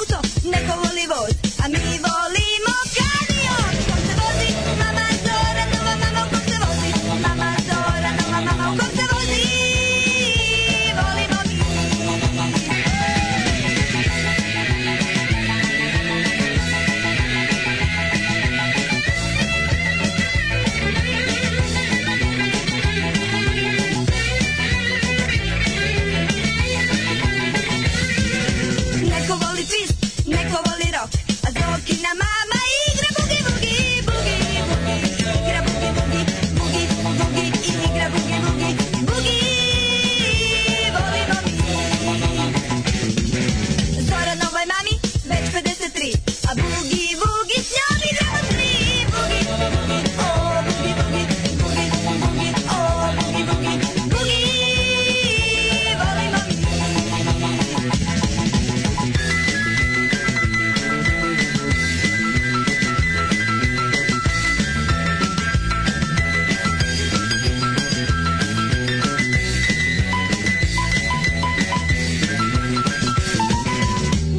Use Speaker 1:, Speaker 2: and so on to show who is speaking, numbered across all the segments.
Speaker 1: auto, neko voli voz, a mi volimo kamion. Kom se vozi, mama Zora, nova mama, u kom se vozi, mama Zora, nova mama, u kom se vozi, volimo mi. Neko voli twist, neko voli rock, a Zokina mama igra bugi bugi, bugi bugi, igra bugi bugi, bugi bugi, igra bugi bugi, bugi, volimo mi. Zora novoj mami, već 53, a bugi bugi s njom igramo svi. Bugi bugi, o bugi bugi, bugi bugi, o bugi bugi, bugi, volimo mi.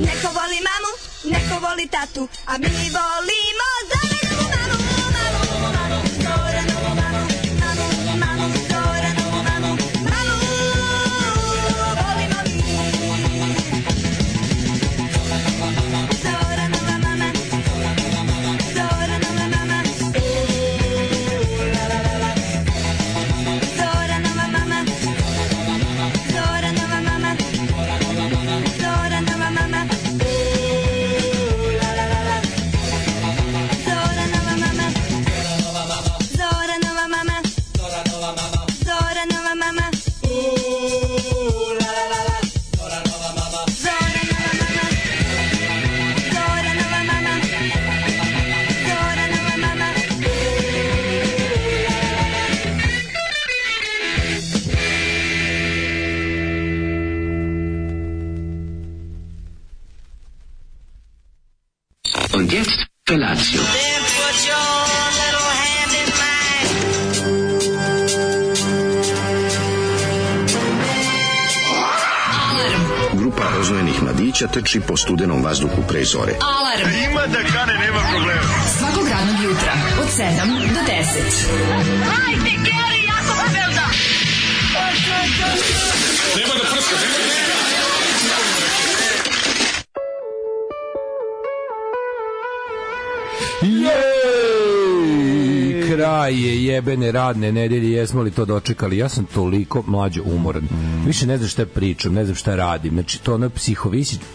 Speaker 1: Neko voli mamu, neko voli tatu, a mi volimo Zoranovu mamu, mamu, mamu, Zoranovu mamu, mamu, mamu, Zoranovu mamu, mamu, volimo mi. Zoranova mama, Zoranova mama, la la la la. Zoranova mama, Zoranova mama, Zoranova mama, la la la la. Zoranova mama, Zoranova mama, Zoranova mama, Zoranova mama, la la la la. Zoranova mama, Zoranova mama, Zoranova mama, Zoranova mama,
Speaker 2: Und jetzt Felatio.
Speaker 3: Then put your little hand in mine.
Speaker 4: Grupa rozvojenih mladića trči po studenom vazduhu pre zore.
Speaker 5: Alarm. Ima da kane, nema problema. Svakog radnog jutra od 7 do 10.
Speaker 3: Hajde, Geri, jako se velda.
Speaker 6: Kraj je jebene radne nedelje, jesmo li to dočekali? Ja sam toliko mlađo umoran. Više ne znam šta pričam, ne znam šta radim. Znači, to ono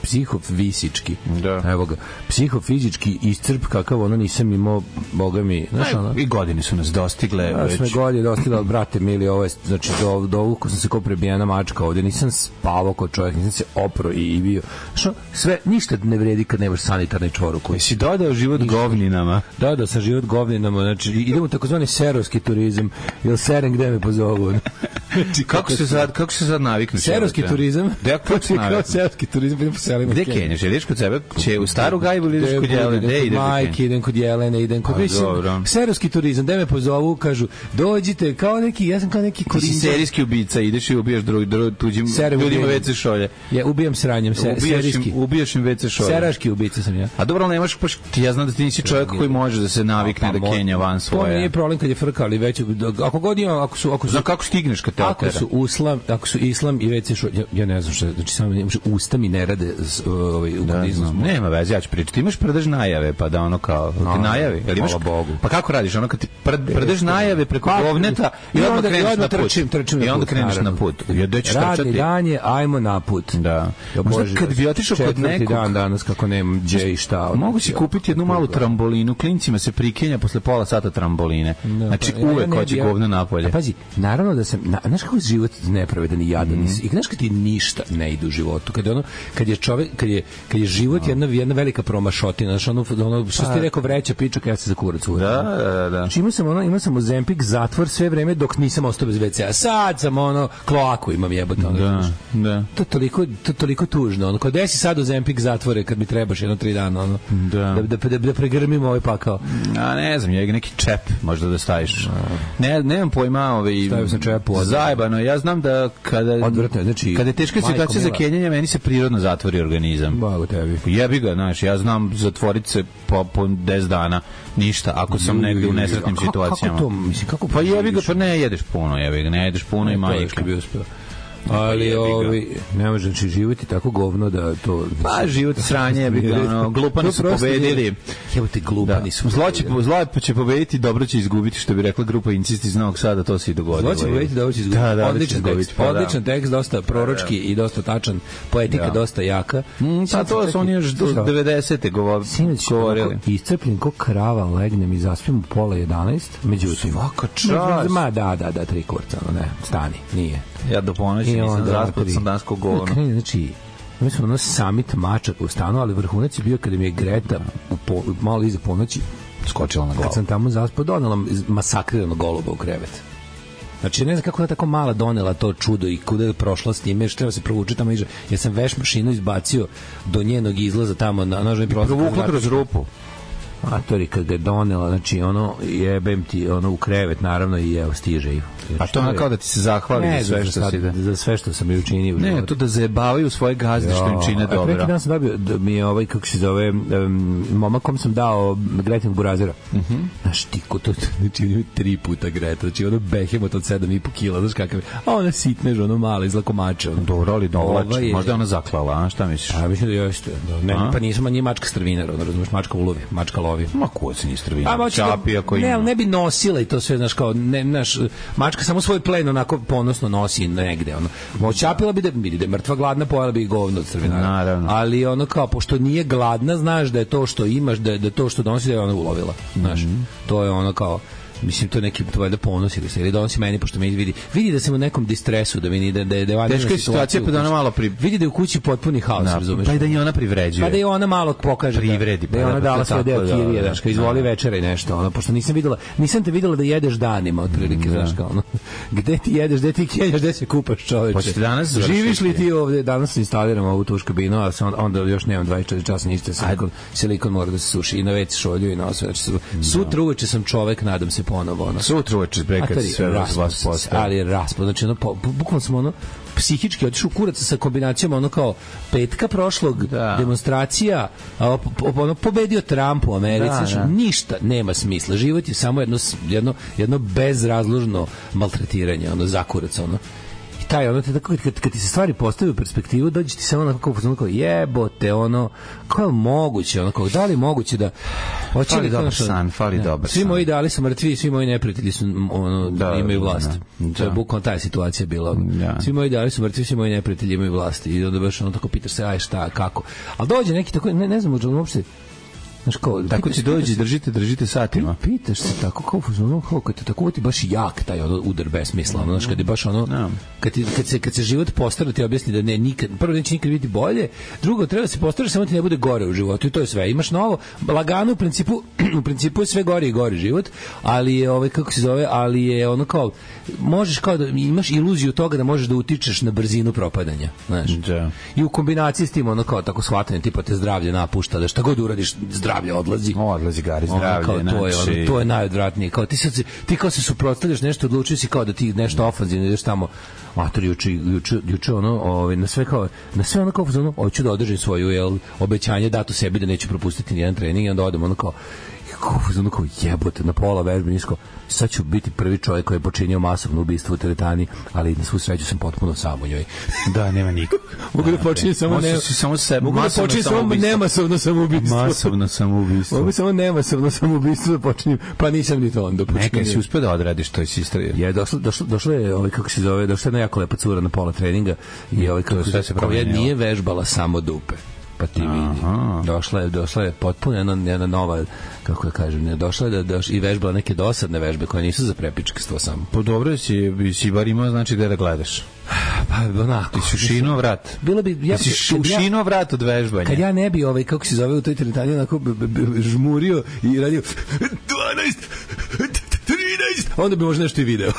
Speaker 6: psihofisički.
Speaker 7: Da.
Speaker 6: Evo ga, psihofizički iscrp kakav ono nisam imao, boga mi. Znaš, ono?
Speaker 7: I godine su nas dostigle.
Speaker 6: Ja sam godine dostigla, ali brate mili, ovo je, znači, do uko sam se kao prebijena mačka ovdje, nisam spavao kao čovjek, nisam se opro i bio. Što, sve, ništa ne vredi kad nemaš sanitarni čvoruk.
Speaker 7: Si dodao život govninama.
Speaker 6: Dodao sam život govninama, znači, idemo takozvani serovski turizam, jer serem gde me pozovu.
Speaker 7: Znači, kako se sad naviknuti?
Speaker 6: Serovski turizam?
Speaker 7: Kako se naviknuti?
Speaker 6: Serovski turizam, idem po selima.
Speaker 7: Gde kenješ? Ideš kod sebe? Će u Staru Gajbu ili ideš kod Jelene?
Speaker 6: Idem kod majke, idem kod Jelene, idem kod... Serovski turizam, gde me pozovu, kažu, dođite, kao neki, ja sam kao neki korinđan.
Speaker 7: Ti si serijski ubica, ideš i ubijaš tuđim ljudima WC šolje.
Speaker 6: Ja ubijam sranjem, serijski.
Speaker 7: Ubijaš im WC šolje.
Speaker 6: Seraški ubica sam ja.
Speaker 7: A dobro, ali nemaš, ja znam da ti nisi čovjek koji može da se navikne da kenja van svoje.
Speaker 6: To nije problem kad je frka, ali već, ako god ima, ako su...
Speaker 7: Znam kako stigneš kad te otera.
Speaker 6: Ako su islam i WC šolje, ja ne znam šta, znači samo usta mi ne rade u budizmu.
Speaker 7: Nema veze, ja ću pričati. Imaš prdež najave, pa da ono kao, ti najavi.
Speaker 6: Hvala Bogu.
Speaker 7: Pa kako radiš? Ono kad ti prdež najave preko govneta i onda kreneš na put. I onda kreneš na put.
Speaker 6: Radni dan je, ajmo na put.
Speaker 7: Da. Možda kad bi otišao kod nekog...
Speaker 6: Četvrti dan danas, kako nemam gdje i šta.
Speaker 7: Mogu si kupiti jednu malu trambolinu, klincima se prikenja posle pola sata tramboline. Znači uvek hoće govno napolje.
Speaker 6: Pazi, naravno da sam, znaš kako je život nepravedan i jadan. I znaš kad ti ništa ne ide u životu. Kad je život jedna velika promašotina. Znaš, ono što ti rekao vreća pičak, ja se za kurac uvijek.
Speaker 7: Da.
Speaker 6: Znači imao sam Ozempik zatvor sve vreme dok nisam ostao bez WC-a. Sad sam kloaku imam jebote.
Speaker 7: Da.
Speaker 6: To toliko tužno. Kad desi sad Ozempik zatvore kad mi trebaš 1-3 dana. Da pregrmimo ovaj pakao.
Speaker 7: A ne znam, je neki čep možda da staviš. Nemam pojma,
Speaker 6: stavio sam čeja po
Speaker 7: zajebano. Ja znam da
Speaker 6: odvratno, znači,
Speaker 7: kada je teška situacija za kenjanje, meni se prirodno zatvori organizam.
Speaker 6: Bago tebi.
Speaker 7: Jebi ga, znaš, ja znam zatvoriti se po 10 dana, ništa, ako sam negde u nesretnim situacijama.
Speaker 6: Kako to, mislim, kako
Speaker 7: pa jebi ga, pa ne jedeš puno, jebi ga, ne jedeš puno i majka.
Speaker 6: Ali ne može znači živjeti tako govno da to
Speaker 7: pa život sranje je glupani su pobedili.
Speaker 6: Jebote glupani su.
Speaker 7: Zlo će pobediti, dobro će izgubiti, što bi rekla grupa Incist iz Novog Sada, to se i dogodilo.
Speaker 6: Zlo će pobediti, dobro će izgubiti. Odličan tekst, dosta proročki i dosta tačan, poetika dosta jaka.
Speaker 7: Pa to su oni još do 90-te govorili.
Speaker 6: Iscrpljen ko krava legnem i zaspim u 10:30, međutim
Speaker 7: svaka čast.
Speaker 6: Ma da 3 kurca, ne, stani, nije.
Speaker 7: Ja do ponoći nisam raspod sam dansko govno.
Speaker 6: Znači, mi smo summit mačaka u stanu, ali vrhunac je bio kada mi je Greta malo iza ponoći
Speaker 7: skočila na glavu.
Speaker 6: Kad sam tamo zaspao, donela masakrirano goluba u krevet. Znači, ne znam kako je tako mala donela to čudo i kuda je prošla s njime, još treba se provući tamo iže. Ja sam veš mašinu izbacio do njenog izlaza tamo na nožni prozor.
Speaker 7: Provukla kroz rupu.
Speaker 6: Atori kad ga je donela, znači ono jebem ti ono u krevet naravno i evo stiže i.
Speaker 7: A to ona kao da ti se zahvali
Speaker 6: za sve što sam joj učinio.
Speaker 7: Ne, to da zajebavaju svoje gazde što im čine dobro.
Speaker 6: Neki dan sam dobio da mi je kako se zove momak kom sam dao Gretinog burazera. Znaš ti ko to znači 3 puta Greta, znači ono behemot od 7,5 kg, znaš kakav. A ona sitnež, ono mala izlakomača.
Speaker 7: Dobro, ali dovlači. Možda ona zaklala, a šta misliš?
Speaker 6: A mislim da jeste. Ne, pa nisam ni mačka strvinar, ono razumeš, mačka ulovi, mačka lovi.
Speaker 7: Ma ko se ni strvinar. Čapi ako ima.
Speaker 6: Ne bi nosila i to sve, znaš kao, ne, znaš, mačka samo svoj plen onako ponosno nosi negde, ono. Očapila bi da je mrtva gladna, pojela bi i govno od strvinara.
Speaker 7: Naravno.
Speaker 6: Ali ono kao, pošto nije gladna, znaš da je to što imaš, da je to što donosi, da je ona ulovila. Znaš, to je ono kao, mislim, to je neki tvoj da ponosi ili donosi meni, pošto me vidi da sam u nekom distresu, da vidi da je vanjena
Speaker 7: teška situacija, pa da ona malo
Speaker 6: vidi da je u kući potpuni haos, razumeš?
Speaker 7: Pa i da je ona privređuje.
Speaker 6: Pa da je ona malo pokaže
Speaker 7: privredi,
Speaker 6: da je ona dala svoj deo kirije, znaš, kao izvoli večera i nešto, ono, pošto nisam te videla da jedeš danima, otprilike, znaš, kao ono, gde ti jedeš, gde ti kenjaš, gde se kupaš, čoveče?
Speaker 7: Hoćete danas završiti?
Speaker 6: Živiš li ti ovde? Danas instaliram ovu tuš kabinu, a onda još nemam 24 časa, ništa, silikon mora da se suši i na već šolju i na osve. Sutra uveče sam čovek, nadam se ponovo, ono.
Speaker 7: Uveče kad sve vas postaje.
Speaker 6: Ali je raspad, znači ono, bukvalno sam ono psihički otišao u kurac sa kombinacijom ono kao petka prošlog, demonstracija, ono pobedio Trump u Americi, znači ništa nema smisla, život je samo jedno bezrazložno maltretiranje, ono za kurac, ono. Taj ono te tako kad ti se stvari postavljaju u perspektivu, dođe ti samo onako kao jebote, ono kako je moguće, ono kao da li moguće da
Speaker 7: fali dobar san, fali dobar.
Speaker 6: Svi moji ideali su mrtvi, svi moji neprijatelji su imaju vlast. To je bukvalno ta situacija bila. Svi moji ideali su mrtvi, svi moji neprijatelji imaju vlast i onda baš ono tako pitaš se aj šta, kako. Al dođe neki tako ne znam uopšte. Znaš kao,
Speaker 7: tako ti dođe, držite satima.
Speaker 6: Pitaš se tako, kao kad te tako ti baš jak taj udar besmisla, znaš, kad je baš ono, kad se život postara ti objasni da ne, nikad, prvo neće nikad biti bolje, drugo, treba da se postaraš samo ti ne bude gore u životu i to je sve. Imaš novo, lagano, u principu je sve gore i gore život, ali je, kako se zove, ali je ono kao, možeš kao da imaš iluziju toga da možeš da utičeš na brzinu propadanja, znaš. I u kombinaciji s tim, ono kao tako shvatanje, tipa te zdravlje napušta, da šta god uradiš, zdravlje odlazi
Speaker 7: gari zdravlje,
Speaker 6: znači to je najodvratnije, kao ti kao se suprotstavljaš nešto, odlučio si kao da ti nešto ofanzivno ideš tamo, mater juče ono, na sve ono kao hoću da održim svoju obećanje dato sebi da neću propustiti nijedan trening i onda odem ono kao jebote na pola vežbe nisko, sad ću biti prvi čovjek koji je počinio masovno ubistvo u teretani, ali na svu sreću sam potpuno sam u njoj.
Speaker 7: Da, nema nikog.
Speaker 6: Mogu da počinjem samo nemasovno samoubistvo.
Speaker 7: Masovno samoubistvo.
Speaker 6: Mogu samo nemasovno samoubistvo da počinjem, pa nisam ni to onda počinio.
Speaker 7: Nekaj si uspio da odradiš to iz istrije.
Speaker 6: Je, došlo je, kako se zove, došla je jedna jako lepa cura na pola treninga i koja nije vežbala samo dupe. Pa ti vidi. Došla je potpuno jedna nova, kako da kažem, došla je i vežbala neke dosadne vežbe koje nisu za prepičkstvo samo.
Speaker 7: Pa dobro si bar imao, znači gde da gledaš.
Speaker 6: Pa onako.
Speaker 7: Ti si ušinuo vrat.
Speaker 6: Bilo bi
Speaker 7: ušinuo vrat od vežbanja.
Speaker 6: Kad ja ne bi kako se zove u toj teretani onako žmurio i radio 12 13, onda bi možda nešto i video.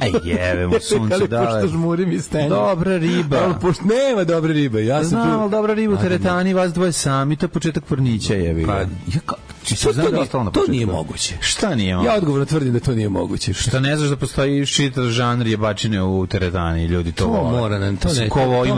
Speaker 7: Aj jebemo sunce,
Speaker 6: ali pošto žmurim i stenjem.
Speaker 7: Dobra riba.
Speaker 6: Ali pošto nema dobre ribe. Ja
Speaker 7: znam, ali dobra riba u teretani, vas dvoje sami, to je početak pornića, jebi.
Speaker 6: Pa, To nije moguće.
Speaker 7: Šta nije moguće?
Speaker 6: Ja odgovorno tvrdim da to nije moguće.
Speaker 7: Šta ne znaš da postoji čitav žanr jebačine u teretani, ljudi to vole.
Speaker 6: Mora nam, to ne.
Speaker 7: Ko voli.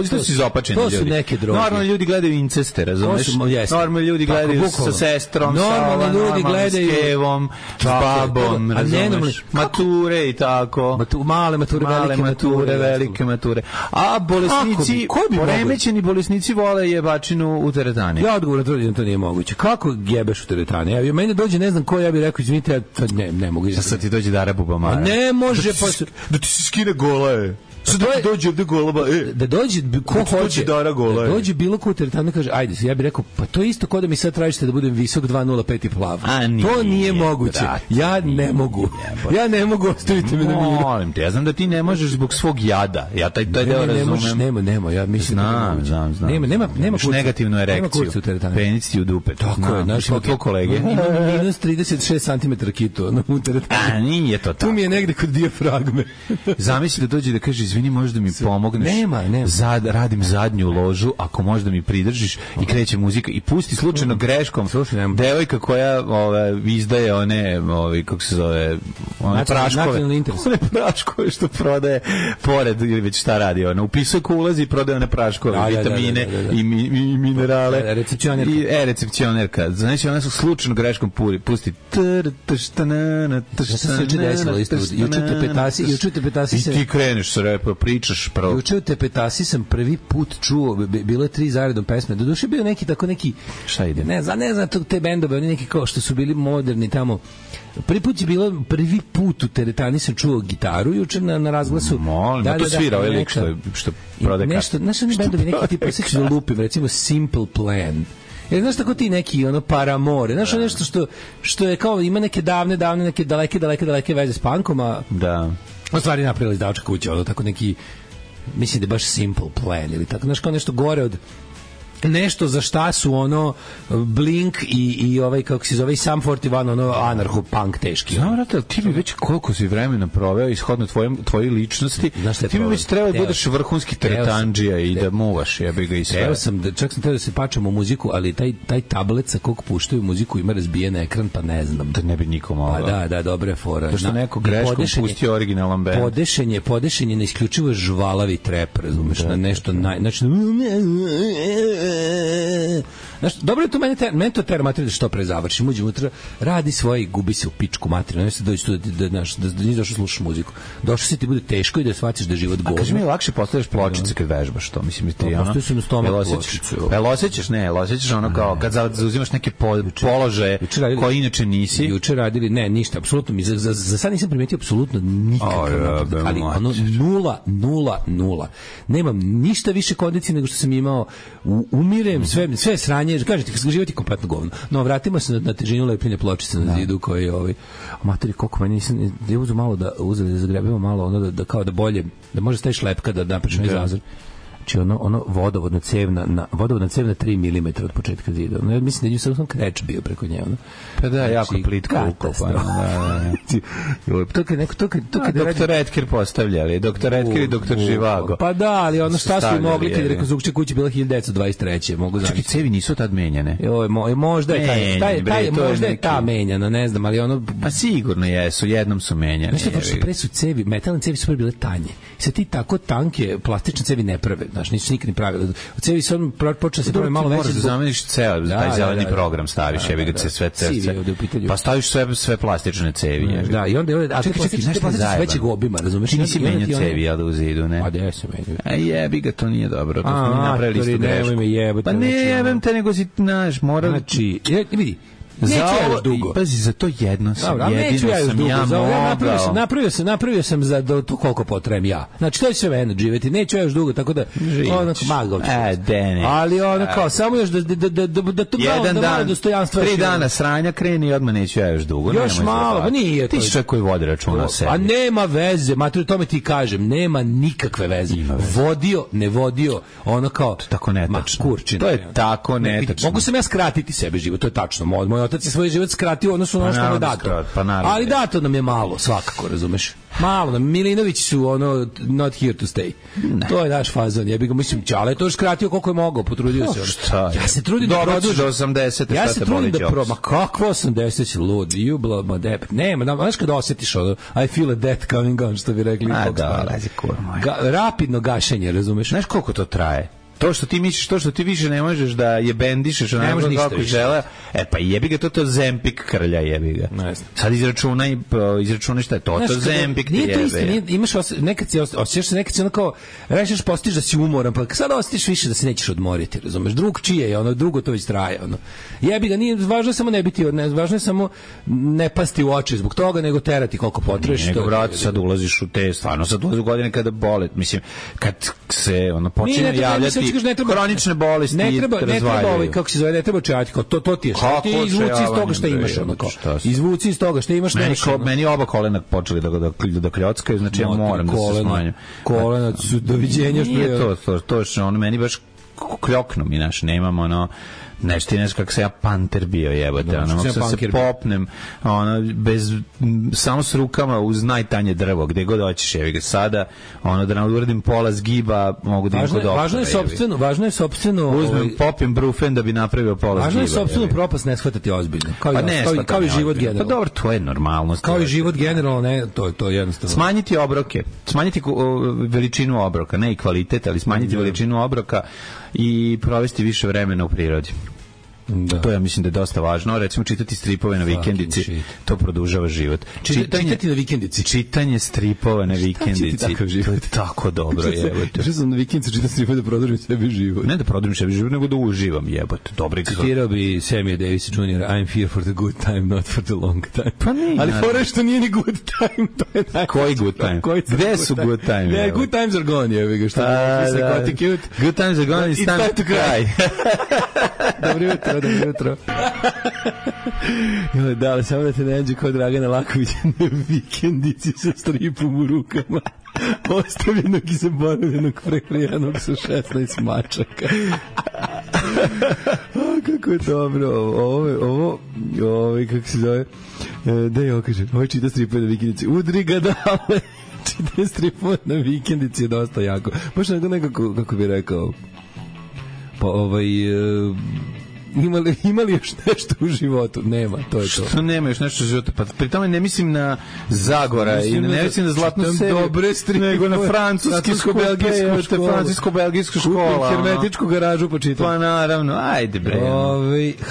Speaker 7: To su izopačeni ljudi.
Speaker 6: To su neke droge.
Speaker 7: Normalno ljudi gledaju inceste, razumeš? Normalno ljudi gledaju sa sestrom,
Speaker 6: normalno ljudi gledaju
Speaker 7: s kevom, s babom, razumeš? Mature i tako.
Speaker 6: Male mature,
Speaker 7: velike mature. A bolesnici, poremećeni bolesnici vole jebačinu u teretani.
Speaker 6: Ja odgovorno tvrdim da to nije moguće. Kako jebeš u teretani? Ja meni dođe ne znam ko, ja bih rekao izvinite, ja ne mogu.
Speaker 7: Sad ti dođe Dara Bubamara.
Speaker 6: Ne može
Speaker 7: da ti se skine gola je. Sad dođe ovde golaba,
Speaker 6: da dođe ko hoće, da dođe bilo ko u teretanu kaže, ajde, ja bih rekao, pa to je isto kao da mi sad tražite da budem visok 2,05 i plav. To nije moguće. Ja ne mogu. Ja ne mogu, ostaviti me na miru.
Speaker 7: Molim te, ja znam da ti ne možeš zbog svog jada. Ja taj deo razumem.
Speaker 6: Nema, ja mislim da
Speaker 7: znam. Nema negativnu erekciju. Penis ti u dupe.
Speaker 6: Tako je,
Speaker 7: našimo tvoj kolege.
Speaker 6: Imam minus 36 cm kitu u teretanu.
Speaker 7: Nije to tako.
Speaker 6: Tu mi je negde kod dijafragme.
Speaker 7: Zamisli da dođe da kaže, izvini, možda mi pomogneš.
Speaker 6: Nema.
Speaker 7: Radim zadnju ložu, ako možda mi pridržiš i kreće muzika i pusti slučajno greškom devojka koja izdaje one kako se zove, one praškove. One praškove što prodaje pored ili već šta radi ona. Upisuje ko ulazi i prodaje one praškove, vitamine i minerale.
Speaker 6: Recepcionerka.
Speaker 7: Recepcionerka. Znači ona su slučajno greškom pusti.
Speaker 6: Šta se juče desilo isto? Juče te petasi
Speaker 7: se... I ti kreneš sa repa, pričaš pravo.
Speaker 6: Juče u Tepetasi sam prvi put čuo, bilo je 3 zaredom pesme. Doduše bio neki tako neki...
Speaker 7: Šta ide?
Speaker 6: Ne znam te bendove, oni neki kao što su bili moderni tamo. Prvi put u teretani sam čuo gitaru juče na razglasu.
Speaker 7: Molim, to svira ovaj lik što prode
Speaker 6: nešto. Znaš oni bendovi neki tipa, sećaš da lupim, recimo Simple Plan. Jer znaš tako ti neki Paramore, znaš nešto što je kao ima neke davne, neke daleke veze s punkom, a u stvari napravila izdavačka kuća, tako neki, mislim da je baš Simple Plan ili tako, znaš kao nešto gore od nešto za šta su Blink i ovaj kako se zove Sum 41 anarcho-punk teški.
Speaker 7: Znam, brate, ti bi već koliko si vremena proveo ishodno tvojoj ličnosti, ti bi već trebao da budeš vrhunski teretandžija i da muvaš, jebi ga i sve.
Speaker 6: Čak sam teo da se pačam u muziku, ali taj tablet sa kog puštaju muziku ima razbijen ekran, pa ne znam.
Speaker 7: Da ne bi nikom mogao.
Speaker 6: Pa da, dobra je fora.
Speaker 7: To što neko greškom pustio originalan band.
Speaker 6: Podešenje na isključivo žvalavi trep, razumeš, na nešto znači dobro je to meni to tera materiju da što pre završim, uđem unutra, radi svoje i gubi se u pičku materiju, ne se dođi tu da nisi došao slušaš muziku, došao si ti bude teško i da shvatiš da je život govno.
Speaker 7: A kaži mi, lakše postavljaš pločice kad vežbaš to, mislim ti
Speaker 6: postoji su na stomak pločice.
Speaker 7: Osjećaš ono kao kad zauzimaš neke položaje koje inače nisi.
Speaker 6: Juče radili, ne, ništa, apsolutno mi za sad nisam primetio apsolutno nikakav, ali nula. Nemam ništa više kondicije nego što sam imao, umirem, sve sranje, kažete, život je kompletno govno. No, vratimo se na težinu lepljenja pločice na zidu koji je materi, koliko meni nisam, da uzu malo da zagrebimo malo, da kao da bolje, da može staviš lepka da napiš onaj zazor. Znači vodovodna cevna 3 mm od početka zida. Ja mislim da je sam kreč bio preko nje.
Speaker 7: Pa da, jako plitka ukopana. To kad doktor Edker postavljali, doktor Edker i doktor Živago.
Speaker 6: Pa da, ali šta su mogli kad je rekonstrukcija kuće bila 1923. Mogu znači.
Speaker 7: Čekaj, cevi nisu tad menjane.
Speaker 6: Možda je ta menjana, ne znam, ali
Speaker 7: pa sigurno jesu, jednom su menjane.
Speaker 6: Znači, pre su cevi, metalne cevi su bile tanje. Sad ti tako tanke plastične cevi ne prave. Znaš, nisu nikad ni pravili. U cevi se počeo se pravi malo veće.
Speaker 7: Moraš da zameniš ceo, taj zeleni program staviš, jebi ga sve. Pa staviš sve plastične cevi.
Speaker 6: Da, i onda a čekaj, plastične većeg obima, razumeš?
Speaker 7: Ti nisi menjao cevi, ja da u zidu, ne?
Speaker 6: A gde se menjaju?
Speaker 7: Jebi ga, to nije dobro, to smo napravili istu grešku. Pa ne jebem te, nego si, znaš, morali...
Speaker 6: Znači, vidi, neću ja još dugo.
Speaker 7: Pazi, za to jedino sam
Speaker 6: napravio sam za to koliko potrebujem ja. Znači, to je sve mene živeti. Neću ja još dugo, tako da onako magao ću. Ali kao, samo još da to malo dostojanstva.
Speaker 7: 3 dana sranja kreni i odmah neću ja još dugo.
Speaker 6: Još malo, pa nije.
Speaker 7: Ti si čovjek koji vodi računa o sebi.
Speaker 6: A nema veze, mater, tome ti kažem, nema nikakve veze. Vodio, ne vodio, ono kao...
Speaker 7: Tako netačno. To je tako netačno.
Speaker 6: Mogu sam ja skratiti sebe život, to je tačno. Moj otac je svoj život skratio, odnosno ono što mu je dato. Ali dato nam je malo, svakako, razumeš? Malo, Milinović su ono not here to stay. Ne. To je naš fazon. Ja bih ga mislim, Ćale je to još skratio koliko je mogao, potrudio se.
Speaker 7: Šta?
Speaker 6: Ja se trudim da produžim
Speaker 7: do 80.
Speaker 6: Ja se trudim da ma kakvo 80 lud, jubla ma dep. Nema, znaš kad osjetiš ono, I feel a death coming on, što bi rekli. Rapidno gašenje, razumeš?
Speaker 7: Znaš koliko to traje? To što ti misliš, to što ti više ne možeš da je bendišeš, ne možeš kako žele. Pa jebi ga to Zempik krlja, jebi ga. Sad izračunaj šta je to Zempik ti jebe.
Speaker 6: Nije, imaš nekad se osjećaš se nekad se onako rešeš postiš da si umoran, pa sad osjetiš više da se nećeš odmoriti, razumeš? Drug čije je, ono drugo to već traje, ono. Jebi ga, nije važno je samo ne biti, važno je samo ne pasti u oči zbog toga, nego terati koliko potreš.
Speaker 7: Nego brate, sad ulaziš u te, stvarno sad ulaziš u godine kada bole, mislim, kad se ono počinje javljati kronične bolesti,
Speaker 6: ne treba kako se zove, ne treba čajati, kao to ti je, ti izvuci iz toga što imaš, ono kao, izvuci iz toga što imaš.
Speaker 7: Meni oba kolena počeli da kljockaju, znači ja moram da se smanjim.
Speaker 6: Kolena su doviđenja.
Speaker 7: Nije to je ono, meni baš kljoknu mi, naš, nemam ono, nešto kako se ja panter bio, jebote, ono, mogu se popnem, ono, samo s rukama uz najtanje drvo, gde god hoćeš, evi ga sada, ono, da nam uradim pola zgiba, mogu da im kod oktora.
Speaker 6: Važno je sopstveno,
Speaker 7: uzmem, popim brufen da bi napravio pola zgiba.
Speaker 6: Važno je sopstveno propast ne shvatati ozbiljno, kao i život generalno.
Speaker 7: Pa dobro, to je normalnost.
Speaker 6: Kao i život generalno, ne, to je jednostavno.
Speaker 7: Smanjiti obroke, smanjiti veličinu obroka, ne i kvalitet, ali smanjiti veličinu obroka i provesti više vremena u prirodi. Da. To ja mislim da je dosta važno. Recimo čitati stripove na vikendici, to produžava život.
Speaker 6: Čitati na vikendici.
Speaker 7: Čitanje stripova na vikendici, to je tako dobro, jebote.
Speaker 6: Što sam na vikendici čitati stripove da produžim sebi život.
Speaker 7: Ne da produžim sebi život, nego da uživam, jebote. Dobro.
Speaker 6: Citirao bi Sammy Davis Jr. I'm here for the good time, not for the long time.
Speaker 7: Pa nije.
Speaker 6: Ali fora što nije ni good time, to je najbolje.
Speaker 7: Koji good time? Gde su good time?
Speaker 6: Ne, good times are gone, jebi ga, što je psychotic youth.
Speaker 7: Good times are gone, it's time to cry.
Speaker 6: Dobro jutro. Da, ali samo da te ne nađe kao Dragana Lakovića na vikendici sa stripom u rukama. Ostavljenog i zaboravljenog preprijanog sa 16 mačaka. Kako je dobro. Ovo kako se zove? Da je okaže. Ovo čita stripove na vikendici. Udri ga dale. Čita stripove na vikendici je dosta jako. Baš nekako, kako bi rekao, pa Ima li još nešto u životu? Nema, to je to.
Speaker 7: Što nema još nešto u životu? Pa pri tome ne mislim na Zagora i ne mislim na Zlatnu seriju, nego na francusko-belgijsku školu.
Speaker 6: Hermetičku garažu počitam.
Speaker 7: Pa naravno, ajde bre.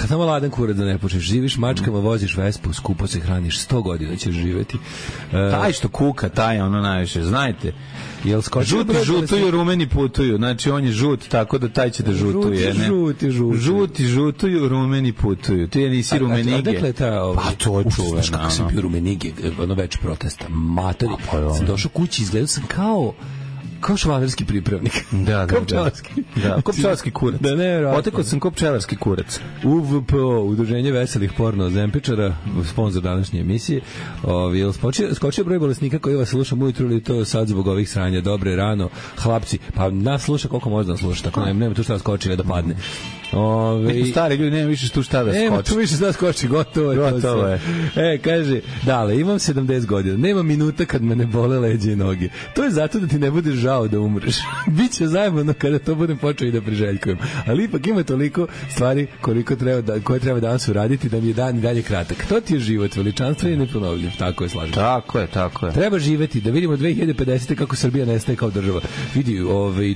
Speaker 6: Samo ladan kurac da ne počneš. Živiš mačkama, voziš Vespu, skupo se hraniš, 100 godina ćeš živeti.
Speaker 7: Taj što kuka, taj ono najviše, znajte. Žuti žutuju, rumeni putuju. Znači on je žut, tako da taj će da žutuje. Žuti žutuju, rumeni putuju. Ti nisi rumenige.
Speaker 6: Odakle je ta...
Speaker 7: Pa to je čuveno.
Speaker 6: Kako sam bio rumenige, ono već protesta. Matori. Sam došao kući, izgledao sam kao švalerski pripravnik.
Speaker 7: Da. Ko pčelarski kurac.
Speaker 6: Da, ne,
Speaker 7: otekao sam ko pčelarski kurac.
Speaker 6: UVPO, Udruženje veselih porno zempičara, sponsor današnje emisije. Skočio broj bolesnika koji vas sluša ujutru ili to sad zbog ovih sranja. Dobre, rano, hlapci. Pa nas sluša koliko može da sluša, tako nema tu šta da skoči ili da padne.
Speaker 7: Neki stari ljudi nema više tu šta da skoči.
Speaker 6: Nema tu više šta da skoči, gotovo je. Kaže, dale, imam 70 godina, nema minuta kad me ne bole leđe i noge. To je zato da ti ne budeš žao da umreš. Biće zajebano kada to budem počeo i da priželjkujem. Ali ipak ima toliko stvari koje treba danas uraditi da mi je dan i dalje kratak. To ti je život, veličanstvo i neponovljiv. Tako je, slažem.
Speaker 7: Tako je.
Speaker 6: Treba živeti, da vidimo 2050. kako Srbija nestaje kao država. Vidi,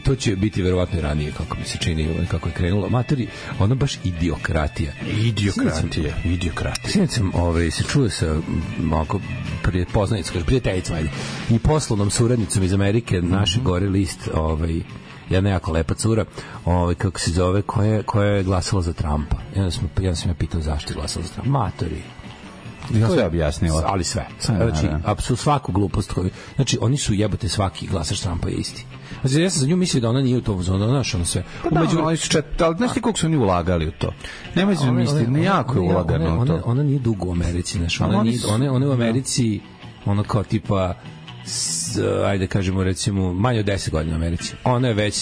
Speaker 6: to će biti verovatno i ranije, kako mi se čini, kako je krenulo. Materi, ono baš idiokratija. Sinoć sam se čuo sa prijateljicom i poslovnom suradnicom iz Amerike, naše gore list, jedna jako lepa cura, kako se zove, koja je glasala za Trumpa. Ja sam pitao zašto je glasala za Trumpa. Matori.
Speaker 7: Ja sve objasnilo.
Speaker 6: Ali sve. Znači, apsolutno svaku glupost koju... Znači, oni su jebote, svaki glasač Trumpa je isti. Znači, ja sam za nju mislio da ona nije u to zonu, znaš, ono sve.
Speaker 7: Ali znaš ti koliko su oni ulagali u to? Nemoj se misliti, nejako je ulagano u to.
Speaker 6: Ona nije dugo u Americi, znaš. Ona je u Americi, ono kao tipa ajde kažemo recimo manje od 10 godina u Americi.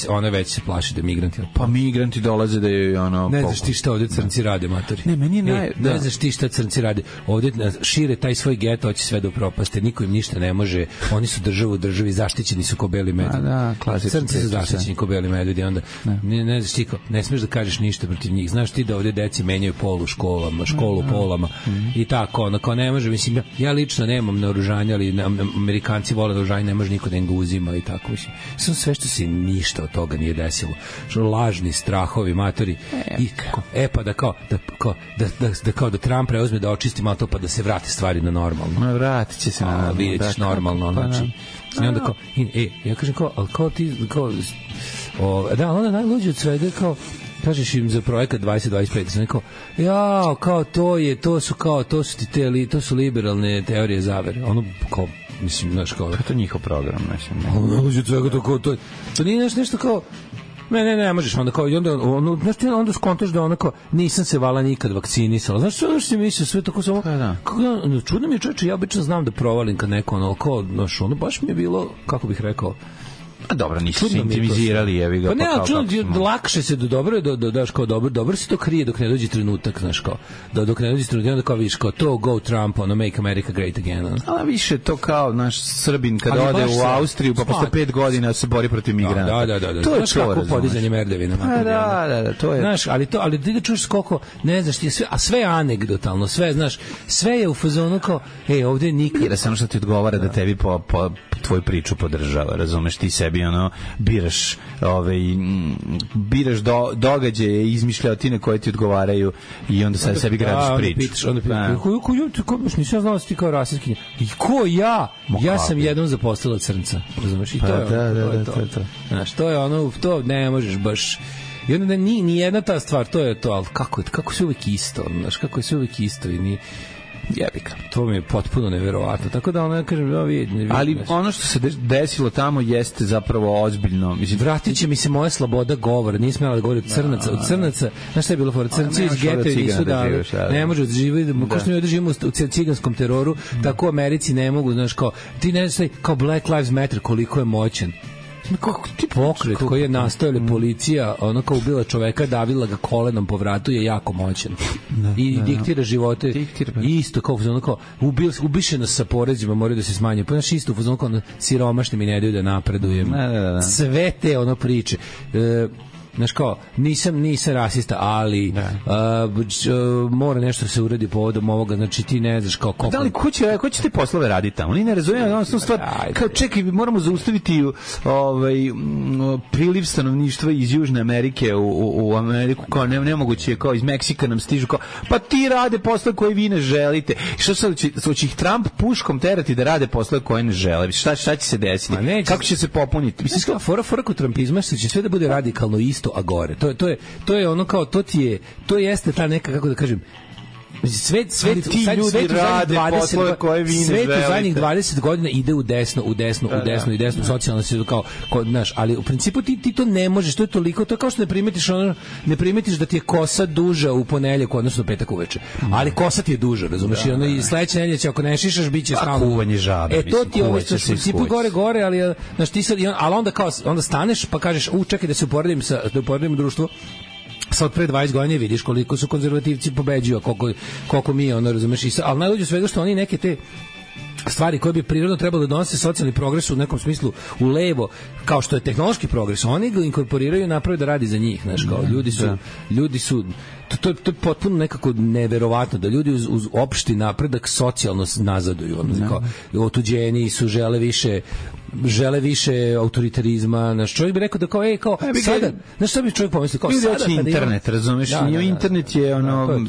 Speaker 6: Ona već se plaši da migranti.
Speaker 7: Pa migranti dolaze da je ono.
Speaker 6: Ne znaš ti šta ovde crnci rade, matori.
Speaker 7: Ne, meni
Speaker 6: ne znaš ti šta crnci rade. Ovde šire taj svoj geto, hoće sve da upropaste, niko im ništa ne može. Oni su država u državi, zaštićeni su ko beli medvedi. Crnci su zaštićeni ko beli medvedi, onda ne znaš ti ne smeš da kažeš ništa protiv njih. Znaš ti da ovde deci menjaju pol u školama, školu polama i tako, onako ne može, mislim, ja lično nemam naoružanja, ali Amerikanci vole naoružanje, ne može niko da im ga uzima i tako, mislim. Sve što se ništa od toga nije desilo. Lažni strahovi, matori. Pa da Trump preuzme da očisti malo to, pa da se vrate stvari na normalno.
Speaker 7: Vratit će se na
Speaker 6: vidjetiš normalno, znači. I onda kao, ja kažem kao, ali kao ti, kao, da, onda najluđe od svega, kao, kažeš im za projekat 2025, sam rekao, kao to su ti to su liberalne teorije zavere. Ono, kao, mislim, znaš, kao...
Speaker 7: To je njihov program, mislim.
Speaker 6: Najluđe od svega, to nije nešto kao... Ne možeš, onda kao, i onda skontaš da ono kao, nisam se vala nikad vakcinisala. Znaš što si mislio, sve tako samo, čudno mi je čoveče, ja obično znam da provalim kad neko ono, kao, znaš, ono, baš mi je bilo, kako bih rekao,
Speaker 7: a dobro, nisu se intimizirali, jevi ga.
Speaker 6: Pa ne, ali čudno, lakše se dobro se to krije dok ne dođe trenutak, znaš, kao, dok ne dođe trenutak, onda kao vidiš, kao, to go Trump, ono, make America great again.
Speaker 7: Ali više to kao naš Srbin kada ode u Austriju, pa posle 5 godina se bori protiv migranata.
Speaker 6: Da.
Speaker 7: To je
Speaker 6: kako podizanje merdevina.
Speaker 7: Da, to je.
Speaker 6: Znaš, ali ti da čuješ koliko, ne znaš, a sve je anegdotalno, sve, znaš, sve je u fazonu kao, ovde nikad.
Speaker 7: Jer samo što ti odgovara da tebi po tvoju priču podržava, razumeš, ti sebi ono biraš događaje, izmišljotine koje ti odgovaraju i onda sad sebi gradiš priču.
Speaker 6: Onda pitaš, nisam znao da si ti kao rasistkinja. I ko ja? Ja sam jednom zaposlila crnca, razumeš, i to je to. Znaš, to je ono, to ne možeš baš. I onda ni jedna ta stvar, to je to, ali kako se uvek isto, znaš, kako je se uvek isto i ni jebika. To mi je potpuno neverovatno. Tako da ono, ja kažem,
Speaker 7: ali ono što se desilo tamo jeste zapravo ozbiljno. Mislim,
Speaker 6: vratit će mi se moja sloboda govora. Nisam smela da govorim od crnaca. Znaš šta je bilo fora? Crnci iz geta i nisu dali. Ne može da živiti. Ko što mi ovdje živimo u ciganskom teroru, tako u Americi ne mogu, znaš, kao, ti ne znaš kao Black Lives Matter koliko je moćan. Pokret koji je nastojala policija, ono kao ubila čoveka, davila ga kolenom po vratu, je jako moćan. I diktira živote. Isto kao ono kao ubiše nas sa porezima, moraju da se smanje. Pa naš isto ono kao siromašni mi ne daju da napredujem. Sve te ono priče. Znaš kao, nisam rasista, ali mora nešto se uradi povodom ovoga, znači ti ne znaš kao koliko...
Speaker 7: Da li, ko će te poslove raditi tamo? Oni ne razumiju, ono stvar, kao čekaj, moramo zaustaviti priliv stanovništva iz Južne Amerike u Ameriku, kao nemoguće, kao iz Meksika nam stižu, kao, pa ti rade poslove koje vi ne želite. Što sad, će ih Trump puškom terati da rade poslove koje ne žele? Šta će se desiti? Kako će se popuniti?
Speaker 6: Mislim, fora kod trumpizma što će sve da bude radikalno isto, a gore. To je ono kao, to jeste ta neka, kako da kažem, svet
Speaker 7: ti ljudi rade poslove koje vi ne želite.
Speaker 6: Svet u zadnjih 20 godina ide u desno, socijalno se kao, znaš, ali u principu ti to ne možeš, to je toliko, to je kao što ne primetiš da ti je kosa duža u ponedeljak, odnosno petak uveče. Ali kosa ti je duža, razumeš, i ono i sledeće nedelje će, ako ne šišaš, biće stalno
Speaker 7: kuvanje žabe.
Speaker 6: To ti ovo što u principu gore, ali znaš, ti sad, ali onda staneš pa kažeš, čekaj da se uporedim društvo sad pre 20 godina, vidiš koliko su konzervativci pobeđuju, koliko mi ono, razumeš, ali najluđe svega što oni neke te stvari koje bi prirodno trebalo da donose socijalni progres u nekom smislu u levo, kao što je tehnološki progres, oni ga inkorporiraju i naprave da radi za njih, znaš, kao ljudi su to je potpuno nekako neverovatno da ljudi uz opšti napredak socijalno nazaduju, ono, kao otuđeni su, žele više autoritarizma. Naš čovjek bi rekao da kao sada, znaš šta bi čovjek pomislio, kao
Speaker 7: sada kada internet, razumeš, internet je ono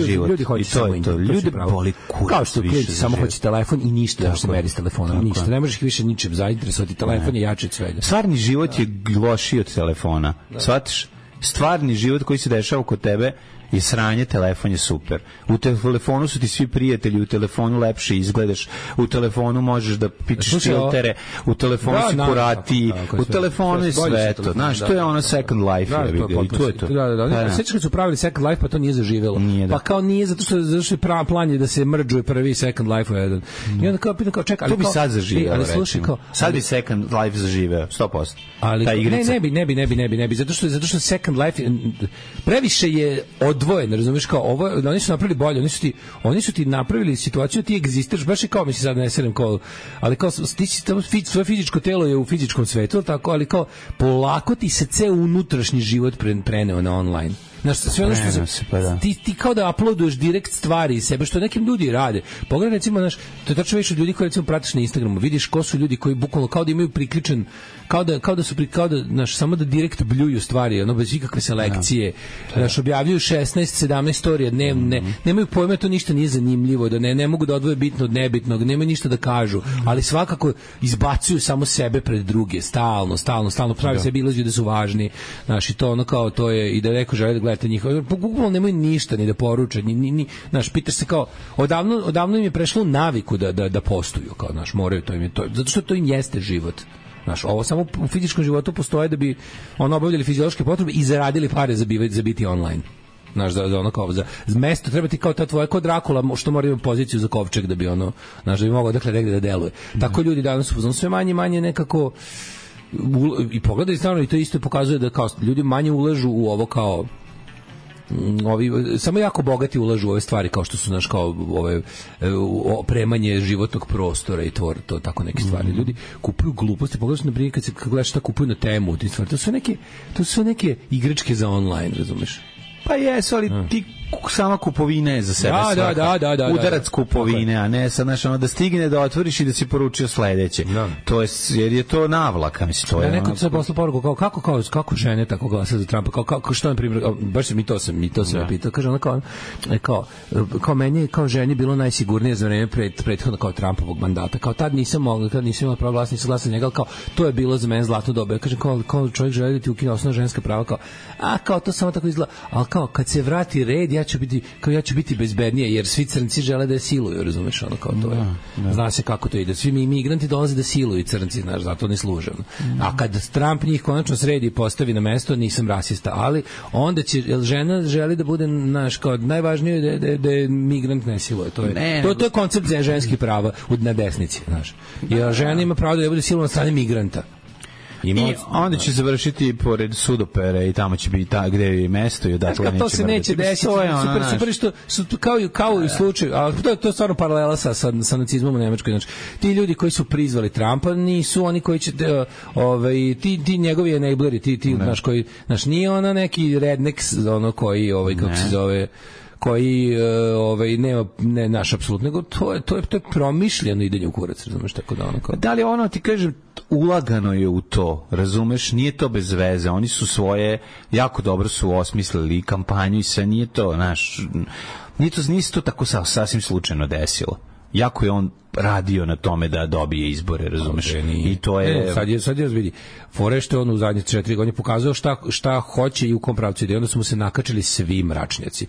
Speaker 7: život.
Speaker 6: Ljudi hoće samo internet.
Speaker 7: Ljudi boli kurac.
Speaker 6: Kao što klijenti samo hoće telefon i ništa da se meri s telefonom. Ništa, ne možeš ih više ničim zainteresovati, telefon je jači od svega.
Speaker 7: Stvarni život je lošiji od telefona. Shvatiš? Stvarni život koji se dešava kod tebe je sranje, telefon je super. U telefonu su ti svi prijatelji, u telefonu lepše izgledaš, u telefonu možeš da pičeš filtere, u telefonu si kurati, u telefonu je sve to. Znaš, to je ono Second Life. I to je to.
Speaker 6: Sveći kad su pravili Second Life, pa to nije zaživelo. Pa kao nije, zato što je plan je da se mrdžuje prvi Second Life u jedan. I onda kao pitan, kao čekaj,
Speaker 7: to bi sad zaživelo,
Speaker 6: recimo.
Speaker 7: Sad bi Second Life zaživeo, 100%.
Speaker 6: Ali ne bi, zato što Second Life previše je odvojen, razumiješ, kao ovo, oni su napravili bolje, oni su ti napravili situaciju, ti egzistiraš, baš i kao, mislim sad ne serem, kao, ali kao, ti si tamo, svoje fizičko telo je u fizičkom svetu, tako, ali kao, polako ti se ceo unutrašnji život preneo na online. Znaš, sve ono što ti kao da uploaduješ direkt stvari iz sebe, što nekim ljudi rade. Pogledaj, recimo, znaš, to je tačno više ljudi koji, recimo, pratiš na Instagramu, vidiš ko su ljudi koji bukvalno kao da imaju priključen, kao da, znaš, samo da direkt bljuju stvari, ono, bez ikakve selekcije, znaš, objavljuju 16-17 storija dnevne, nemaju pojma, to ništa nije zanimljivo, da ne mogu da odvoje bitno od nebitnog, nemaju ništa da kažu, ali svakako izbacuju samo sebe pred druge, stalno, pravi sebi iluziju da su važni, znaš, i to ono kao, to je, i da neko žele da gledate njihove, bukvalno nemaju ništa ni da poruče, znaš, pitaš se kao, odavno im je prešlo u naviku da postuju, kao, znaš, moraju, to im je to, zato što to im jeste život. Znaš, ovo samo u fizičkom životu postoje da bi ono obavljali fiziološke potrebe i zaradili pare za biti online. Znaš, za ono kao, za mesto treba ti kao ta tvoja, kao Drakula, što mora imati poziciju za kovčeg da bi ono, znaš, da bi mogao dakle negde da deluje. Tako ljudi danas su sve manje nekako i pogledaj stvarno, i to isto pokazuje da kao ljudi manje ulažu u ovo kao samo jako bogati ulažu u ove stvari kao što su naš kao ove opremanje životnog prostora i to tako neke stvari. Ljudi kupuju gluposti, pogledaš na primjer kad gledaš šta kupuju na temu, to su sve neke igračke za online, razumeš?
Speaker 7: Pa jesu, ali ti sama kupovina je za sebe
Speaker 6: da,
Speaker 7: udarac kupovine, a ne sad, znaš, ono da stigne da otvoriš i da si poručio sledeće. To je, jer je to navlaka, mislim, to je.
Speaker 6: Neko se poslao poruku kako žene tako glasa za Trumpa, kako što na primjer, baš mi to sam pitao, kaže ona kao meni kao ženi bilo najsigurnije za vreme prethodno kao Trumpovog mandata, kao tad nisam imala pravo glasa, nisam glasala njega, kao to je bilo za mene zlato doba. Ja kažem kao čovjek želi da ti ukine osnovna ženska prava, kao to samo tako izgleda, ali kao kad se vrati red ja ću biti bezbednije, jer svi crnci žele da je siluju, razumeš, ono kao to je. Zna se kako to ide. Svi mi imigranti dolaze da siluju crnci, znaš, zato ne služe. A kad Trump njih konačno sredi i postavi na mesto, nisam rasista, ali onda će, jer žena želi da bude, znaš, kao najvažnije da je migrant ne siluje. To je koncept ženskih prava na desnici, znaš. Jer žena ima pravo da bude silovana od strane migranta.
Speaker 7: I onda će završiti pored Sudopere i tamo će biti gde je mesto i odatle neće.
Speaker 6: To se neće desiti. Super što su kao i slučaj, ali to je stvarno paralela sa nacizmom u Nemačkoj. Znači, ti ljudi koji su prizvali Trumpa nisu oni koji će ti njegovi enableri, ti znaš koji, znaš, nije ona neki redneck, ono koji kako se zove, koji nema naš apsolutno, nego to je promišljeno idenje u kurac, razumeš, tako da ono kao.
Speaker 7: Da li ono, ti kažem, ulagano je u to, razumeš, nije to bez veze, oni su svoje, jako dobro su osmislili kampanju i sve, nije to, znaš, nije to tako sasvim slučajno desilo. Jako je on radio na tome da dobije izbore, razumeš? I to je...
Speaker 6: Sad je vidi. Fore što on u zadnje 4 godine pokazao šta hoće i u kom pravcu ide. Onda su mu se nakačili svi mračnjaci.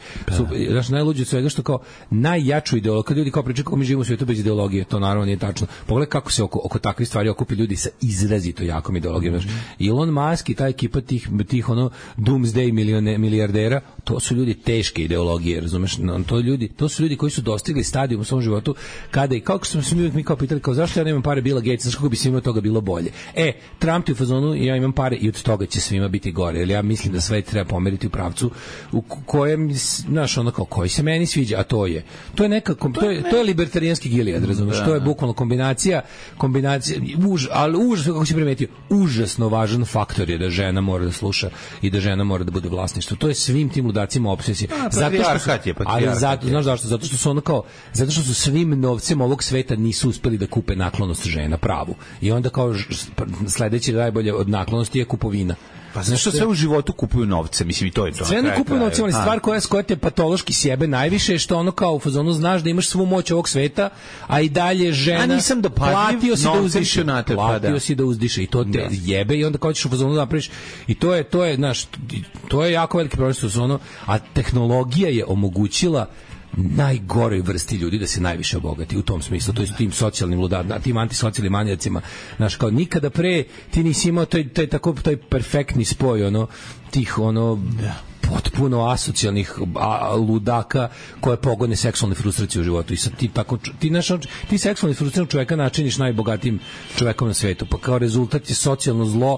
Speaker 6: Znaš, najluđe od svega što kao najjaču ideologiju, kad ljudi kao pričaju kako mi živimo u svijetu bez ideologije, to naravno nije tačno. Pogledaj kako se oko takvih stvari okupi ljudi sa izrazito jakom ideologijom. Elon Musk i ta ekipa tih ono doomsday milijardera, to su ljudi teške ideologije, razumeš? To su ljudi koji su dostigli stadijum u svom životu kada i kako smo mi kao pitali, kao zašto ja nemam pare Billa Gatesa, zašto kako bi svima toga bilo bolje. Trump je u fazonu, ja imam pare i od toga će svima biti gore, jer ja mislim da sve treba pomeriti u pravcu u kojem, znaš, ono kao, koji se meni sviđa, a to je nekako, to je libertarijanski Gilead, razumeš, to je bukvalno kombinacija, ali kako si primetio, užasno važan faktor je da žena mora da sluša i da žena mora da bude vlasništvo. To je svim tim ludacima obsesija. Zato što su ono kao, zato što su svim novcem ovog sveta nisu uspeli da kupe naklonost žena pravu. I onda kao sledeći najbolje od naklonosti je kupovina.
Speaker 7: Pa znaš što sve u životu kupuju novce, mislim i to je to.
Speaker 6: Sve ne kupuju novce, ali stvar koja te patološki sjebe najviše je što ono kao u fazonu znaš da imaš svu moć ovog sveta, a i dalje žena.
Speaker 7: A nisam dopadljiv,
Speaker 6: platio si da uzdiše i to te jebe i onda kao ćeš u fazonu napraviš i to je znaš, to je jako veliki problem što su ono, a tehnologija je omogućila najgoroj vrsti ljudi da se najviše obogati u tom smislu, to je tim socijalnim ludadima, tim antisocijalnim manijacima, znaš, kao nikada pre ti nisi imao taj perfektni spoj ono tih ono potpuno asocijalnih ludaka koje pogone seksualne frustracije u životu i sad ti seksualni frustriranog čoveka načiniš najbogatijim čovekom na svetu, pa kao rezultat je socijalno zlo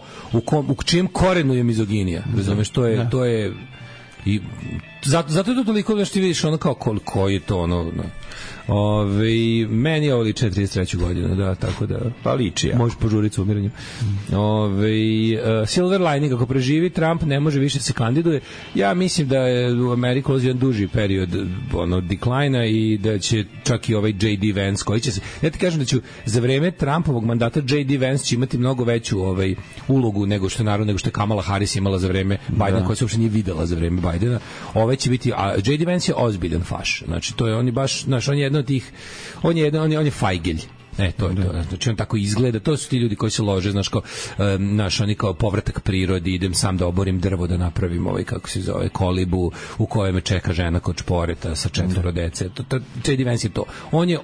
Speaker 6: u čijem korenu je mizoginija, razumeš, to je i zato je to toliko da što ti vidiš ono kao koliko je to ono meni ovo liče 33. godinu, da, tako da
Speaker 7: pa liči ja.
Speaker 6: Možeš požuriti s umiranjem. Silver lining, ako preživi Trump ne može više se kandiduje. Ja mislim da je u Ameriku ulazi jedan duži period deklajna i da će čak i ovaj J.D. Vance koji će se, ja ti kažem da će za vreme Trumpovog mandata J.D. Vance će imati mnogo veću ulogu nego što je Kamala Harris imala za vreme Bidena, koja se uopšte nije videla za vreme Bidena. Će biti, a J.D. Vance je ozbiljan faš. Znači, to je, on je baš, znaš, on je jedan od tih, on je fajgelj. To je to. Znači, on tako izgleda. To su ti ljudi koji se lože, znaš, kao, oni kao povratak prirodi, idem sam da oborim drvo, da napravim kako se zove, kolibu u kojoj me čeka žena kod šporeta sa 4 dece. J.D. Vance je to.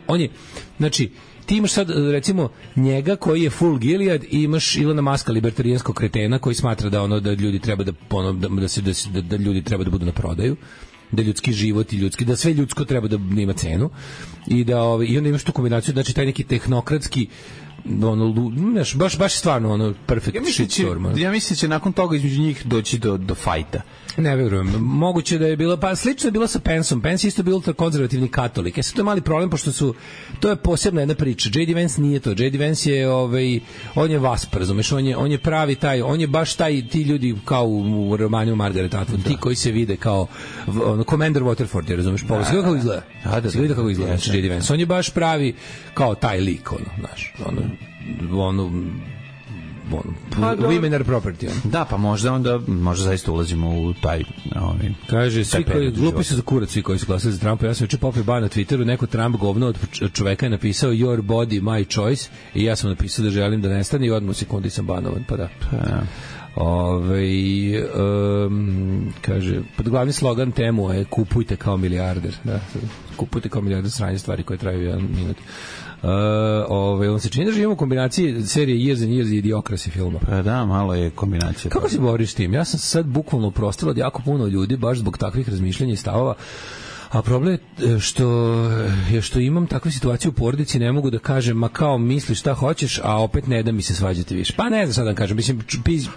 Speaker 6: On je, znači, ti imaš sad, recimo, njega koji je full Gilead i imaš Ilona Maska, libertarijanskog kretena koji smatra da ljudi treba da ljudi treba da budu na prodaju, da ljudski život i da sve ljudsko treba da ima cenu i i onda imaš tu kombinaciju, znači taj neki tehnokratski baš stvarno perfect shitstorm.
Speaker 7: Ja mislim da će nakon toga između njih doći do fajta.
Speaker 6: Ne verujem. Moguće da je bilo, pa slično je bilo sa Penceom. Pence isto bio ultrakonzervativni katolik. Sad to je mali problem, pošto to je posebna jedna priča. J.D. Vance nije to. J.D. Vance je, on je Vasp, razumeš, on je pravi taj, on je baš ti ljudi kao u romanu Margaret Atwood, ti koji se vide kao Commander Waterford, razumeš, pogledaj kako izgleda. Se vidi kako izgleda, J.D. Vance. On je baš pravi kao taj lik, znaš, women are property.
Speaker 7: Da, pa možda zaista ulazimo u taj
Speaker 6: kaže, svi koji glupi su za kurac, svi koji su glasali za Trumpa. Ja sam juče popio ban na Twitteru, neko Trump govno od čoveka je napisao your body, my choice i ja sam napisao da želim da nestane i odmah u sekundi sam banovan, pa da. Kaže, pod glavni slogan temu je kupujte kao milijarder, da, kupujte kao milijarder, sranje stvari koje traju 1 minut. On se čini da živimo u kombinaciji serije Years and Years i Idiocracy filma.
Speaker 7: Pa da, malo je kombinacija.
Speaker 6: Kako se boriš s tim? Ja sam sad bukvalno uprostila od jako puno ljudi baš zbog takvih razmišljanja i stavova. A problem je što imam takvu situaciju u porodici, ne mogu da kažem, ma kao misli šta hoćeš, a opet ne da mi se svađati više. Pa ne znam sad da kažem, mislim,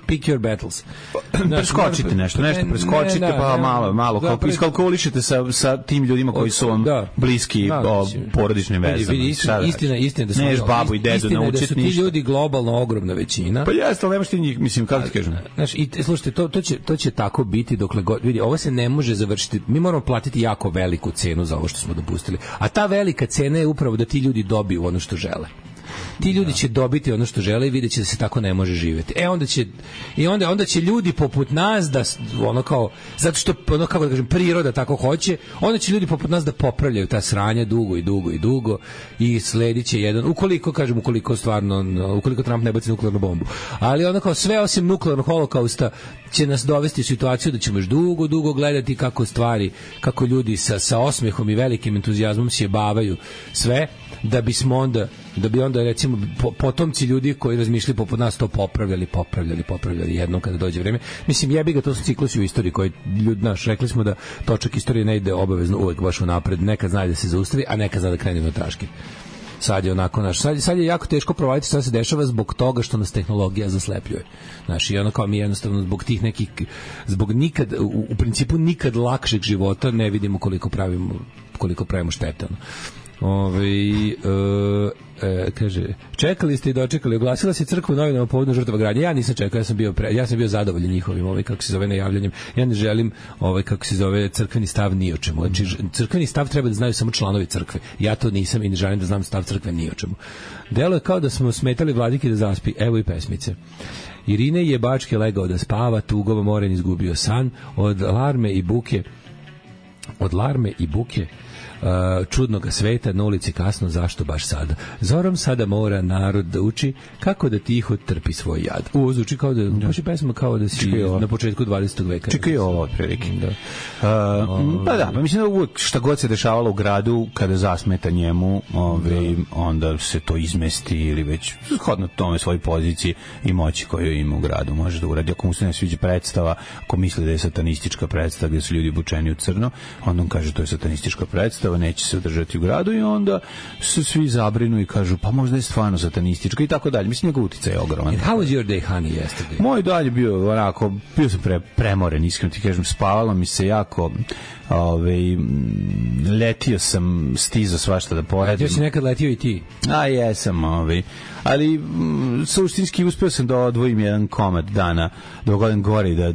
Speaker 6: pick your battles.
Speaker 7: Preskočite nešto preskočite, pa malo, kako iskalkulišete sa tim ljudima koji su vam bliski porodičnim vezama.
Speaker 6: Istina da su
Speaker 7: neš babu i dedu naučiti ništa.
Speaker 6: Ti ljudi globalno ogromna većina.
Speaker 7: Pa jeste, ali nemaš ti njih, mislim, kako ti kažem.
Speaker 6: Znaš, i slušajte, to će tako biti dokle god, vidi, ovo se ne može završiti, mi moramo platiti jako veliku cenu za ovo što smo dopustili. A ta velika cena je upravo da ti ljudi dobiju ono što žele. Ti ljudi će dobiti ono što žele i vidjet će da se tako ne može živjeti. Onda će ljudi poput nas da zato što kako da kažem priroda tako hoće, onda će ljudi poput nas da popravljaju ta sranja dugo i sledit će jedan, ukoliko Trump ne baci nuklearnu bombu. Ali sve osim nuklearnog holokausta će nas dovesti u situaciju da ćemo još dugo gledati kako ljudi sa osmehom i velikim entuzijazmom sjebavaju sve, da bi onda recimo potomci ljudi koji razmišljaju poput nas to popravljali jednom kada dođe vreme. Mislim, jebi ga, to su ciklusi u istoriji koji ljudi, rekli smo da točak istorije ne ide obavezno uvek baš unapred, nekad zna da se zaustavi, a nekad zna da krene na traške. Sad je onako sad je jako teško provaliti šta se dešava zbog toga što nas tehnologija zaslepljuje. I mi jednostavno zbog tih nekih, zbog nikad, u principu nikad lakšeg života ne vidimo koliko pravimo štete. Kaže, čekali ste i dočekali, oglasila se crkva u novinama povodom žrtava gradnje. Ja nisam čekao, ja sam bio zadovoljan njihovim, kako se zove, najavljanjem. Ja ne želim, kako se zove, crkveni stav ni o čemu. Znači, crkveni stav treba da znaju samo članovi crkve. Ja to nisam i ne želim da znam stav crkve ni o čemu. Delo je kao da smo smetali vladiki da zaspi. Evo i pesmice. Irine je Bačke legao da spava, tugova moren izgubio san, od larme i buke čudnoga sveta na ulici kasno, zašto baš sada? Zorom sada mora narod da uči kako da tiho trpi svoj jad. Ovo zvuči kao da, baš je pesma kao da si na početku 20. veka.
Speaker 7: Čekaj ovo, otprilike. Pa mislim da uvijek šta god se dešavalo u gradu, kada zasmeta njemu, onda se to izmesti ili već shodno tome svoj poziciji i moći koju ima u gradu može da uradi. Ako mu se ne sviđa predstava, ako misli da je satanistička predstava gdje su ljudi obučeni u crno, onda on kaže to je satanistička predstava, neće se održati u gradu i onda se svi zabrinu i kažu pa možda je stvarno satanistička i tako dalje. Mislim, njegov uticaj je ogroman.
Speaker 6: How was your day, honey, yesterday?
Speaker 7: Moj dalje bio onako, bio sam premoren, iskreno ti kažem, spavalo mi se jako, letio sam, stizao svašta da poradim.
Speaker 6: Letio si nekad letio i ti?
Speaker 7: A jesam, ali suštinski uspeo sam da odvojim jedan komad dana, da odem gore i da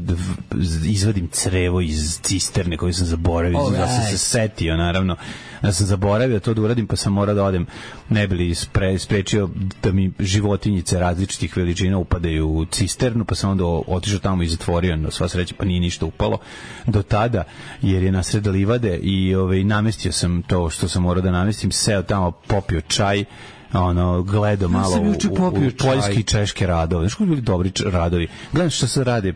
Speaker 7: izvadim crevo iz cisterne koju sam zaboravio, da sam se setio, naravno, da sam zaboravio to da uradim, pa sam morao da odem, ne bi li sprečio da mi životinjice različitih veličina upadaju u cisternu, pa sam onda otišao tamo i zatvorio, no sva sreća, pa nije ništa upalo do tada, jer je nasred livade i namestio sam to što sam morao da namestim, seo tamo, popio čaj, gledao malo u poljski i češke radove. Znaš koji bili dobri radovi? Gledam što se rade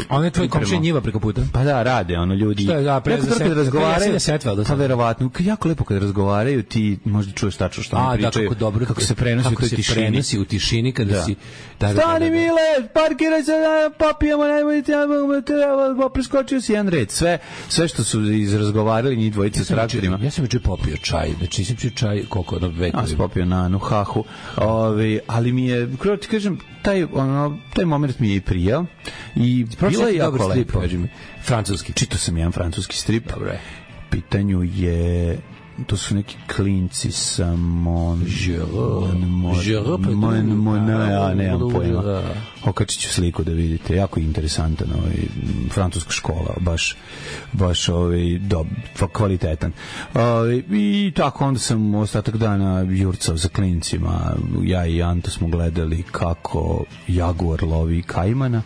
Speaker 6: on je tvoj komšija njiva preko puta?
Speaker 7: Pa da, rade, ljudi.
Speaker 6: Što je,
Speaker 7: kada razgovaraju, pa verovatno, jako lepo kada razgovaraju, ti možda čuješ tačno što oni pričaju. Kako se prenosi u toj tišini.
Speaker 6: Kako se prenosi u tišini kada si...
Speaker 7: Stani, Mile, parkiraj se, papijamo, najbolji preskočio si jedan red. Sve što su izrazgovarali njih dvojice s traktorima.
Speaker 6: Ja sam juče popio čaj, znači nisam pio čaj koliko vekovima.
Speaker 7: Ja sam popio na Nuhahu, ali mi je, kako ti kažem, taj moment mi je i prijao i bilo je jako lepo.
Speaker 6: Francuski.
Speaker 7: Čitao sam jedan francuski strip.
Speaker 6: Dobre.
Speaker 7: Pitanju je, to su neki klinci sa nemam pojma. Okačit ću sliku da vidite, jako interesantan francuska škola, baš kvalitetan. I tako onda sam ostatak dana jurcao za klincima, ja i Anto smo gledali kako jaguar lovi kajmana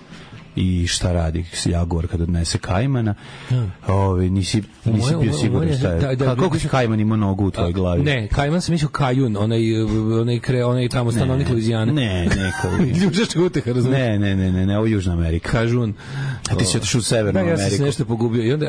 Speaker 7: i šta radi jaguar kad odnese kajmana. Nisi bio siguran šta je. Koliko si kajman ima nogu u tvojoj glavi?
Speaker 6: Ne, kajman sam mislio Kajun, onaj tamo stanovnik Luizijane.
Speaker 7: Ne.
Speaker 6: Ljužačka uteha, razumiješ?
Speaker 7: Ne, ovo je Južna Amerika.
Speaker 6: Kažun.
Speaker 7: A ti si otišao u Severnu Ameriku.
Speaker 6: Ja sam se nešto pogubio. I onda,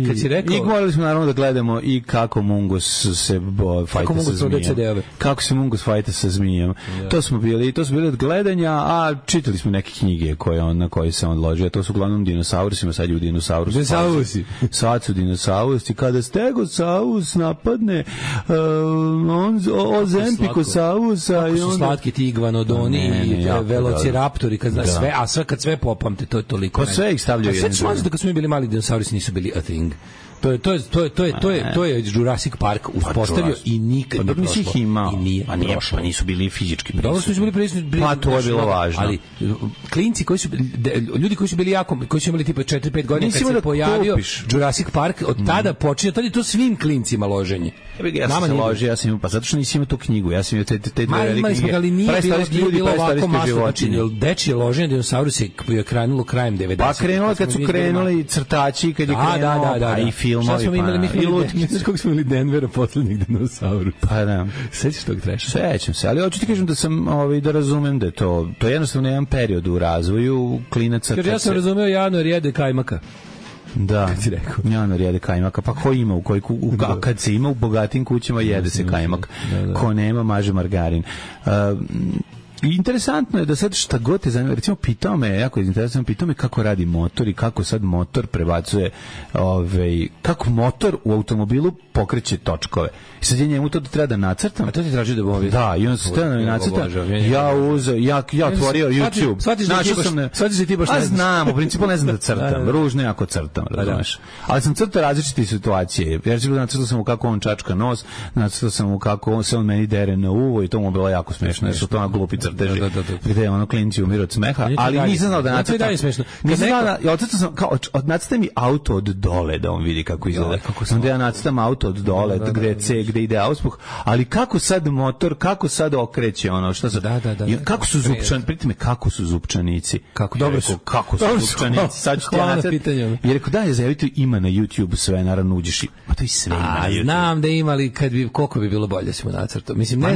Speaker 6: kad si rekao...
Speaker 7: I morali smo naravno da gledamo i kako Mungus se fajta sa zmijem. Kako se Mungus fajta sa zmijem. To smo bili od gledanja, a čitali smo neke knjige na koje se on odložio. To su uglavnom dinosaurusima, sad je u dinosaurusu.
Speaker 6: Dinosaurusi.
Speaker 7: Sad su dinosaurusi. Kada stegosaurus napadne ozempikosaurusa...
Speaker 6: Kako su slatki ti iguanodoni i velociraptori, kad sve popamte, to je toliko.
Speaker 7: Pa sve ih stavljaju.
Speaker 6: Sve ću mazati da kad smo bili mali dinosaurusi nisu bili a thing. To je Jurassic Park uspostavio i nikad
Speaker 7: nije prošlo.
Speaker 6: Ih imao.
Speaker 7: Pa nisu bili fizički prisutni.
Speaker 6: Dobro su bili prisutni.
Speaker 7: Pa to je bilo važno.
Speaker 6: Ali klinci ljudi koji su bili koji su imali tipa 4-5 godina kad se pojavio Jurassic Park, od tada počinje, tada je to svim klincima loženje.
Speaker 7: Ja sam se ložio, ja sam imao, pa zato što nisi imao tu knjigu, ja sam imao te dve velike knjige.
Speaker 6: Ali nije bilo ovako masno, znači dečije loženje dinosaurusa je krenulo krajem 90.
Speaker 7: Pa krenulo kad su krenuli crtači, kad je krenulo, i filmovi.
Speaker 6: Šta smo imali? Znaš kako smo imali Denvera poslednjih dinosaurusa?
Speaker 7: Pa da.
Speaker 6: Sećaš tog treša?
Speaker 7: Sećam se, ali hoću ti kažem da sam, da razumem da je to je jednostavno jedan period u razvoju klinaca.
Speaker 6: Ja sam razumeo januar jede kajmaka.
Speaker 7: Da, januar jede kajmaka, pa ko ima kad se ima u bogatim kućama jede se kajmak, ko nema maže margarin. interesantno je da sad šta god te zanima, recimo pitao me kako radi motor i kako sad motor prebacuje, kako motor u automobilu pokreće točkove. I sad je njemu to treba da nacrtam.
Speaker 6: A to ti traži da bovi.
Speaker 7: Da, i on se treba da mi nacrta. Ja otvorio YouTube.
Speaker 6: Shvatiš da ti baš ne znaš.
Speaker 7: Znam, u principu ne znam da crtam. Ružno jako crtam, razumeš. Ali sam crtao različite situacije. Nacrtao sam mu kako on čačka nos, nacrtao sam mu kako se on meni dere na uvo i to mu je bilo jako smešno. Jer su to glupi crteži. Gde ono klinci umiru od smeha. Ali nisam znao da nacrtam. Nisam znao da nacrtam mi auto od dole da on vidi kako izgleda. Onda ja nacrtam auto od dole, gde C, gde ide auspuh, ali kako sad motor, kako sad okreće ono, šta sad, kako su zupčani, pritite me, kako su zupčanici, kako su zupčanici, sad ću ti ja nacrt, jer rekao, daj, zajavite, ima na YouTube sve, naravno uđeš i, pa to i sve ima na YouTube.
Speaker 6: Znam da ima, ali koliko bi bilo bolje si mu nacrtao, mislim, ne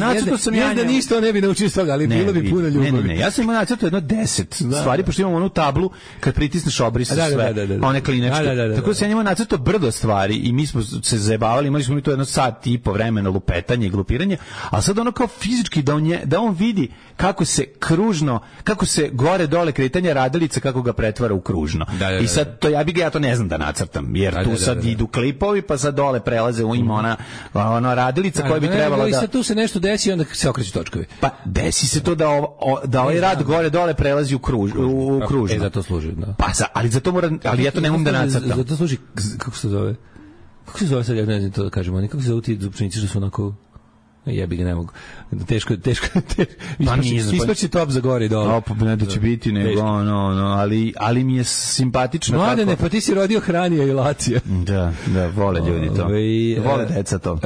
Speaker 6: da ništa ne bi naučio s toga, ali bilo bi puno ljubavi.
Speaker 7: Ne, ja sam imao nacrtao jedno 10 stvari, pošto imam onu tablu, kad pritisneš obrisa sve, one klinečke, tako da sam imao nacrtao brdo stvari i mi smo se zajebavali, imali smo mi to jedno sat i po vremena lupetanje i glupiranje, a sad ono kao fizički da on vidi kako se kružno, kako se gore dole kretanje radilica, kako ga pretvara u kružno. I sad to ja to ne znam da nacrtam, jer tu sad idu klipovi, pa sad dole prelaze ima ona radilica koja bi trebala da...
Speaker 6: I sad tu se nešto desi i onda se okreću točkovi.
Speaker 7: Pa desi se to da ovaj rad gore dole prelazi u kružno.
Speaker 6: Za to služi, da.
Speaker 7: Pa ali za to ali ja to ne mogu da nacrtam.
Speaker 6: Za to služi, kako se zove? Kako se zove sad, ja ne znam to da kažemo, kako se zove ti zupčanici što su onako... Jebi ga, ne mogu. Teško. Ispaći top za gore i dole.
Speaker 7: Ne da će biti, nego ali mi je simpatično.
Speaker 6: Mladene, pa ti si rodio Hranija i Lacija.
Speaker 7: Da, vole ljudi to. Vole deca to.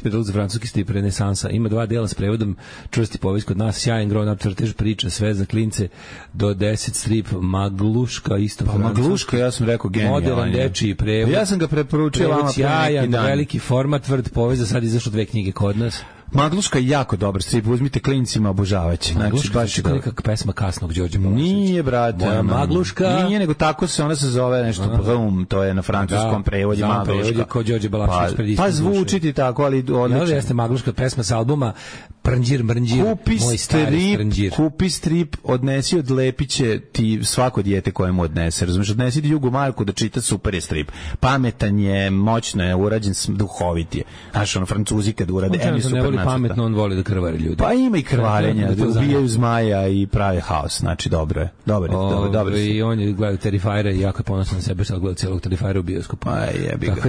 Speaker 6: Pedal za francuski strip Renesansa. Ima 2 dela s prevodom, čvrsti povijest kod nas, sjajan grown up crtež, priča, sve za klince, do 10 strip, Magluška, isto francuski.
Speaker 7: Magluška, ja sam rekao genijalan.
Speaker 6: Modern dečiji prevod.
Speaker 7: Ja sam ga preporučio vama pre neki dan.
Speaker 6: Veliki format, tvrd povijest, za sad izašlo 2 knjige kod nas.
Speaker 7: Magluška je jako dobar strip, uzmite klincima, obožavaće.
Speaker 6: Magluška znači, je nekakva pesma kasnog Đorđe Balaševića.
Speaker 7: Nije, brate.
Speaker 6: Moja Magluška.
Speaker 7: Nije, nego tako ona se zove nešto Brum, to je na francuskom prevodu Magluška.
Speaker 6: Kao Đorđe Balašević.
Speaker 7: Pa zvuči ti tako, ali odlično.
Speaker 6: Jeste Magluška, pesma sa albuma Prnđir, moj stari Prnđir.
Speaker 7: Kupi strip, odnesi, odlepiće ti svako dijete koje mu odnese. Razumiješ, odnesi ti Jugu Marku da čita, super je strip. Pametan je, moćno je, urađen, duhovit je. Znaš, Francuzi kad urade, super
Speaker 6: pametno, on voli da krvari ljudi.
Speaker 7: Pa ima i krvarenja, da ubijaju zmaja i prave haos, znači dobro je. Dobro.
Speaker 6: I on je gledao Terrifiera i jako je ponosan na sebe, sad gleda cijelog Terrifiera u bioskopu.
Speaker 7: Aj, jebi ga.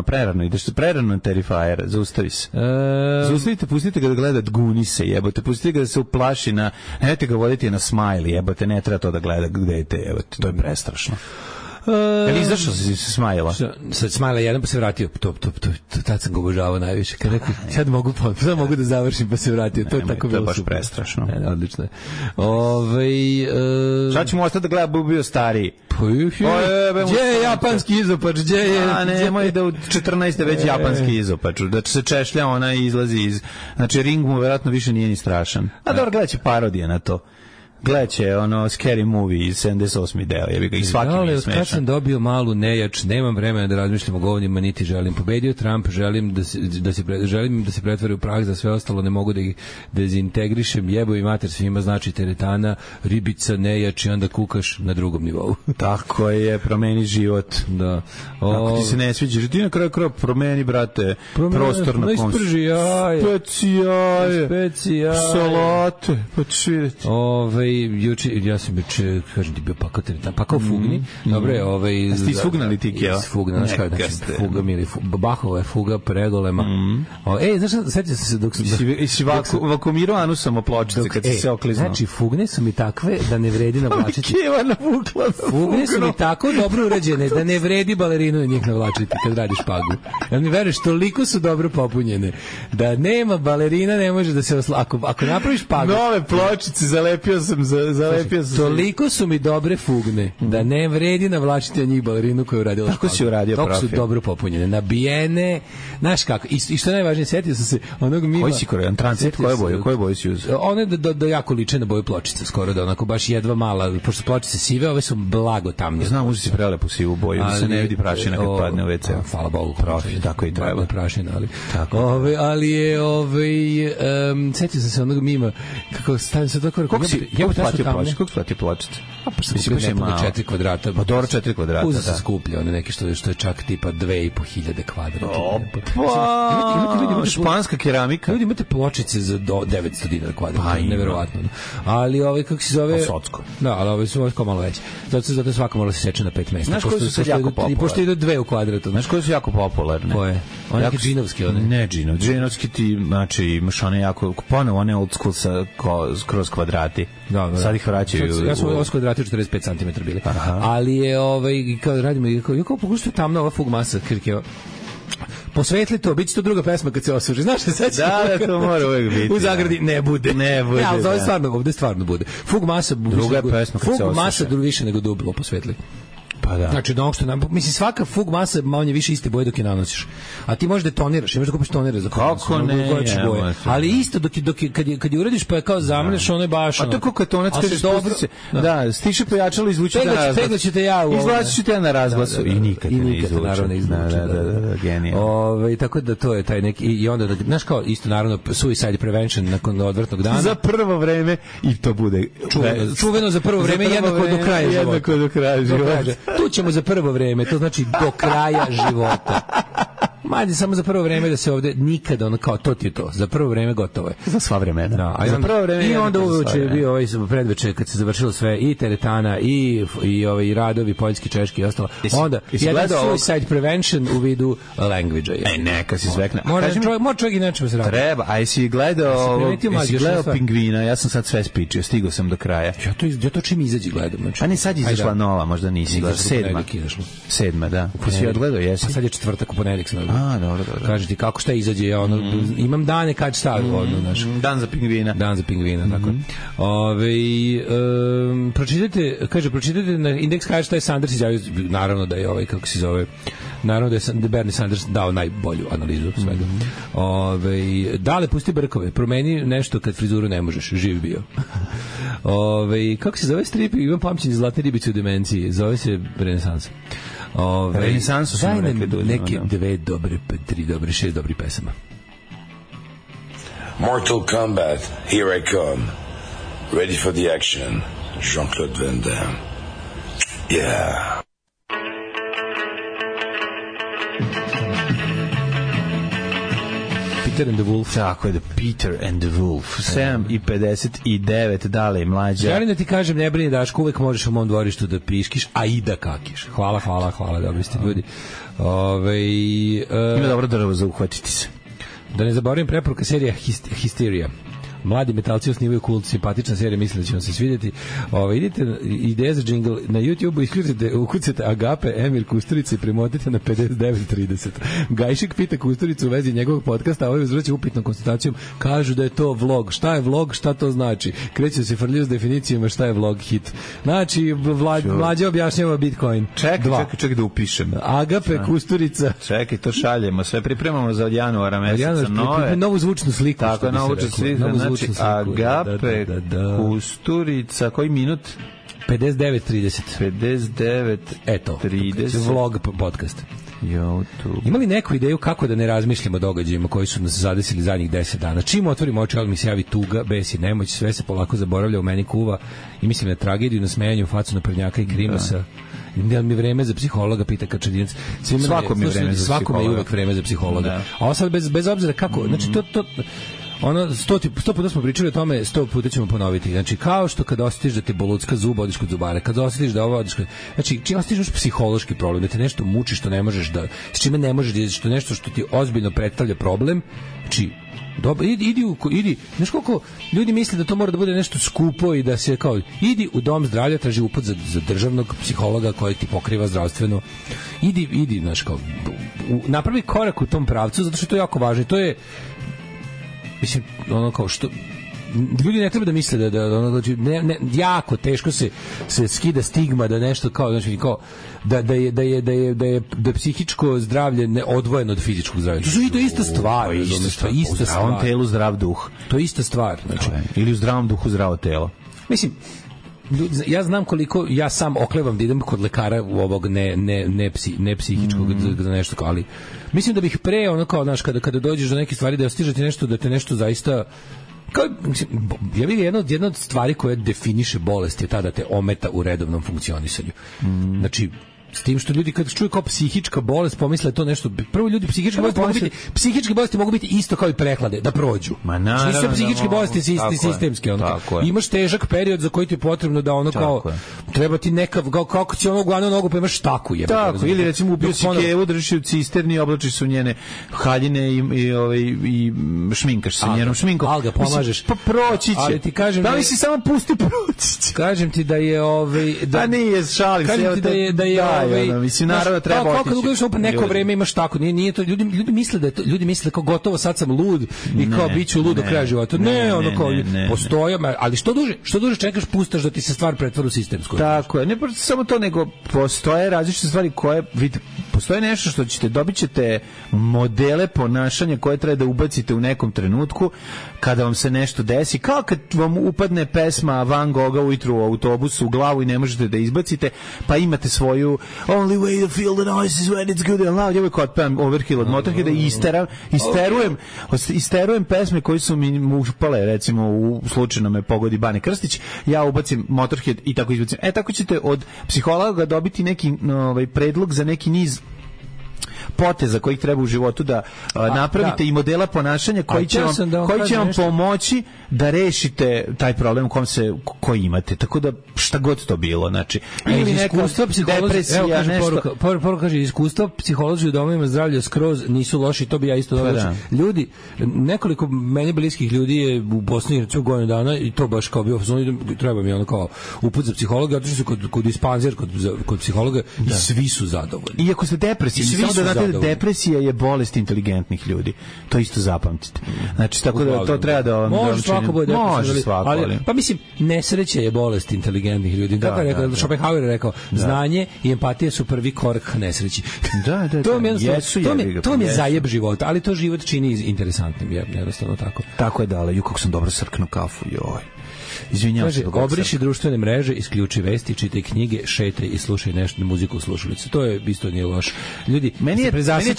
Speaker 7: Prerano, ideš prerano na Terrifiera, zaustavi se. Pustite ga da gleda Gunise, jebote, pustite ga da se uplaši nemojte ga voditi na Smiley, jebote, ne treba to da gleda dete, jebote, to je prestrašno. Jel izašao si se Smajla?
Speaker 6: Sad Smajla jedan pa se vratio. Tad sam ga obožavao najviše. Kad rekao, sad mogu da završim pa se vratio. To je tako bilo.
Speaker 7: To je baš prestrašno.
Speaker 6: Odlično.
Speaker 7: Sad ćemo ostati da gleda bio stariji.
Speaker 6: Gdje je japanski izopač?
Speaker 7: Nemoj da u 14. već japanski izopač. Da se češlja, ona izlazi iz... Znači, ring mu vjerojatno više nije ni strašan. A dobro, gledat će parodije na to. Gledaće Scary Movie iz 78. deo, jebi ga, i svaki mi je smešan.
Speaker 6: Kad sam dobio malu nejač, nemam vremena da razmišljam o govnima, niti želim. Pobedio Trump, želim da se pretvori u prah, za sve ostalo ne mogu da ih dezintegrišem, jebo i mater svima, znači teretana, ribica, nejač i onda kukaš na drugom nivou.
Speaker 7: Tako je, promeni život.
Speaker 6: Da.
Speaker 7: Ako ti se ne sviđa, ti na kraju promeni, brate, prostor na konsu.
Speaker 6: Isprži jaje.
Speaker 7: Specijaje. Salate. Pa ćeš vidjeti.
Speaker 6: Juče, ja sam juče, kažem ti, bio pakao fugni. Dobre,
Speaker 7: Ste isfugnali ti, Kjeva?
Speaker 6: Isfugna, znaš kada, fuga mili, Bahova je fuga pregolema. Znaš, sjeća se dok sam...
Speaker 7: Si vakumirao anusom o pločice kad si se okliznuo.
Speaker 6: Znači, fugne su mi takve da ne vredi navlačiti.
Speaker 7: Kjeva navukla na fugno.
Speaker 6: Fugne su mi tako dobro urađene da ne vredi balerinu njih navlačiti kad radiš pagu. Jel mi veruješ, toliko su dobro popunjene da nema balerina, ne može da se ako napraviš pagu.
Speaker 7: Nove pločice zalepio sam sam zalepio sam.
Speaker 6: Toliko su mi dobre fugne da ne vredi navlačiti na njih balerinu koju je uradila.
Speaker 7: Tako si uradio profil.
Speaker 6: Tako su dobro popunjene, nabijene, znaš kako. I što je najvažnije, setio sam se onog mima.
Speaker 7: Koji si korean transit, koje boje si uzeo?
Speaker 6: One da jako liče na boju pločice, skoro da onako baš jedva mala, pošto pločice sive, ove su blago tamnije.
Speaker 7: Znam, uzi si prelepu sivu boju, da se ne vidi prašina kad padne u WC.
Speaker 6: Hvala Bogu.
Speaker 7: Profil, tako i treba.
Speaker 6: Prašina, ali. Ali je, setio sam se onog mima, kako stavim se tako...
Speaker 7: Koliko si platio pločice?
Speaker 6: Pa sam kupio nepune 4 kvadrata.
Speaker 7: Pa dobro 4 kvadrata,
Speaker 6: uzeo sam skuplje, one neke što je čak tipa 2.500 kvadrata.
Speaker 7: Opa, španska keramika.
Speaker 6: Ljudi imate pločice za do 900 dinara kvadrata, neverovatno. Ali kako se zove...
Speaker 7: Socko.
Speaker 6: Da, ali ove su kao malo veće. Zato svako mora se seče na 5 mesta.
Speaker 7: Znaš koji su sad jako popularni?
Speaker 6: Pošto idu 2 u kvadratu.
Speaker 7: Znaš koji su jako popularne?
Speaker 6: Koje? One neke džinovske, one?
Speaker 7: Ne džinovski ti, znači, imaš one jako, ponovo one old school kroz kvadrati.
Speaker 6: Da.
Speaker 7: Sad ih vraćaju.
Speaker 6: Ja sam ovo kvadrati 45 cm bili. Ali je, kao radimo, kao pokušao tamna ova fugmasa Kirkeva. Posvetli to, bit će to druga pesma kad se osuži. Znaš šta seća?
Speaker 7: Da, to mora uvijek biti.
Speaker 6: U zagradi ne bude.
Speaker 7: Ja,
Speaker 6: ali ovde stvarno bude. Fugmasa
Speaker 7: druga pesma kad se osuži.
Speaker 6: Fugmasa više nego duplo posvetli.
Speaker 7: Pa da.
Speaker 6: Znači, mislim, svaka fug masa manje više iste boje dok je nanosiš. A ti možeš detoniraš, imaš da kupiš tonere za
Speaker 7: kako ne,
Speaker 6: boje. Ali isto kad je uradiš pa je kao zamreš, ono je baš...
Speaker 7: A to kako tonac kažeš pustice. Da, stiše pojačalo, izvučite na razglas.
Speaker 6: Peglaćete ja u...
Speaker 7: Izvlačit ja na razglasu i nikad ne izvuče.
Speaker 6: Naravno izvuče.
Speaker 7: Da, genijalno.
Speaker 6: Tako da to je taj neki... I onda, znaš kao, isto naravno, suicide prevention nakon odvrtnog dana.
Speaker 7: Za prvo vreme i to bude...
Speaker 6: Čuveno za prvo vreme, jednako do kraja života.
Speaker 7: Jednako do kraja života.
Speaker 6: Tu ćemo za prvo vreme, to znači do kraja života. Manje samo za prvo vreme da se ovde nikada ono kao to ti je to. Za prvo vreme gotovo je.
Speaker 7: Za sva vremena.
Speaker 6: Da, za prvo vreme. I onda uveče je bio predveče kad se završilo sve i teretana i radovi poljski, češki i ostalo. Onda jedan suicide prevention u vidu language-a.
Speaker 7: Neka si zvekne.
Speaker 6: Mora čovjek i nečemu se radi.
Speaker 7: Treba, a jesi gledao Pingvina, ja sam sad sve spičio, stigao sam do kraja.
Speaker 6: Ja to čim izađi gledam.
Speaker 7: A ne, sad izašla nova, možda nisi gledao. 7, da. Pa si odgledao, jesi?
Speaker 6: Pa sad je četvrtak, u ponedeljak sam odgledao.
Speaker 7: Dobro.
Speaker 6: Kaže ti kako šta izađe, ja imam dane kad šta znaš.
Speaker 7: Dan za pingvina,
Speaker 6: tako. Pročitajte na Index šta je Sanders izjavio, naravno da je kako se zove, naravno da je Bernie Sanders dao najbolju analizu svega. Dale, pusti brkove, promeni nešto kad frizuru ne možeš, živ bio. Kako se zove strip? Imam pamćenje Zlatne ribice u demenciji, zove se Renesansa.
Speaker 7: Renesansu su rekli
Speaker 6: neke 2 dobre, 3 dobre, 6 dobrih pesama.
Speaker 8: Mortal Kombat, here I come. Ready for the action. Jean-Claude Van Damme. Yeah.
Speaker 6: Peter and the Wolf.
Speaker 7: Tako je, Peter and the Wolf. 7:59, dale mlađa.
Speaker 6: Želim da ti kažem, ne brini Daško, uvek možeš u mom dvorištu da piškiš, a i da kakiš. Hvala, dobri ste ljudi.
Speaker 7: Ima dobro drvo za uhvatiti se.
Speaker 6: Da ne zaboravim preporuka serija Hysteria. Mladi metalci osnivaju kult, simpatična serija, mislim da će vam se svidjeti. Idite, ideja za džingl, na YouTube-u ukucate Agape, Emir Kusturica i premotite na 59:30. Gajšik pita Kusturicu u vezi njegovog podcasta, a ovaj uzvraća upitnom konstatacijom, kažu da je to vlog. Šta je vlog, šta to znači? Kreću se frlju s definicijama šta je vlog hit. Znači, mlađe objašnjava Bitcoin.
Speaker 7: Čekaj da upišem.
Speaker 6: Agape, Kusturica.
Speaker 7: Čekaj, to šaljemo, sve pripremamo za od januara meseca.
Speaker 6: Novu zvučnu sliku.
Speaker 7: Tako, novu zvučnu sliku. Znači, Agape, Kusturica, koji minut?
Speaker 6: 59:30.
Speaker 7: 59:30.
Speaker 6: Eto, vlog podcast.
Speaker 7: YouTube.
Speaker 6: Ima li neku ideju kako da ne razmišljamo o događajima koji su nas zadesili zadnjih 10 dana? Čim otvorimo oči, odmah mi se javi tuga, bes i nemoć, sve se polako zaboravlja, u meni kuva i mislim na tragediju, na smejanje u facu na prnjaka i krimasa. Da mi vreme za psihologa, pita Kačadinac.
Speaker 7: Svako je
Speaker 6: uvek vreme za psihologa. A ovo sad bez obzira kako, znači to ono, 100 puta smo pričali o tome, 100 puta ćemo ponoviti. Znači, kao što kad osjetiš da ti bolucka zub, odiš kod zubara, kad osjetiš da ovo odiš kod... Znači, čim osjetiš psihološki problem, da te nešto muči što ne možeš da... S čime ne možeš da izaći, što nešto što ti ozbiljno predstavlja problem, znači, dobro, idi, znaš koliko ljudi misle da to mora da bude nešto skupo i da se kao, idi u dom zdravlja, traži uput za državnog psihologa koji ti pokriva zdravstveno, idi, znaš kao, napravi korak u tom pravcu, zato što to je jako važno i to je, mislim, ono kao što ljudi ne treba da misle da jako teško se skida stigma da nešto kao, znači, kao da je psihičko zdravlje odvojeno od fizičkog zdravlja. To je ista stvar. To je ista stvar.
Speaker 7: U zdravom telu zdrav duh.
Speaker 6: To je ista stvar. Znači,
Speaker 7: ili u zdravom duhu zdravo telo.
Speaker 6: Mislim, ja znam koliko ja sam oklevam da idem kod lekara u ovog ne psihičkog za nešto, ali mislim da bih pre ono kao, znaš, kada dođeš do neke stvari da stiže ti nešto, da te nešto zaista kao, ja bih jedna od stvari koja definiše bolest je ta da te ometa u redovnom funkcionisanju. Znači, s tim što ljudi kad čuju kao psihička bolest pomisle to nešto. Prvo, ljudi psihičke bolesti mogu biti isto kao i prehlade, da prođu.
Speaker 7: Ma naravno.
Speaker 6: Nisu psihičke bolesti sistemske. Imaš težak period za koji ti je potrebno da ono kao treba ti neka kako će ono glavnu nogu pa imaš štaku je.
Speaker 7: Tako, ili recimo ubio si kevu, držiš u cisterni, oblačiš su njene haljine i šminkaš se njenom šminkom.
Speaker 6: Alga pomažeš.
Speaker 7: Pa proći će.
Speaker 6: Ali ti kažem
Speaker 7: da li si samo pusti proći.
Speaker 6: Kažem ti da je
Speaker 7: da nije šalim se.
Speaker 6: Kažem ti da je
Speaker 7: mislim, naravno treba otići.
Speaker 6: Kako dugo neko vreme imaš tako, nije to, ljudi misle kao gotovo sad sam lud i kao biću lud do kraja života. Ne, ono kao postoje, ali što duže čekaš, pustaš da ti se stvar pretvori u sistemsku.
Speaker 7: Tako je, ne samo to, nego postoje različite stvari koje, vidite, postoje nešto što dobit ćete modele ponašanja koje treba da ubacite u nekom trenutku kada vam se nešto desi, kao kad vam upadne pesma Van Gogha ujutru u autobusu u glavu i ne možete da izbacite, pa imate svoju Only way to feel the noise is when it's good and loud. Ja uvijek otpevam Overkill od Motorheada i isterujem pesme koji su mi upale, recimo u slučajno me pogodi Bane Krstić, ja ubacim Motorhead i tako izbacim. Tako ćete od psihologa dobiti neki predlog za neki niz poteza kojih treba u životu da napravite i modela ponašanja koji će vam pomoći da rešite taj problem koji imate. Tako da šta god to bilo, znači ili neka depresija, nešto.
Speaker 6: Poruka kaže, iskustva psiholozi u domovima zdravlja skroz nisu loši, to bi ja isto dodao. Ljudi, nekoliko meni bliskih ljudi je u Bosni godinu dana i to baš kao bio, treba mi ono kao uput za psihologa, otišli su kod dispanzer, kod psihologa i svi su zadovoljni.
Speaker 7: Iako ste depresivni, samo da znate, depresija je bolest inteligentnih ljudi. To isto zapamtite. Znači, tako da to treba da vam
Speaker 6: može svako bude
Speaker 7: depresivan.
Speaker 6: Ali pa mislim, nesreća je bolest inteligentnih ljudi. Tako je rekao, Schopenhauer je rekao, znanje i empatija su prvi korak nesreći. To mi je zajeb života, ali to život čini interesantnim, jednostavno tako.
Speaker 7: Tako je dale, kako sam dobro srknuo kafu, joj. Izvinjavam se.
Speaker 6: Obriši društvene mreže, isključi vesti, čitaj knjige, šetaj i slušaj nešto muziku u slušalici. To je isto nije loše. Ljudi,
Speaker 7: meni je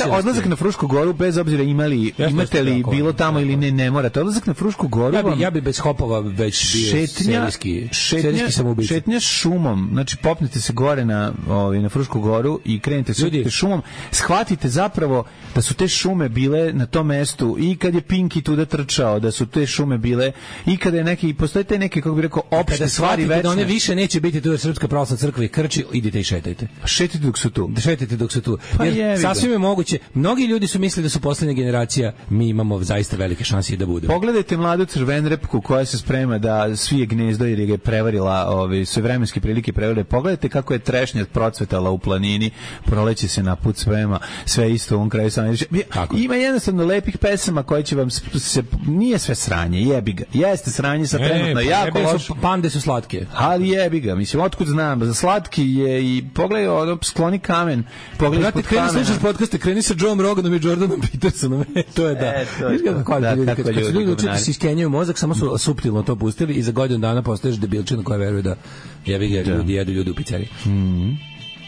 Speaker 7: odlazak na Frušku goru, bez obzira imate li bilo tamo ili ne morate. Odlazak na Frušku goru.
Speaker 6: Ja bi bez hopova već bio serijski samoubica.
Speaker 7: Šetnja šumom, znači popnete se gore na Frušku goru i krenete se šumom, shvatite zapravo da su te šume bile na tom mestu i kad je Pinki tuda trčao, da su te šume bile i kada je neki, postoje te neke, kako bi rekao, opšte stvari večne.
Speaker 6: Da one više neće biti tu Srpska pravoslavna crkva i Krči, idite i šetajte.
Speaker 7: Šetajte dok su tu.
Speaker 6: Jer sasvim je moguće. Mnogi ljudi su mislili da su poslednja generacija, mi imamo zaista velike šanse i da budemo.
Speaker 7: Pogledajte mladu crvenrepku koja se sprema da svije gnezdo jer je prevarila, sve vremenske prilike prevarila. Pogledajte kako je trešnja procvetala u planini, proleće se na put sprema, sve isto u ovom kraju. Ima jednostavno lepih pesama koje će vam nije sve sranje, jebi ga. Jeste sranje sa trenutno jako loš.
Speaker 6: Pande su slatke.
Speaker 7: Ali jebi ga, mislim, otkud znam, za slatki je i pogledaj, skloni kamen, pogledaj ispod kamena.
Speaker 6: Kreni slušaš podcaste, kreni sa Joe Roganom i Jordanom Petersonom, to je da. Kad su ljudi učiti se iskenjaju mozak, samo su suptilno to pustili i za godinu dana postaješ debilčina koja veruje da jebi ga, ljudi jedu ljudi u pizzeriji.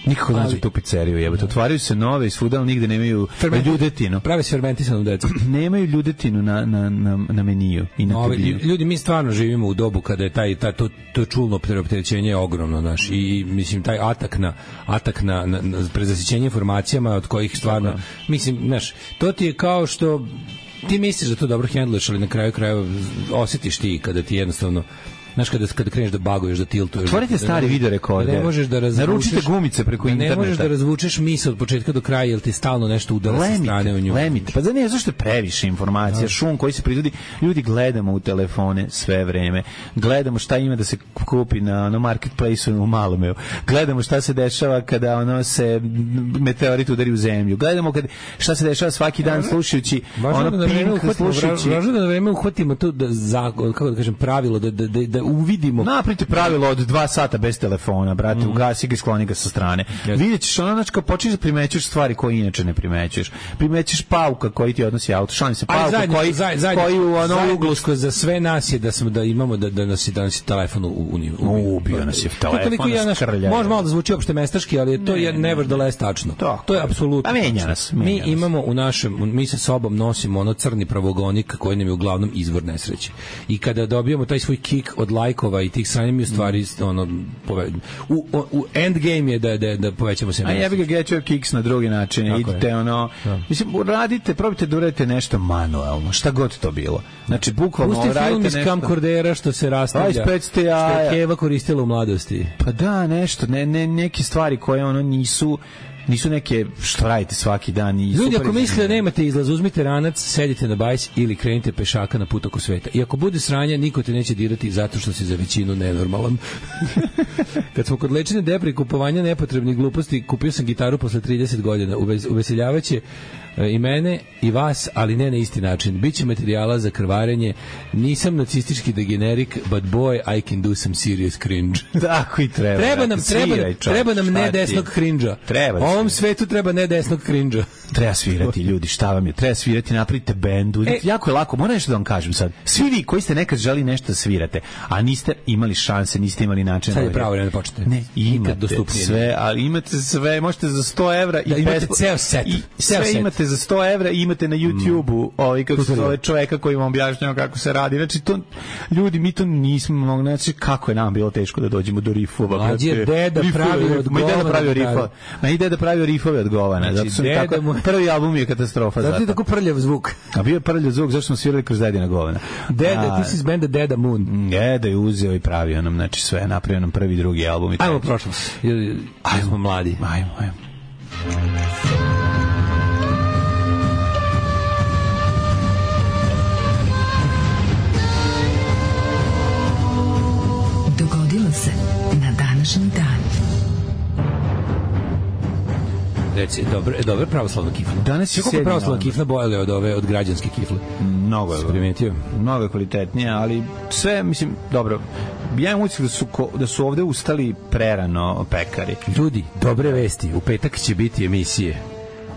Speaker 7: Nikako nađu tu pizzeriju, jebote. Otvaraju se nove i svuda, ali nigde nemaju ljudetinu.
Speaker 6: Pravi se fermentisanu decu.
Speaker 7: Nemaju ljudetinu na meniju i na tebliju.
Speaker 6: Ljudi, mi stvarno živimo u dobu kada je to čulno preopterećenje ogromno, naš, i mislim taj atak na prezasićenje informacijama od kojih stvarno, mislim, znaš, to ti je kao što ti misliš da to dobro hendluješ, ali na kraju krajeva osjetiš ti kada ti jednostavno Znaš, kada kreneš da baguješ, da tiltuješ.
Speaker 7: Otvorite stari video rekorder.
Speaker 6: Ne možeš da razvučeš.
Speaker 7: Naručite gumice preko interneta.
Speaker 6: Ne možeš da razvučeš misao od početka do kraja, jer ti stalno nešto udara sa strane u nju.
Speaker 7: Pa za ne, zašto je previše informacija, šum koji se proizvodi. Ljudi gledamo u telefone sve vreme. Gledamo šta ima da se kupi na marketplaceu u Malomeu. Gledamo šta se dešava kada se meteorit udari u zemlju. Gledamo šta se dešava svaki dan slušajući Pink, slušajući.
Speaker 6: Važno da na vreme uhvatimo to kako da kažem, pravilo da uvidimo.
Speaker 7: Napravite pravilo od 2 sata bez telefona, brate, ugasi ga i skloni ga sa strane. Vidjet ćeš kao počneš da primećuješ stvari koje inače ne primećuješ. Primećuješ pauka koji ti odnosi auto. Šalim se, pauka koji u onom uglu
Speaker 6: za sve nas je da imamo da nas je telefon
Speaker 7: ubio nas je telefon.
Speaker 6: Može malo da zvuči opšte mestaški, ali to je nevertheless tačno. To je apsolutno.
Speaker 7: A menja nas.
Speaker 6: Mi imamo mi sa sobom nosimo ono crni pravogonik koji nam je uglavnom izvor nesreće. I kada dobijemo taj svoj kik od lajkova i tih sranja, mi u stvari u endgame je da povećamo se.
Speaker 7: A ja bih ga get your kicks na drugi način. Idite mislim, radite, probajte da uradite nešto manuelno, šta god to bilo. Znači, bukvalno
Speaker 6: radite nešto. Pusti film iz kamkordera što se rastavlja, što je Keva koristila u mladosti.
Speaker 7: Pa da, nešto, neke stvari koje nisu neke što radite svaki dan.
Speaker 6: Ljudi, ako mislite da nemate izlaz, uzmite ranac, sedite na bajs ili krenite pešaka na put oko sveta. I ako bude sranja, niko te neće dirati zato što si za većinu nenormalan. Kad smo kod lečenja depre i kupovanja nepotrebnih gluposti, kupio sam gitaru posle 30 godina. Uveseljavaće i mene i vas, ali ne na isti način. Biće materijala za krvarenje. Nisam nacistički degenerik, but boy, I can do some serious cringe.
Speaker 7: Tako i treba.
Speaker 6: Treba nam ne desnog cringe-a.
Speaker 7: Treba.
Speaker 6: Ovom svetu treba ne desnog cringe-a.
Speaker 7: Treba svirati, ljudi, šta vam je? Treba svirati, napravite bendu. Jako je lako, moram nešto da vam kažem sad. Svi vi koji ste nekad želi nešto da svirate, a niste imali šanse, niste imali način.
Speaker 6: Sad je pravo vreme da počnete.
Speaker 7: Ne, imate sve, ali imate sve, možete za 100 evra i
Speaker 6: imate ceo set.
Speaker 7: Sve imate za 100 evra i imate na YouTube-u kako se zove čoveka koji vam objašnjava kako se radi. Znači, to, ljudi, mi to nismo mogli, znači, kako je nam bilo teško da dođemo do rifova.
Speaker 6: Mlađi je deda pravio od govana.
Speaker 7: Ma i deda pravio rifove od govana. Zato su tako, prvi album je katastrofa.
Speaker 6: Zato je tako prljav zvuk.
Speaker 7: A bio je prljav zvuk, zašto smo svirali kroz dedina govana.
Speaker 6: Deda, ti si iz benda Deda Moon.
Speaker 7: Deda je uzeo i pravio nam, znači sve, napravio nam prvi, drugi album.
Speaker 6: Ajmo prošlost. Ajmo, smo mladi.
Speaker 7: Ajmo.
Speaker 5: Dogodilo se na današnji dan.
Speaker 6: Reci, dobro pravoslavna kifla.
Speaker 7: Danas je
Speaker 6: kako pravoslavna kifla bojale od građanske kifle.
Speaker 7: Mnogo je
Speaker 6: primetio.
Speaker 7: Mnogo je kvalitetnija, ali sve, mislim, dobro. Ja imam utisak da su ovde ustali prerano pekari.
Speaker 6: Ljudi, dobre vesti. U petak će biti emisije.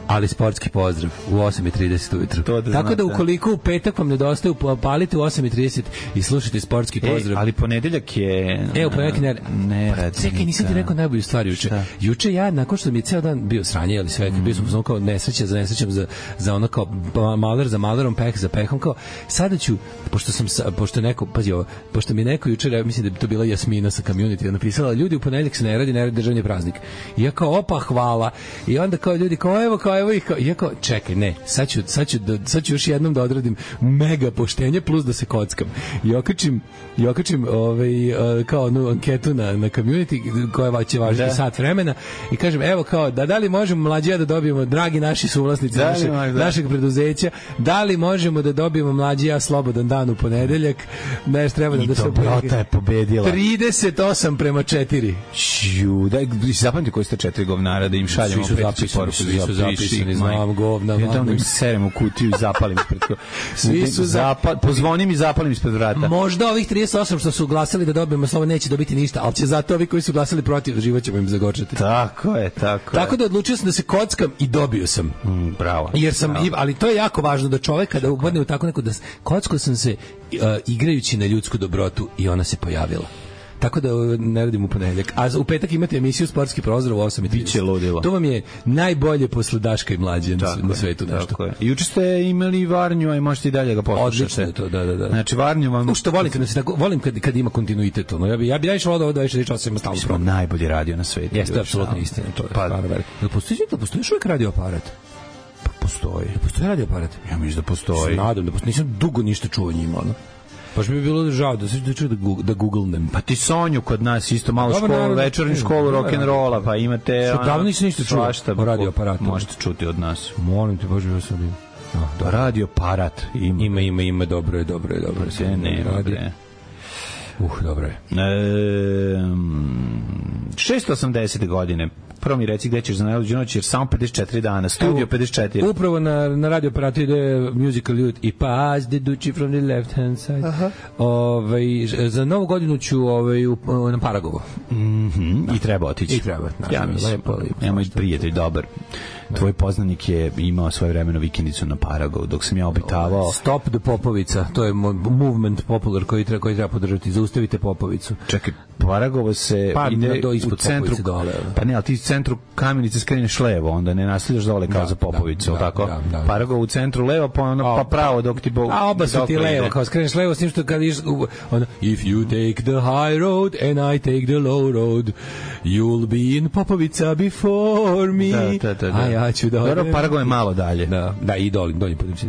Speaker 6: Ali sportski pozdrav u 8:30 ujutru. Tako da ukoliko u petak vam nedostaje, palite u 8:30 i slušajte sportski pozdrav.
Speaker 7: Ali ponedeljak je...
Speaker 6: U ponedeljak ne. Čekaj, nisam ti rekao najbolju stvar juče. Juče ja, nakon što mi je ceo dan bio sranje, ali sve, bio sam kao nesreća za nesrećom, za ono kao maler za malerom, peh za pehom, kao sada ću, pošto mi je neko juče, mislim da bi to bila Jasmina sa Community, napisala, ljudi, u ponedeljak se ne radi državni praznik. I ja kao, opa, hvala. I onda kao ljudi, kao evo i kao, čekaj, ne, sad ću još jednom da odradim mega poštenje plus da se kockam. I okačim kao onu anketu na Community koja će važiti sat vremena i kažem, evo kao, da li možemo mlađija da dobijemo, dragi naši suvlasnici našeg preduzeća, da li možemo da dobijemo mlađija slobodan dan u ponedeljak, nešto treba da se
Speaker 7: je pobedila
Speaker 6: 38:4.
Speaker 7: Zapamti koji ste 4 govnara da im šaljemo
Speaker 6: zapisani, znam govna.
Speaker 7: Ja tamo im serem u kutiju i zapalim ispred. Pozvonim i zapalim ispred vrata.
Speaker 6: Možda ovih 38 što su glasali da dobijemo slovo neće dobiti ništa, ali će zato ovi koji su glasali protiv, život ćemo im zagorčati.
Speaker 7: Tako je.
Speaker 6: Tako da odlučio sam da se kockam i dobio sam.
Speaker 7: Bravo.
Speaker 6: Jer sam, ali to je jako važno da čovek kada upadne u tako neko, da kockao sam se igrajući na ljudsku dobrotu i ona se pojavila. Tako da ne radim u ponedeljak. A u petak imate emisiju Sportski prozor u 8:30.
Speaker 7: Biće ludilo.
Speaker 6: To vam je najbolje posle Daška i Mlađe na svetu nešto.
Speaker 7: Tako je. Juče ste imali Varnju, a možete i dalje ga poslušati.
Speaker 6: Odlično je to, da.
Speaker 7: Znači Varnju vam...
Speaker 6: Što volim kad ima kontinuitet. Ja bi išao ovo 24 ima stalno program.
Speaker 7: Najbolji radio na svetu.
Speaker 6: Jeste, apsolutno istina. To je stvarno veliko. Postoji još uvijek radio aparat?
Speaker 7: Postoji.
Speaker 6: Postoji radio aparat?
Speaker 7: Ja mislim da postoji.
Speaker 6: Nadam da postoji. Nisam dugo ništa čuo o njima, ono. Baš bi bilo žao da googlenem.
Speaker 7: Pa ti Sonju kod nas isto malo školu, večernju školu rock'n'rolla, pa imate...
Speaker 6: Što davno nisi ništa čuo o radioaparatu?
Speaker 7: Možete čuti od nas.
Speaker 6: Molim te, baš bi vas odim.
Speaker 7: Radioaparat
Speaker 6: ima, dobro je.
Speaker 7: Ne, bre.
Speaker 6: Dobro je.
Speaker 7: 680. godine. Prvo mi reci gde ćeš za najluđu noć, jer samo 54 dana. Studio 54.
Speaker 6: Upravo na radioaparatu ide Musical Youth i Pass the Duchy from the left hand side. Za novu godinu ću na Paragovo.
Speaker 7: I treba otići.
Speaker 6: I treba.
Speaker 7: Ja mislim. Ja moj prijatelj dobar. Tvoj poznanik je imao svoje vremeno vikendicu na Paragovu, dok sam ja obitavao...
Speaker 6: Stop the Popovica, to je movement popular koji treba podržati. Zaustavite Popovicu.
Speaker 7: Čekaj, Paragovo se ide u centru...
Speaker 6: Dole.
Speaker 7: Pa ne, ali ti u centru Kamenice skreneš levo, onda ne nasljedaš dole kao za Popovicu, tako? Paragovo u centru levo, pa pravo dok ti...
Speaker 6: A oba su ti levo, kao skreneš levo, s tim što kad iš... If you take the high road and I take the low road, you'll be in Popovica before me.
Speaker 7: Da.
Speaker 6: Ja ću da...
Speaker 7: Dobro, Paragovo je malo dalje.
Speaker 6: Da, i donji putem se.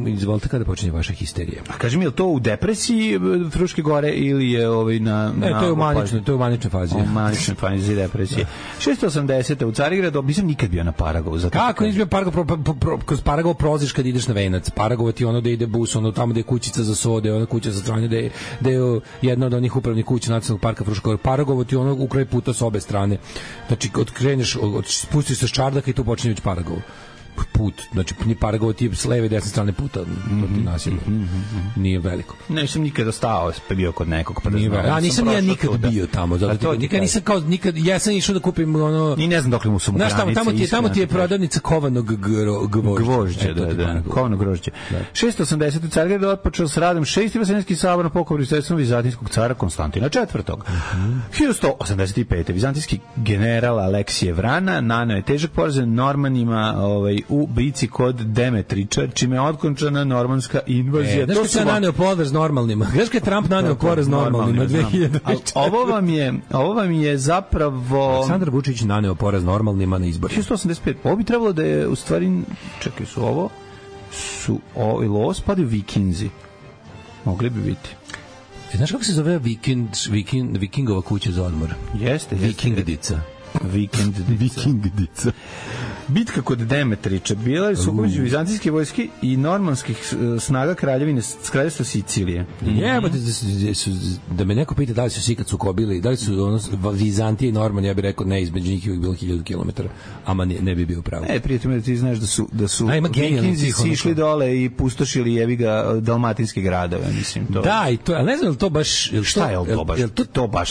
Speaker 6: Izvolite, kada počinje vaša histerija?
Speaker 7: A kaži mi, je li to u depresiji Fruške gore ili je na...
Speaker 6: Ne, to je u maničnoj fazi.
Speaker 7: U maničnoj fazi depresije. 680. u Carigradu, nisam nikad bio na Paragovu.
Speaker 6: Kako nisi bio Paragovo? Kroz Paragovo proziš kad ideš na Venac. Paragovo ti ono da ide bus, ono tamo da je kućica za sode, ona kuća za stranje, da je jedna od onih upravnih kuća Nacionalnog parka Fruška gore. Paragovo ti ono u kraj puta s obe strane. Znači, kreneš, spustiš se s čardaka i tu počinje već Paragovo. Put, znači Paragovo ti je s leve i desne strane puta, to ti nasilje. Nije veliko.
Speaker 7: Nisam nikada stao, pa bio kod nekog, pa
Speaker 6: nisam ja nikad bio tamo, zato nikad nisam kao nikad, ja sam išao da kupim ono.
Speaker 7: Ni ne znam dokle mu su granice.
Speaker 6: Tamo ti je prodavnica kovanog
Speaker 7: gvožđa, da. Kovanog grožđa. 680. u Carigradu otpočeo s radom 6. Vaseljenski sabor na pokrovnu sredstvom vizantijskog cara Konstantina IV. 1185. Vizantijski general Aleksije Vrana naneo je težak poraz Normanima u bici kod Demetriča, čime je otkončana normanska invazija.
Speaker 6: Znaš kada je naneo poraz normalnima? Znaš kada je Trump naneo poraz normalnima 2004?
Speaker 7: Ovo vam je zapravo...
Speaker 6: Aleksandar Vučić naneo poraz normalnima na izborima.
Speaker 7: 185. Ovo bi trebalo da je u stvari... Čekaj, su ovo spadaju Vikinzi. Mogli bi biti.
Speaker 6: Znaš kako se zove Vikingova kuća za odmor?
Speaker 7: Jeste.
Speaker 6: Vikingdica.
Speaker 7: Vikingdica. Bitka kod Demetriča bila je sukob između vizantijske vojske i normanskih snaga kraljevstva Sicilije.
Speaker 6: Jebote, da me neko pita da li su se ikad sukobili, da li su Vizantije i Normanije, ja bih rekao ne, između njih je bilo 1000 kilometara, ama ne bi bio pravo.
Speaker 7: Prijatelj, ti znaš da su Vikinzi išli dole i pustošili jebiga dalmatinske gradove, mislim.
Speaker 6: Da, i to, ali ne znam li to baš...
Speaker 7: Šta je to baš? To baš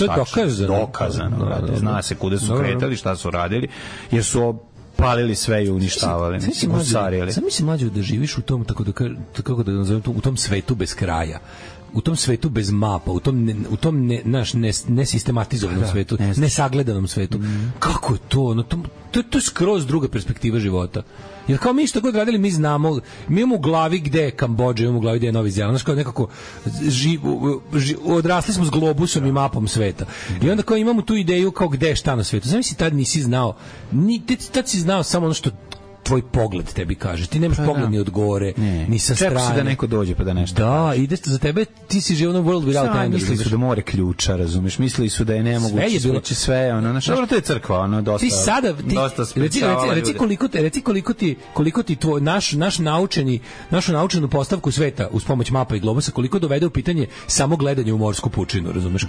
Speaker 7: dokazano. Zna se kuda su kretali, šta su radili, jer su palili sve i uništavali.
Speaker 6: Sam mislim mlađe da živiš u tom, kako da nazovem to, u tom svetu bez kraja. U tom svetu bez mapa, u tom nesistematizovanom svetu, nesagledanom svetu. Kako je to? To je skroz druga perspektiva života. Jer kao mi što god radili, mi znamo, mi imamo u glavi gde je Kambodža, imamo u glavi gde je Novi Zeland, znaš kao nekako odrasli smo s globusom i mapom sveta. I onda kao imamo tu ideju kao gde je šta na svetu. Znam si tad nisi znao, tad si znao samo ono što tvoj pogled tebi kaže. Ti nemaš pogled ni od gore, ni sa strane.
Speaker 7: Čepo si da neko dođe pa da nešto.
Speaker 6: Da, ide za tebe, ti si živio na world without end.
Speaker 7: Mislili su da more ključa, razumeš? Mislili su da je nemoguće sveći sve, ono, dobro, to je crkva, ono, dosta.
Speaker 6: Ti sada, reci koliko ti tvoj, našu naučenu postavku sveta uz pomoć mapa i globusa, koliko dovede u pitanje samo gledanje u morsku pučinu, razumeš?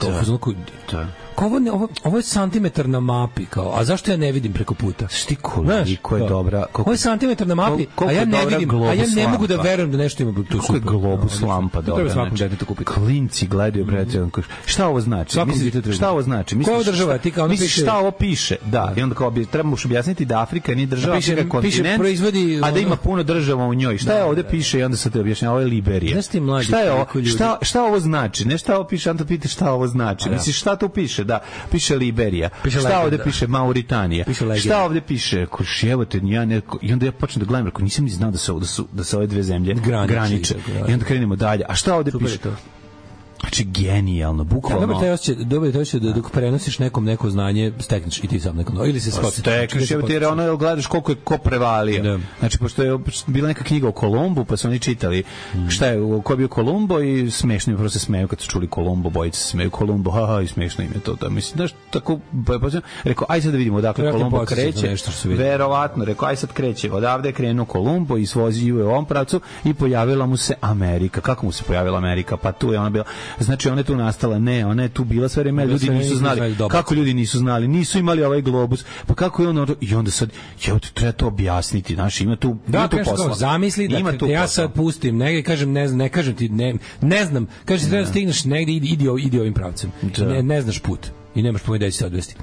Speaker 6: Ovo je santimetar na mapi, kao, a zašto ja ne vidim preko puta?
Speaker 7: Šti koliko je dobra.
Speaker 6: Ovo je santimetar na mapi, a ja ne vidim, a ja ne mogu da verujem da nešto ima tu.
Speaker 7: Kako je globus lampa dobra.
Speaker 6: Treba svakom detetu kupiti.
Speaker 7: Klinci gledaju, brate, šta ovo znači? Šta ovo znači?
Speaker 6: Koja država? Ti kao
Speaker 7: misliš šta ovo piše? Da, i onda kao trebamo objasniti da Afrika nije država, Afrika kontinent, a da ima puno država u njoj. Šta je ovde piše i onda se te objašnjava, ovo je Liberija. Šta je ovo? Šta ovo znači? Ne šta ovo piše, onda pita šta ovo znači. Misliš šta tu piše? Da, piše Liberija. Šta ovde piše? Mauritanija. Šta ovde piše? Evote, i onda ja počnem da gledam, rekao, nisam ni znao da se ove dve zemlje graniče. I onda krenemo dalje. A šta ovde piše? Znači, genijalno, bukvalno.
Speaker 6: Dobro taj osjećaj da dok prenosiš nekom neko znanje, stekneš i ti sam neko, ili se skotiš.
Speaker 7: Stekneš, jer ono gledaš koliko je ko prevalio. Da. Znači, pošto je bila neka knjiga o Kolumbu, pa su oni čitali šta je, ko je bio Kolumbo i smešno im prvo se smeju kad su čuli Kolumbo, bojice se smeju Kolumbo, haha, i smešno im je to. Da, mislim, znaš, tako, rekao, aj sad da vidimo odakle Kolumbo kreće. Verovatno, rekao, aj sad kreće. Odavde je krenuo Kolumbo i svozio je u ovom pravcu i pojavila mu se Amerika. Kako mu se pojavila Amerika? Pa tu je ona bila. Znači, ona je tu nastala, ne, ona je tu bila sve vreme, ljudi nisu znali. Kako ljudi nisu znali? Nisu imali ovaj globus. Pa kako je ono? I onda sad, treba to objasniti, znači, ima tu posla.
Speaker 6: Zamisli da ja sad pustim, negdje kažem, ne kažem ti, ne znam, kažem ti treba da stigneš negdje, idi ovim pravcem. Ne znaš put i nemaš pojma da će se odvesti.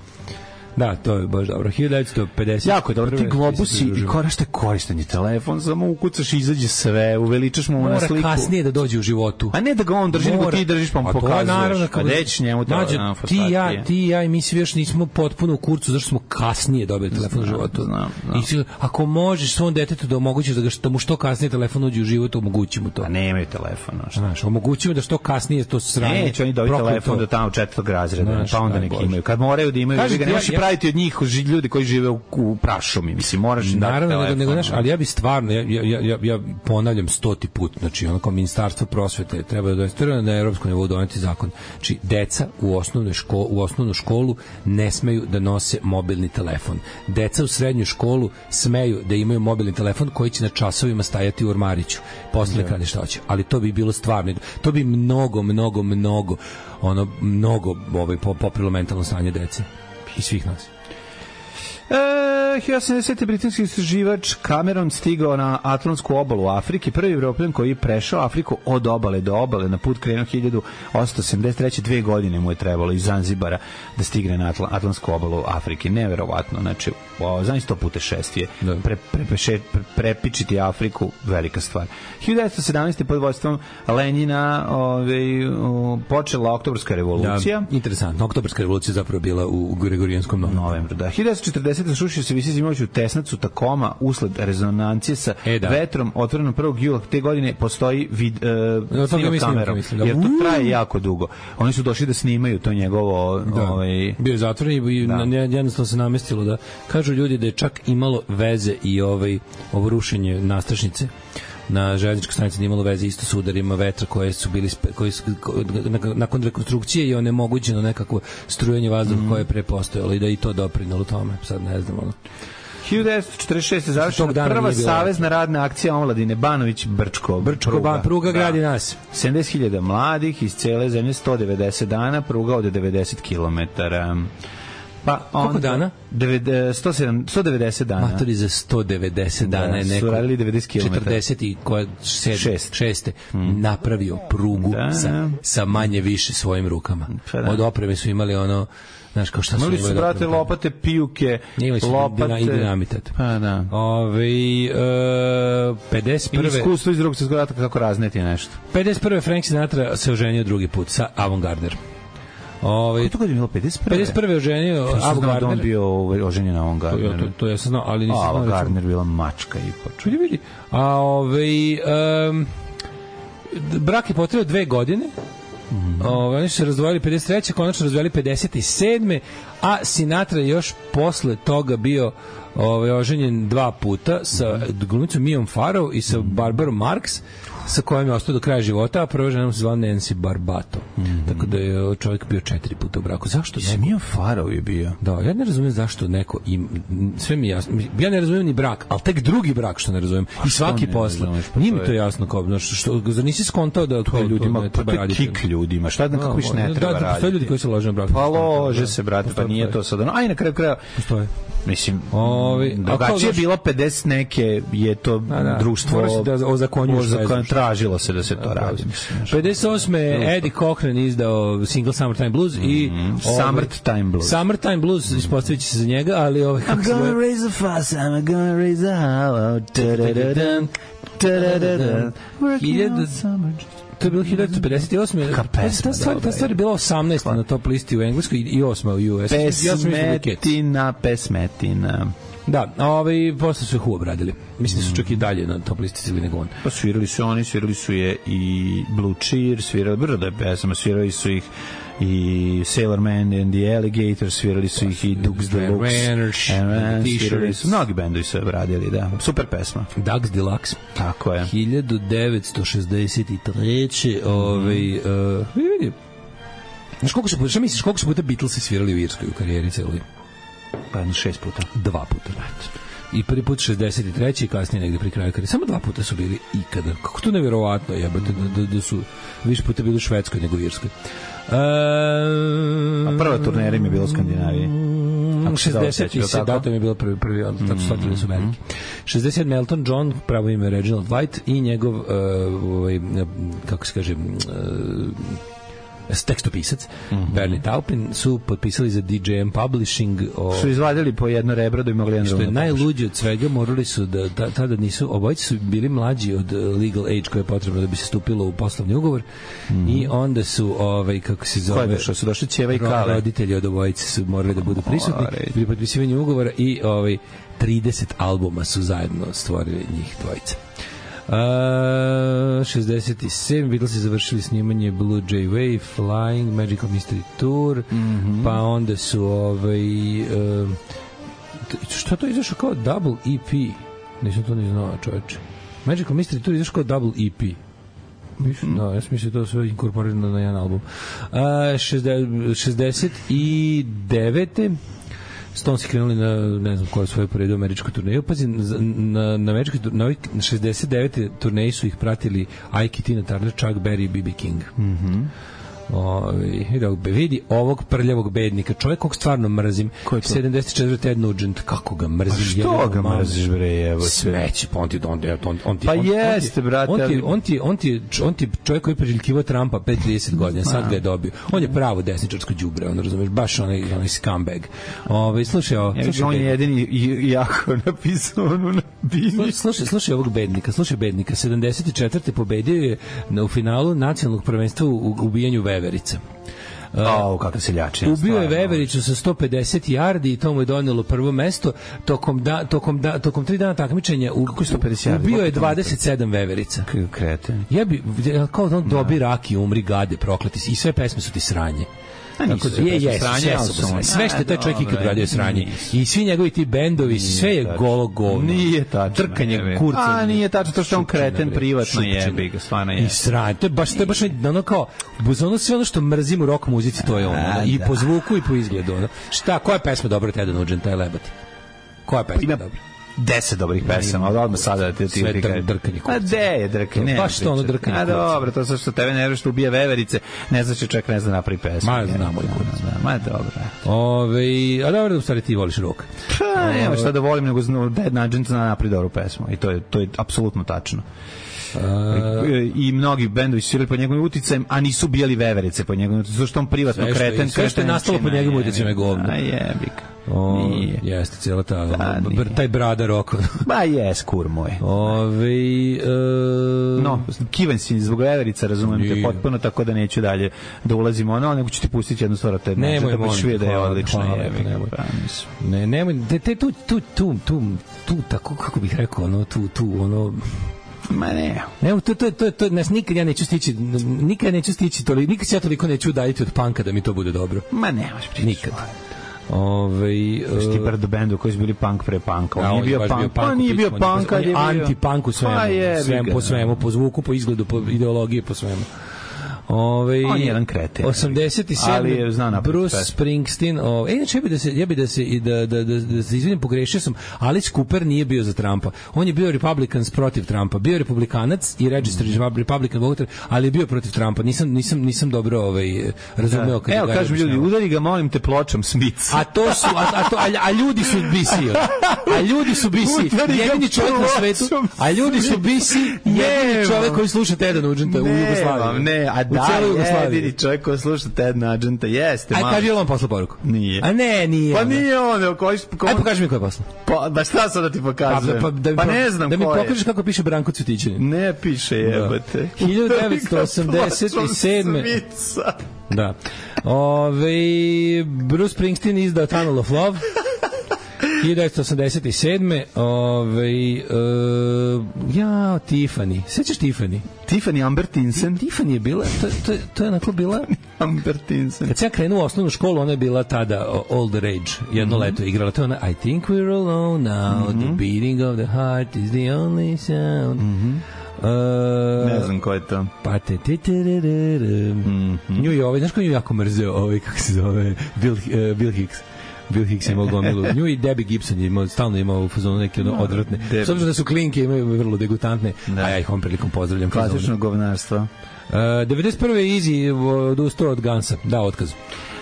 Speaker 6: Da, to je baš dobro. 1950.
Speaker 7: Jako je dobro. Ti globusi i korištenje telefon, samo ukucaš i izađe sve, uveličaš mu na sliku.
Speaker 6: Mora kasnije da dođe u životu.
Speaker 7: A ne da ga on drži, nego ti držiš pa mu pokazuješ. A deći njemu to na fotografije.
Speaker 6: Ti ja i mi svi još nismo potpuno u kurcu, zašto smo kasnije dobili telefon u životu. I ako možeš svom detetu da omogućiš da mu što kasnije telefon uđe u život, omogući mu to.
Speaker 7: A nemaju telefon.
Speaker 6: Znaš, omogući mu da što kasnije to sranje.
Speaker 7: Neće oni dobiti telefon do tamo 4. razreda, pa onda neki imaju. Kad moraju da imaju, praviti od njih ljudi koji žive u prašumi, mislim, moraš im dati telefon.
Speaker 6: Nego, ali ja bi stvarno, ja ponavljam 100. put, znači, ono kao Ministarstvo prosvete treba da na evropskom nivou doneti zakon. Znači, deca u osnovnu školu ne smeju da nose mobilni telefon. Deca u srednju školu smeju da imaju mobilni telefon koji će na časovima stajati u ormariću. Posle kada šta hoće. Ali to bi bilo stvarno, to bi mnogo poprilo mentalno stanje dece i svih nas.
Speaker 7: 1980. britanski istraživač Cameron stigao na Atlantsku obalu Afrike, prvi Evropljan koji je prešao Afriku od obale do obale, na put krenuo 1873. 2 godine mu je trebalo iz Zanzibara da stigne na Atlantsku obalu Afrike. Neverovatno, znači, znači to putešestvije. Prepičiti Afriku, velika stvar. 1917. pod vodstvom Lenjina počela Oktobarska revolucija.
Speaker 6: Da, interesantno. Oktobarska revolucija zapravo bila u Gregorijanskom novembru.
Speaker 7: Da. 1940. srušio se visi zimajuću tesnacu Takoma usled rezonancije sa vetrom otvorenom 1. jula te godine. Postoji snimak kamerom, jer to traje jako dugo. Oni su došli da snimaju to njegovo...
Speaker 6: Bio je zatvoren i jednostavno se namestilo da kažu ljudi da je čak imalo veze i ovo rušenje nastrašnice na željezničkoj stanici nije imalo veze isto s udarima vetra koji su nakon rekonstrukcije je onemogućeno nekakvo strujanje vazduha koje je prepostojalo i da i to doprinalo tome. Sad ne znam.
Speaker 7: 1946. završena prva savezna radna akcija omladine Banović-Brčko.
Speaker 6: Pruga gradi nas.
Speaker 7: 70.000 mladih iz cele zemlje, 190 dana, pruga od 90 kilometara. Pa
Speaker 6: koliko dana?
Speaker 7: 190 dana.
Speaker 6: Matori za 190 dana je neko 46. napravio prugu sa manje više svojim rukama. Od opreme su imali ono, znaš, kao šta su
Speaker 7: imali su, brate, lopate, pijuke, lopate
Speaker 6: i dinamitet.
Speaker 7: Pa da.
Speaker 6: 51.
Speaker 7: Iskustvo iz drugog svjetskog rata kako razneti nešto.
Speaker 6: 51. Frank Sinatra se oženio drugi put sa Avantgarder.
Speaker 7: Kako to god je bilo
Speaker 6: 51. je oženio Avantgarder.
Speaker 7: On bio oženjen na Avantgarder.
Speaker 6: To ja sam znao, ali nisam znao.
Speaker 7: Avantgarder bila mačka i počeo.
Speaker 6: Vidi. Brak je potrebao 2 godine. Oni su se razdvojili 53. konačno razdvojili 57. A Sinatra još posle toga bio oženjen 2 puta sa glumicom Mijom Farrow i sa Barbarom Marx, sa kojom je ostao do kraja života, a prva žena se zvala Nancy Barbato. Tako da je čovjek bio 4 puta u braku. Zašto neko?
Speaker 7: Mio Farrow je bio.
Speaker 6: Da, ja ne razumijem zašto neko sve mi je jasno. Ja ne razumijem ni brak, ali tek drugi brak što ne razumijem. I svaki posle. Nije mi to jasno kao što zar nisi skontao da to
Speaker 7: ljudima
Speaker 6: ne treba raditi.
Speaker 7: Kik ljudima. Šta da kako više ne treba raditi.
Speaker 6: Postoje ljudi koji se lože na brak.
Speaker 7: Pa lože se, brate, pa nije to sad. Aj na kraju kraja.
Speaker 6: Postoje.
Speaker 7: Mislim, drugačije bilo 50 neke je to društvo tražilo se da se to radi.
Speaker 6: 58. Eddie Cochran izdao single Summertime Blues i Summertime Blues ispostavit će se za njega, ali
Speaker 7: I'm gonna raise a fuss, I'm gonna raise a hollow.
Speaker 6: To je bilo 1958. Ta stvar je bila 18. na top listi u Engleskoj i 8. u US.
Speaker 7: Pesmetina.
Speaker 6: Da, posle su je Who obradili. Mislim da su čak i dalje na top listi sili nego on.
Speaker 7: Pa svirali su je i Blue Cheer, svirali brdo je pesama, svirali su ih i Sailor Man and the Alligator, svirali su ih i Dukes Deluxe, svirali su, mnogi bendovi su obradili, da, super pesma.
Speaker 6: Dukes Deluxe.
Speaker 7: Tako je.
Speaker 6: 1963. Vidi. Znaš koliko su puta Beatlesi svirali u Irskoj u karijeri celoj?
Speaker 7: Pa 6 puta.
Speaker 6: 2 puta. I prvi put 63. i kasnije negde pri kraju karijere. Samo 2 puta su bili ikada. Kako to nevjerovatno jebate da su više puta bili u Švedskoj nego u Irskoj.
Speaker 7: A prva turnera im je bila u Skandinaviji.
Speaker 6: 60. datum je bilo prvi tako shvatili su veliki. 67. Elton John, pravo ime Reginald White i njegov kako se kaže tekstopisac Bernie Taupin su potpisali za DJM Publishing
Speaker 7: su izvadili po jedno rebro da bi mogli
Speaker 6: što je najluđe od svega, morali su da tada nisu, obojice su bili mlađi od legal age koje je potrebno da bi se stupilo u poslovni ugovor i onda su kako se zove
Speaker 7: što su došli ćeva i kale
Speaker 6: roditelji od obojice su morali da budu prisutni pri potpisivanju ugovora i 30 albuma su zajedno stvorili njih dvojica. 67. Beatlesi završili snimanje Blue Jay Way, Flying, Magical Mystery Tour, pa onda su što to izašao kao double EP? Nisam to ni znao, čoveče. Magical Mystery Tour izašao kao double EP. Da, ja sam mislio to sve inkorporirano na jedan album. 69. Stones krenuli na, ne znam koja svoje poredu američku turneju. Pazi, na američkoj turneji, na 69. turneji su ih pratili Ike, Tina Turner, Chuck Berry i B.B. King. Vidi ovog prljavog bednika, čovjek kog stvarno mrzim. 74. Ted Nugent, kako ga mrzim.
Speaker 7: A što ga mrziš, bre, evo
Speaker 6: sveći,
Speaker 7: pa jeste, brate.
Speaker 6: On ti čovjek koji je preželjkivao Trumpa 5-30 godina, sad ga je dobio. On je pravo desničarsko đubre, on razumeš, baš onaj scumbag. Slušaj,
Speaker 7: on je jedini jako napisao ono na bini.
Speaker 6: Slušaj ovog bednika, 74. pobedio je u finalu nacionalnog prvenstva u ubijanju veverica.
Speaker 7: Kako se ljači.
Speaker 6: Ubio je vevericu sa 150 yardi i to mu je donelo prvo mesto. Tokom 3 dana takmičenja ubio je 27 veverica.
Speaker 7: Kreten.
Speaker 6: Kao da on dobi rak i umri, gade, prokleti. I sve pesme su ti sranje. Sve što je taj čovjek ikad radio je sranje. I svi njegovi ti bendovi, sve je golo govno.
Speaker 7: Nije tačno.
Speaker 6: Trkanje kurca.
Speaker 7: Nije tačno, to što on kreten privatno jebi ga, stvarno je.
Speaker 6: I sranje. To je baš ono kao, ono sve ono što mrzim u rock muzici, to je ono. I po zvuku i po izgledu. Šta, koja je pesma dobra Teda Nugenta, je lebati? Koja je pesma dobra?
Speaker 7: 10 dobrih pesama, ali odmah sada da ti
Speaker 6: sve drkanje.
Speaker 7: A gde je drkanje?
Speaker 6: Baš to ono drkanje.
Speaker 7: A dobro, to što tebe nervira što ubija veverice, ne znači čak ne zna napravi pesmu.
Speaker 6: Ma znam moj kurac.
Speaker 7: Ma dobro.
Speaker 6: A dobro, u stvari ti voliš rock.
Speaker 7: Pa, nema šta da volim, nego Dead Nugent zna napravi dobru pesmu. I to je apsolutno tačno. I mnogi bendovi su svirali pod njegovim uticajem, a nisu bijeli veverice pod njegovim uticajem, što on privatno kreten.
Speaker 6: Sve što je nastalo pod njegovim uticajem je govno.
Speaker 7: A jebik.
Speaker 6: Jeste, cijela taj brada rock.
Speaker 7: Ba jes, kur moj. No, kivan si zbog veverica, razumem te potpuno, tako da neću dalje da ulazimo ono, nego ću ti pustiti jednu stvar od te
Speaker 6: nemoj,
Speaker 7: da je odlična.
Speaker 6: Nemoj, tu, tako, kako bih rekao, ono, ono,
Speaker 7: ma ne.
Speaker 6: Ne, to nas nikad ja neću stići, nikad se ja toliko neću udaljiti od panka da mi to bude dobro.
Speaker 7: Ma ne, možeš pričati.
Speaker 6: Nikad.
Speaker 7: Ti brdo bendu koji su bili punk pre punka. On nije bio punk. On nije bio punk,
Speaker 6: on je anti-punk u svemu. Po svemu, po zvuku, po izgledu, po ideologiji, po svemu.
Speaker 7: On je jedan kreten.
Speaker 6: 87. Bruce Springsteen. Inače, ja bi da se izvinim, pogrešio sam. Alice Cooper nije bio za Trumpa. On je bio Republicans protiv Trumpa. Bio republikanac i registered Republican voter, ali je bio protiv Trumpa. Nisam dobro razumeo.
Speaker 7: Evo, kažem ljudi, udari ga, molim te, pločom Smith.
Speaker 6: A ljudi su BC. A ljudi su BC. Jedini čovjek na svetu. A ljudi su BC. Jedini čovjek koji sluša Teda Nugenta u Jugoslaviji.
Speaker 7: Ne, jedini čovjek koji sluša Ted Nugenta, jeste.
Speaker 6: Aj, kaži on posla poruku.
Speaker 7: Nije.
Speaker 6: A ne, nije.
Speaker 7: Pa nije on.
Speaker 6: Aj, pokaži mi ko je posla.
Speaker 7: Pa šta sad da ti pokazujem? Pa ne znam ko je.
Speaker 6: Da mi pokažeš kako piše Branko Cvetićanin.
Speaker 7: Ne piše, jebate.
Speaker 6: 1987. Da. Bruce Springsteen izdao Tunnel of Love. 1987. Tiffany. Sećaš Tiffany?
Speaker 7: Tiffany Amber Tinsen.
Speaker 6: Tiffany je bila, to je onako bila...
Speaker 7: Amber Tinsen.
Speaker 6: Kad sam ja krenuo u osnovnu školu, ona je bila tada all the rage. Jedno leto igrala. To je ona I think we're alone now, the beating of the heart is the only sound.
Speaker 7: Ne znam ko je to.
Speaker 6: Pa nju je znaš ko je jako mrzeo kako se zove, Bill Hicks. Bill Hicks je imao gomilu. Nju i Debbie Gibson je imao, stalno imao u fazonu neke odvratne. S obzirom da su klinke, imaju vrlo degutantne, a ja ih ovom prilikom pozdravljam.
Speaker 7: Klasično govnarstvo.
Speaker 6: 91. je Easy odustao od Gansa, dao otkaz.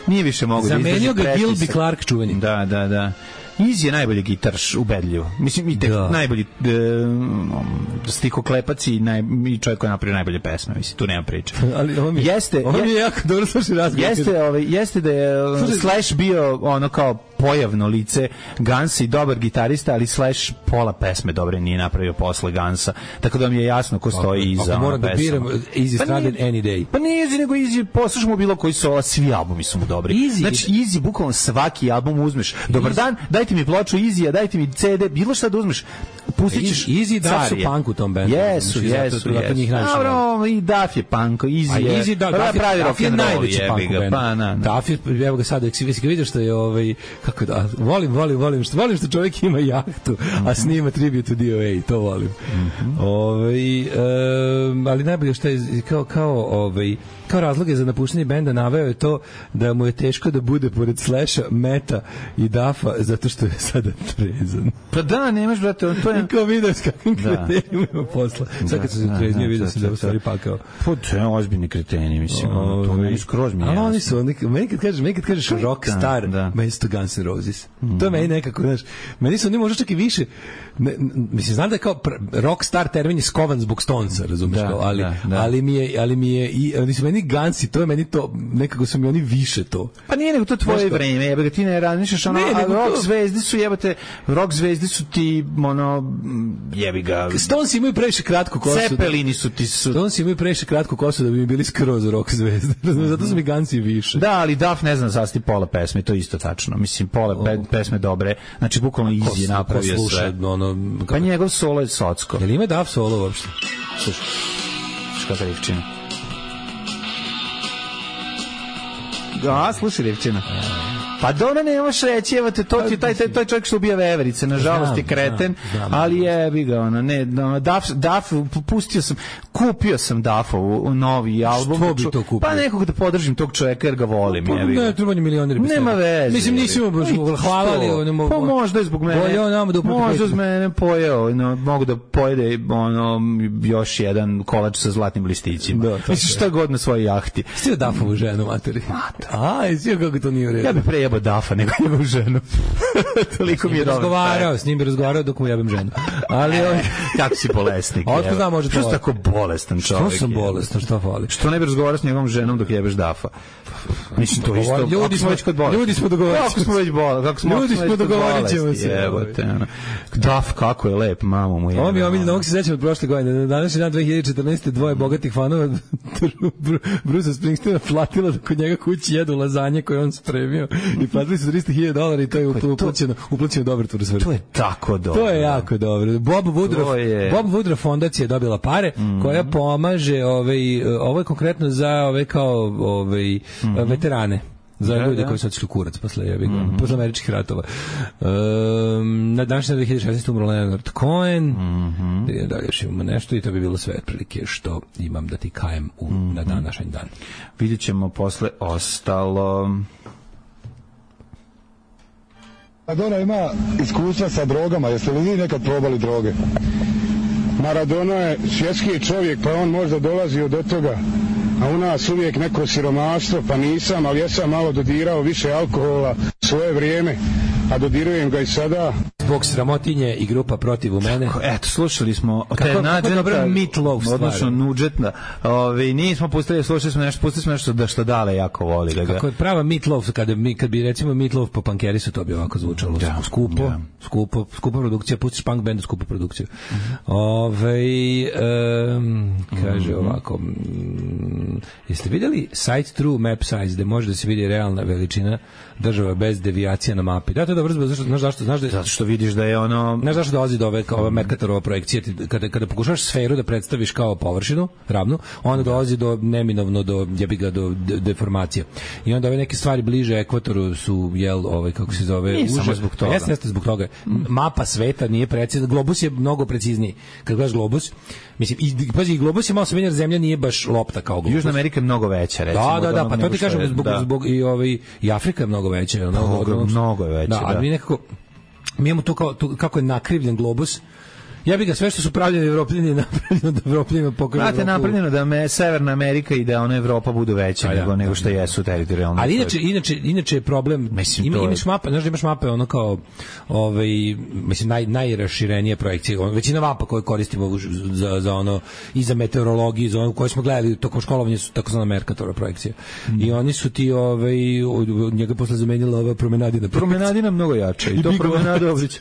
Speaker 7: Nije više mogu da izdrži
Speaker 6: pretisak. Zamenio ga Gilby Clark čuveni.
Speaker 7: Da. Easy je najbolji gitarš ubedljivo. Mislim, i najbolji stihoklepac i čovjek koji je napravio najbolje pesme. Mislim, tu nema priče.
Speaker 6: Ali on mi je jako dobro slušao razgovor.
Speaker 7: Jeste da je Slash bio ono kao pojavno lice Gansa i dobar gitarista, ali Slash pola pesme dobre nije napravio posle Gansa. Tako da mi je jasno ko stoji iza pesma.
Speaker 6: Ako moram da biram, Easy Stranded Any Day.
Speaker 7: Pa nije Easy, nego Easy, poslušamo bilo koji sola, svi albumi su mu dobri. Znači, Easy, bukvalno svaki album uzmeš. Dobar dan, dajte mi ploču Easy-a, dajte mi CD, bilo šta da uzmeš, pustit ćeš
Speaker 6: Easy da su punk u tom bendu.
Speaker 7: Jesu. Dobro, i Duff je punk, Easy je pravi rock and roll, jebi ga.
Speaker 6: Duff je, evo ga sada, si ga vidio što je, kako da, volim što čovjek ima jahtu, a snima tribute to DOA, to volim. Ali najbolje što je, kao razloge za napuštanje benda naveo je to da mu je teško da bude pored Slasha, Meta i Duffa zato što je sada trezan.
Speaker 7: Pa da, nemaš, brate, to je...
Speaker 6: I kao vidio s kakvim kretenima ima posla. Sad kad se treznio, vidio se da je u stvari pakao.
Speaker 7: Pa to je ozbiljni kreteni, mislim. To meni skroz mi je jasno.
Speaker 6: Ali oni su, meni kad kažeš rockstar, meni su to Guns N' Roses. To je meni nekako, znaš, meni su oni možda čak i više, mislim, znam da je kao rockstar termin je skovan zbog Stonesa, razumiješ, ali mi je, oni su meni Gansi, to je meni to, nekako su mi oni više to.
Speaker 7: Pa nije nego to tvoje vreme, jebate, ti ne razmišljaš, rock zvezdi su ti, jebi ga.
Speaker 6: Stones imaju previše kratku kosu.
Speaker 7: Cepelini su ti
Speaker 6: Stones imaju previše kratku kosu da bi mi bili skroz rock zvezde. Zato su mi Gansi više.
Speaker 7: Da, ali Duff ne znam sasti pola pesme, to je isto tačno. Mislim, pola pesme dobre, znači bukvalno Easy napravio sve. Pa njegov solo je socko.
Speaker 6: Jel ima Duff solo uopšte?
Speaker 7: Slušaj, kakva rivčina. Da, slušaj rivčina. Pa Dona nemaš reći, evo te, to ti taj čovjek što ubija veverice, nažalost je kreten, ali jebi ga, Duff, kupio sam Duffovu novi album.
Speaker 6: Što bi to kupio?
Speaker 7: Pa nekog da podržim tog čovjeka jer ga volim, jebi ga.
Speaker 6: Ne, trebanje milioneri.
Speaker 7: Nema veze.
Speaker 6: Mislim, nisi mu hvalali.
Speaker 7: Pa možda je zbog mene. Možda z mene pojeo, mogu da pojede još jedan kolač sa zlatnim listićima. Mislim, šta god na svojoj jahti.
Speaker 6: Stio Duffovu ženu, materi. Stio kako to nije u redu.
Speaker 7: Ja bih prejebao Duffa nego jebam ženu. Toliko mi je dobro.
Speaker 6: S njim bi razgovarao dok mu jebam ženu. Ali
Speaker 7: kako si bolesnik.
Speaker 6: Otko znam, može to.
Speaker 7: Što si tako bolestan čovjek?
Speaker 6: Što sam bolestan, što fali?
Speaker 7: Što ne bi razgovarao s njegovom ženom dok jebeš Duffa? Mislim, to isto.
Speaker 6: Ljudi smo dogovorili.
Speaker 7: Kako smo već bolesti?
Speaker 6: Ljudi smo dogovorit ćemo se.
Speaker 7: Duff, kako je lep, mamu mu je.
Speaker 6: Ovo mi je omiljeno, ovog se sećam od prošle godine. Na današnji dan 2014. dvoje bogatih fanova Bruce Springsteena platilo da kod njega kući jedu lazanje koje on spremio i platili su $300,000 i to je uplaćeno dobrotvoru svrhu.
Speaker 7: To je tako dobro.
Speaker 6: To je jako dobro. Bob Woodruff fondacija je dobila pare koja pomaže, ovo je konkretno za veterane. Za ljude koji su otišli kurac posle američkih ratova. Na današnji 2016. umro Leonard Cohen. Dalje još imamo nešto i to bi bilo sve otprilike što imam da ti kajem na današnji dan.
Speaker 7: Vidjet ćemo posle ostalo.
Speaker 9: Maradona ima iskustva sa drogama. Jeste li vi nekad probali droge? Maradona je svjetski čovjek, pa on možda dolazio do toga. A u nas uvijek neko siromaštvo, pa nisam, ali ja sam malo dodirao više alkohola svoje vrijeme, a dodirujem ga i sada.
Speaker 6: Zbog sramotinje i grupa Protiv u mene.
Speaker 7: Eto, slušali smo
Speaker 6: kako dobro Meatloaf stvar.
Speaker 7: Odnosno Nudžetna. Nismo pustili smo nešto da što Dale jako voli. Da ga...
Speaker 6: Kako je prava Meatloaf, kad bi recimo Meatloaf po Pankerisu, to bi ovako zvučalo. Da. Skupa produkcija, pustiš punk bandu, skupa produkciju. Kaže ovako, jeste vidjeli Site True Map Size, gde može da se vidi realna veličina država bez devijacija na mapi? Da, to je dobro, znaš zašto? Zato
Speaker 7: što vidiš da je ono...
Speaker 6: Znaš zašto dolazi do ova Mercatorova projekcija? Kada pokušaš sferu da predstaviš kao površinu, ravnu, onda dolazi do neminovno, do deformacije. I onda ove neke stvari bliže ekvatoru su, kako se zove...
Speaker 7: Nije samo zbog toga.
Speaker 6: Jeste zbog toga. Mapa sveta nije precizna. Globus je mnogo precizniji. Kad gledaš globus, mislim, pazi, globus je malo se zemlja nije baš lopta kao globus.
Speaker 7: Južna Amerika je mnogo veća, recimo.
Speaker 6: Da, pa to ti kažem, zbog i Afrika je mnogo veća.
Speaker 7: Mnogo je veća,
Speaker 6: da. Ali mi nekako, mi imamo to kako je nakrivljen globus. Ja bih ga sve što su pravljeni Evropljani napravljeno da Evropljanima pokažu.
Speaker 7: Znate, napravljeno da Severna Amerika i da ona Evropa budu veća nego što jesu teritorijalno.
Speaker 6: Ali inače je problem, imaš mape, znaš da imaš mape ono kao mislim najraširenije projekcije, većina mapa koje koristimo za ono i za meteorologiju, za ono koje smo gledali tokom školovanja su takozvana Mercatorova projekcija. I oni su ti njega posle zamenila ova Promenadina.
Speaker 7: Promenadina mnogo jača i to Promenada Obrić.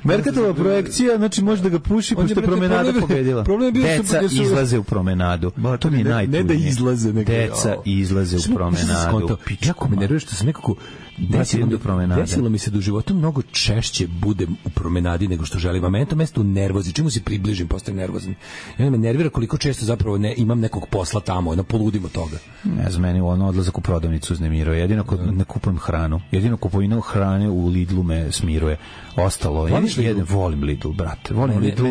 Speaker 7: Mercatorova projekcija, znači može da ga puši pošto je Promenada pobedila. Deca izlaze u Promenadu. To mi je najtužnije.
Speaker 6: Ne da izlaze, nego
Speaker 7: deca izlaze u Promenadu.
Speaker 6: Jako me nervira što sam nekako desilo mi se da u životu mnogo češće budem u Promenadi nego što želim. A meni to mesto nervozi. Čemu se približim, postajem nervozan. I onda me nervira koliko često zapravo imam nekog posla tamo, poludim od toga.
Speaker 7: Ne znam, meni odlazak u prodavnicu uznemiruje. Jedino ne kupujem hranu. Jedino kupovina hrane u Lidlu me smiruje. Ostalo, volim Lidl, brate. Volim Lidl.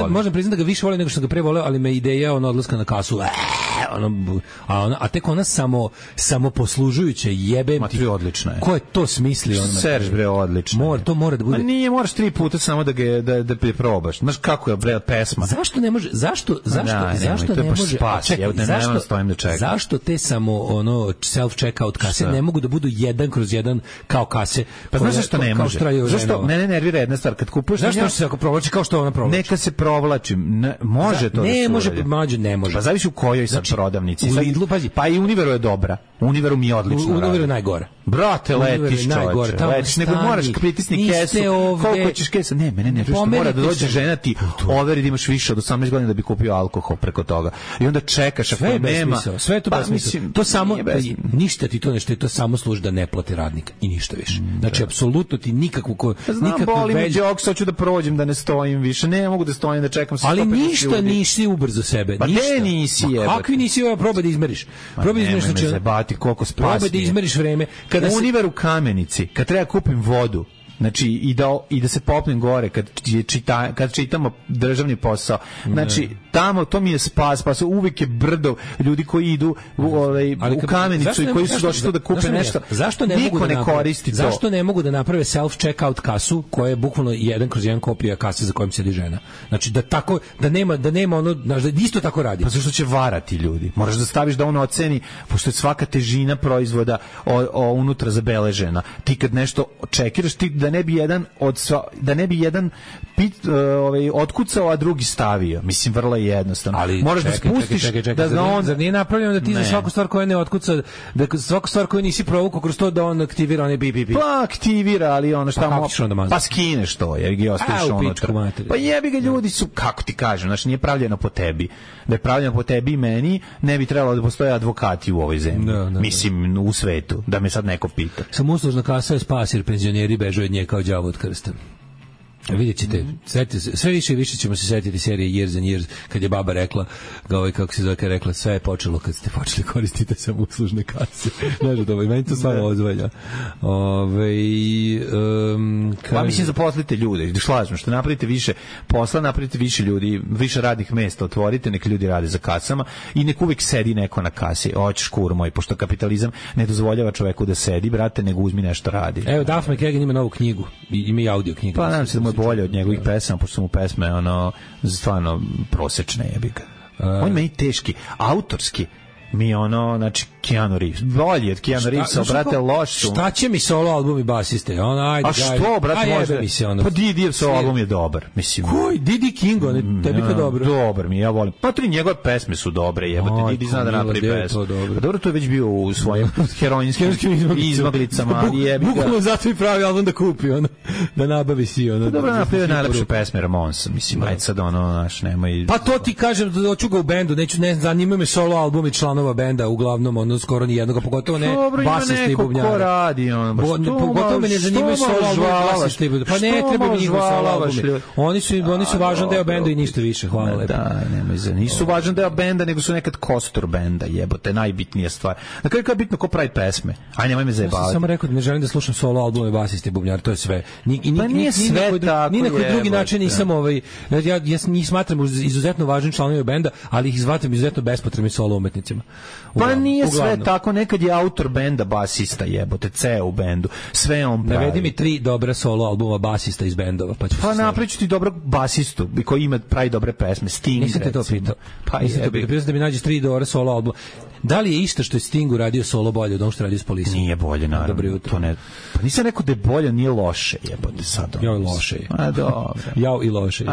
Speaker 6: Možem priznati da ga više volim nego što ga pre voleo, ali me ideja odlaska na kasu. A tek ona samo poslužujuće jebe.
Speaker 7: Ma, to je odlično.
Speaker 6: Ko je to smislio?
Speaker 7: Serž, bre, odlično.
Speaker 6: To mora da bude.
Speaker 7: Ma nije, moraš 3 puta samo da probaš. Znaš kako je, bre, pesma.
Speaker 6: Zašto ne može? Zašto ne može? Zašto te samo self-checkout kase ne mogu da budu 1/1 kao kase?
Speaker 7: Pa znaš zašto ne može? Zašto? Mene nervira jedna stvar. Kad kupuješ...
Speaker 6: Zašto se ako provlači kao što ona provlači?
Speaker 7: Neka se provlači. Može to da se uradi.
Speaker 6: Ne može.
Speaker 7: Pa zavisi u kojoj sad prodavnici.
Speaker 6: U Lidlu, pazi.
Speaker 7: Pa i Univeru je dobra. Univeru mi je odlično radi.
Speaker 6: Univeru je najgore.
Speaker 7: Brate, letiš, čovječe. Letiš, nego moraš pritisni kesu. Koliko ćeš kesa? Ne, mene ne što mora da dođe žena ti overi da imaš više od 18 godina da bi kupio alkohol preko toga. I onda čekaš ako nema.
Speaker 6: Sve je to besmisao. To samo, ništa ti to nešto, to samo služi da ne plati radnika i ništa više. Znači, apsolutno ti nikakvu
Speaker 7: boli mi džok, sad ću da prođem, da ne stojim više. Ne mogu da stojim, da čekam se.
Speaker 6: Ali ništa nisi ubrzo sebe.
Speaker 7: Pa ne nisi je.
Speaker 6: Kakvi nisi ovo, probaj da izmeriš. Probaj da izmeriš,
Speaker 7: znači, koliko spasnije.
Speaker 6: Probaj da izmeriš vreme.
Speaker 7: Univer u Kamenici, kad treba kupim vodu, znači i da se popnem gore kad čitamo državni posao, znači tamo to mi je spas uvijek je brdo ljudi koji idu u Kamenicu i koji su došli tu da kupe nešto. Niko ne koristi to.
Speaker 6: Zašto ne mogu da naprave self-checkout kasu koja je bukvalno 1/1 kopija kase za kojom sedi žena? Znači da nema ono, znaš, da isto tako radi.
Speaker 7: Pa zašto će varati ljudi? Moraš da staviš da on oceni, pošto je svaka težina proizvoda unutra zabeležena. Ti kad nešto čekiraš, ti da ne bi jedan otkucao, a drugi stavio. Mislim, vrlo je jednostavno.
Speaker 6: Ali
Speaker 7: moraš da spustiš da on...
Speaker 6: Zar nije napravljeno da ti za svaku stvar koja ne otkuca, da svaku stvar koju nisi provukao kroz to da on aktivira onaj bip.
Speaker 7: Pa aktivira, ali ono šta pa skineš to, jer ga ostaviš unutra. Pa jebi ga, ljudi su, kako ti kažem, znači nije pravljeno po tebi. Da je pravljeno po tebi i meni, ne bi trebalo da postoje advokati u ovoj zemlji. Mislim, u svetu, da me sad neko pita.
Speaker 6: Samo uslužna kasa je spas, jer penzioneri bežu od nje kao đavo od krsta. Vidjet ćete, sve više i više ćemo se setiti serije Years and Years, kad je baba rekla, kako se zove, kad je rekla, sve je počelo kad ste počeli koristiti samo uslužne kase. Znaš, meni to stvarno ozvalja.
Speaker 7: Pa mislim, zaposlite ljude, slažem, što napravite više posla, napravite više ljudi, više radnih mesta otvorite, nek ljudi rade za kasama i nek uvijek sedi neko na kasi. Hoćeš, kur moj, pošto kapitalizam ne dozvoljava čoveku da sedi, brate, nego uzmi nešto radi.
Speaker 6: Evo, Duff McKagan ima novu knjigu, ima i audio knjigu.
Speaker 7: Pa nadam se da mu je bolje od njegovih pesama, pošto su mu pesme stvarno prosečne, jebi ga. On meni teški, autorski. mi ono, znači Keanu Reeves. Bolji od Keanu Reevesa, brate, loš su.
Speaker 6: Šta će mi solo album i basiste? Ajde,
Speaker 7: a što, brate, može?
Speaker 6: Pa
Speaker 7: Didijev solo album je dobar, mislim.
Speaker 6: Koji? Didi King, tebi to dobro.
Speaker 7: Dobar mi, ja volim. Pa tri njegove pesme su dobre, jebote, Didi zna da napravi pesmu. Dobro, to je već bio u svojim heroinskim izmaglicama, ali je...
Speaker 6: Bukvalno zato i pravi album da kupi, da nabavi si,
Speaker 7: Dobro, napravio najlepše pesme Ramonsa, mislim, ajde sad naš, nemoj...
Speaker 6: Pa to ti kažem, da hoću ga u bendu, ne zanimaju me solo album i članova benda, uglavnom, skoro ni jednog, pogotovo ne basiste i bubnjara.
Speaker 7: Ko radi,
Speaker 6: pogotovo me ne zanimaju solo album i basiste i bubnjara. Pa ne treba mi njihov solo album. Oni su važan deo benda i ništa više, hvala lepo.
Speaker 7: Da, nemoj za, nisu važan deo benda, nego su nekad kostur benda, jebote, najbitnija stvar. Na kraju je bitno ko pravi pesme. Aj, nemoj me zajebavati.
Speaker 6: Ja sam samo rekao da ne želim da slušam solo albume basiste i bubnjara, to je sve.
Speaker 7: Pa nije sve tako.
Speaker 6: Ni na koji drugi način nisam ja njih smatram izuzetno važnim članovima benda, ali ih smatram izuzetno bespotrebnim solo umetnicima.
Speaker 7: Pa nije sve tako, nekad je autor benda basista, jebote, ceo u bendu. Sve on pravi.
Speaker 6: Navedi mi 3 dobra solo albuma basista iz bendova, pa ću
Speaker 7: napriču ti dobrog basistu koji pravi dobre pesme. Sting,
Speaker 6: nisam te to pitao. Pa pitao da mi nađeš 3 dobra solo albuma. Da li je isto što je Sting uradio solo bolje od onog što radio s Polisom?
Speaker 7: Nije bolje, naravno.
Speaker 6: Dobro jutro.
Speaker 7: To ne, pa nisam rekao da je bolje, nije loše, jebote sad.
Speaker 6: Jao i loše.
Speaker 7: A dobro.
Speaker 6: Jao i loše.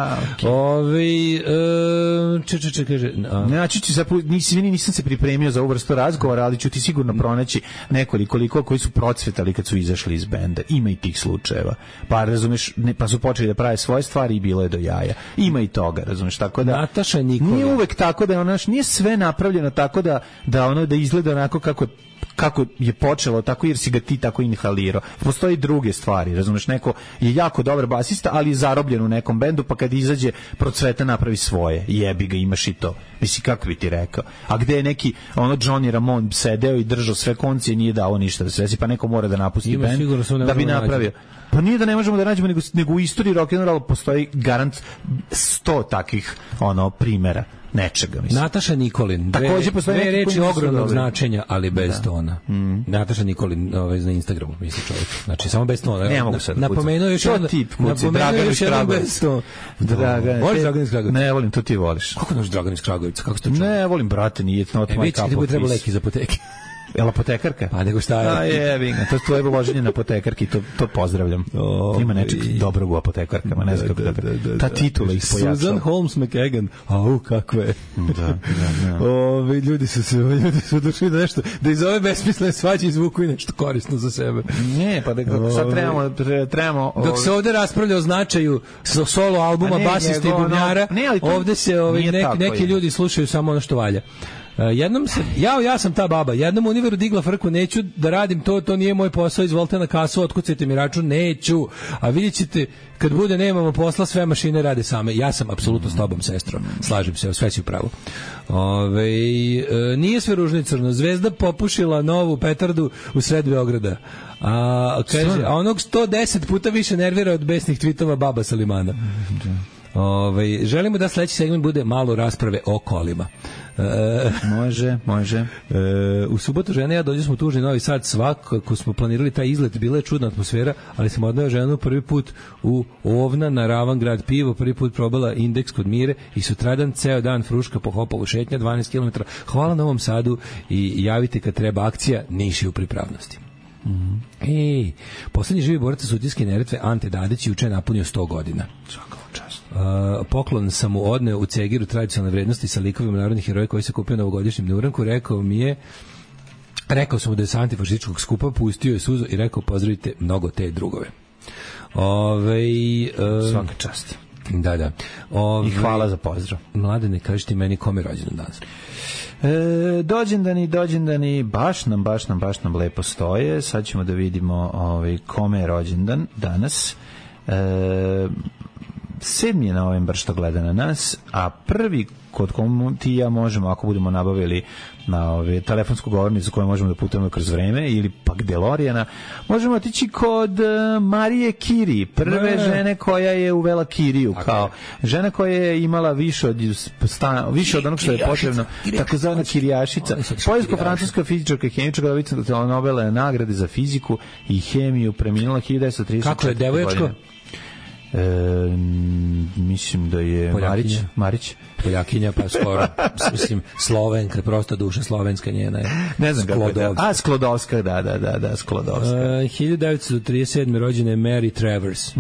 Speaker 6: Kaže...
Speaker 7: Znači, nisam se pripremio za ovu vrstu razgovora, ali ću ti sigurno pronaći nekoliko koji su procvetali kad su izašli iz benda. Ima i tih slučajeva. Pa razumeš, pa su počeli da prave svoje stvari i bilo je do jaja. Ima i toga, razumeš, tako da...
Speaker 6: Nataša Nikolić.
Speaker 7: Nije uvek tako da je nije sve napravljeno tako da izgleda onako kako je počelo, tako jer si ga ti tako inhalirao. Postoji druge stvari, razumeš, neko je jako dobar basista, ali je zarobljen u nekom bendu, pa kad izađe procveta napravi svoje, jebi ga, imaš i to. Misli, kako bi ti rekao? A gde je neki, Johnny Ramone sedeo i držao sve konce i nije dao ništa da se desi, pa neko mora da napusti bend da bi napravio. Pa nije da ne možemo da nađemo, nego u istoriji rock'n'rolla postoji garant 100 takih primjera nečega, mislim.
Speaker 6: Nataša Nikolin.
Speaker 7: Takođe postoje
Speaker 6: dve reči ogromnog značenja, ali bez tona. Nataša Nikolin na Instagramu, misli čovjek. Znači, samo bez tona.
Speaker 7: Ne mogu sad.
Speaker 6: Napomenuo još jedan bez tona. Voliš Dragan iz Kragujevca?
Speaker 7: Ne, volim, to ti voliš.
Speaker 6: Kako noš Dragan iz Kragujevca? Kako ste čuli?
Speaker 7: Ne, volim, brate, nije not my cup of tea.
Speaker 6: Ti bi trebao leki iz apoteke.
Speaker 7: Jel apotekarka?
Speaker 6: Pa nego šta je?
Speaker 7: A jebinga, to je tvoje uloženje na apotekarki, to pozdravljam. Ima nečeg dobrog u apotekarkama, ne znam kako da. Ta titula ih pojačala.
Speaker 6: Susan Holmes McKagan, kakve. Da. Ljudi su došli da nešto, da iz ove besmislene svađe izvuku i nešto korisno za sebe.
Speaker 7: Ne, pa sad trebamo...
Speaker 6: Dok se ovde raspravlja o značaju solo albuma basista i bubnjara, ovde se neki ljudi slušaju samo ono što valja. Jednom ja sam ta baba, jednom univeru digla frku, neću da radim to nije moj posao, izvolite na kasu, otkucajte mi račun, neću, a vidjet ćete kad bude nemamo posla, sve mašine rade same. Ja sam apsolutno s tobom, sestro, slažem se, sve si u pravu. Nije sve ružno i crno, Zvezda popušila novu petardu u sred Beograda, a onog 110 puta više nervira od besnih tvitova baba Salimana. Želimo da sledeći segment bude malo rasprave o kolima.
Speaker 7: Može.
Speaker 6: U subotu žena i ja dođemo tužni Novi Sad, svakako smo planirali taj izlet, bila je čudna atmosfera, ali sam odneo ženu prvi put u Ovna na Ravan grad pivo, prvi put probala Indeks kod Mire i sutradan ceo dan fruška po Hopovu šetnja 12 km. Hvala Novom Sadu i javite kad treba akcija, Niš je u pripravnosti. Poslednji živi borac Sutjeske Neretve Ante Dadić juče napunio 100 godina. Poklon sam mu odneo u Cegiru tradicionalne vrednosti sa likovima narodnih heroja koji se kupio na ovogodišnjem Neuranku. Rekao sam mu da je sa antifašističkog skupa, pustio je suzu i rekao pozdravite mnogo te drugove.
Speaker 7: Svaka čast.
Speaker 6: Da.
Speaker 7: I hvala za pozdrav.
Speaker 6: Mladene, kažeš ti meni kome rođendan danas?
Speaker 7: Dođendani baš nam lepo stoje. Sad ćemo da vidimo kome je rođendan danas. 7. je novembar što gleda na nas, a prvi kod komu ti i ja možemo, ako budemo nabavili na telefonsku govornicu koju možemo da putujemo kroz vreme, ili pak DeLoreana, možemo otići kod Marije Kiri, prve žene koja je uvela kiriju, kao žena koja je imala više od onog što je potrebno, takozvana kirijašica, poljsko-francuska fizičarka i hemičarka, dobica Nobelove nagrade za fiziku i hemiju, preminula 1934.
Speaker 6: Kako je devoječko?
Speaker 7: Mislim da je Marić.
Speaker 6: Poljakinja, pa skoro, mislim, Slovenka, prosto duša slovenska njena je.
Speaker 7: Ne znam kako je. Sklodovska, da, Sklodovska.
Speaker 6: 1937. rođena je Mary Travers.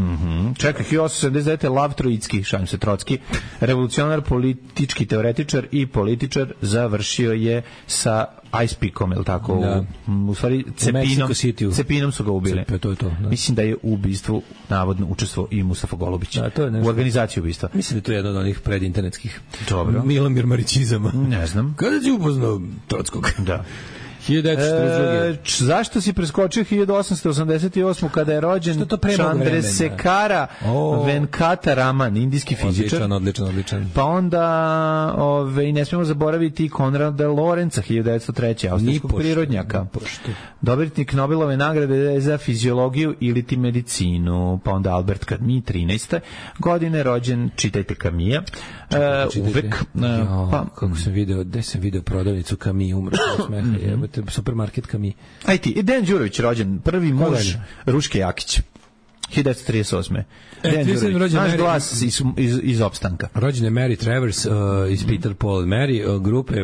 Speaker 7: Čekaj, 1879. Lav Trojicki, šalim se, Trotski, revolucionar, politički teoretičar i političar, završio je sa Ice Pickom, je li tako?
Speaker 6: Da.
Speaker 7: U stvari, Cepinom su ga ubili.
Speaker 6: To je to, da.
Speaker 7: Mislim da je u ubistvu navodno učestvovao i Mustafa Golubić.
Speaker 6: Da, to je nešto.
Speaker 7: U organizaciji ubistva.
Speaker 6: Mislim da to je jedno od onih predinternetskih
Speaker 7: Milomir
Speaker 6: Marićizama.
Speaker 7: Ne znam.
Speaker 6: Kada si upoznao Trotskog?
Speaker 7: Da.
Speaker 6: 1942.
Speaker 7: Zašto si preskočio 1888. kada je rođen Chandrasekhara Venkata Raman, indijski fizičar?
Speaker 6: Odličan.
Speaker 7: Pa onda ne smemo zaboraviti Konrada Lorenza, 1903. austrijskog prirodnjaka. Dobitnik Nobelove nagrade za fiziologiju ili ti medicinu. Pa onda Albert Camus, 13. godine, rođen, čitajte Camusa. Uvek.
Speaker 6: Kako sam video, gde sam video prodavnicu Camus, umro od smeha, supermarket Camus.
Speaker 7: Aj ti, Dejan Đurović rođen, prvi muž Ruške Jakić. 1938. Dejan Đurović, naš glas iz opstanka.
Speaker 6: Rođen je Mary Travers iz Peter Paul Mary, grupe,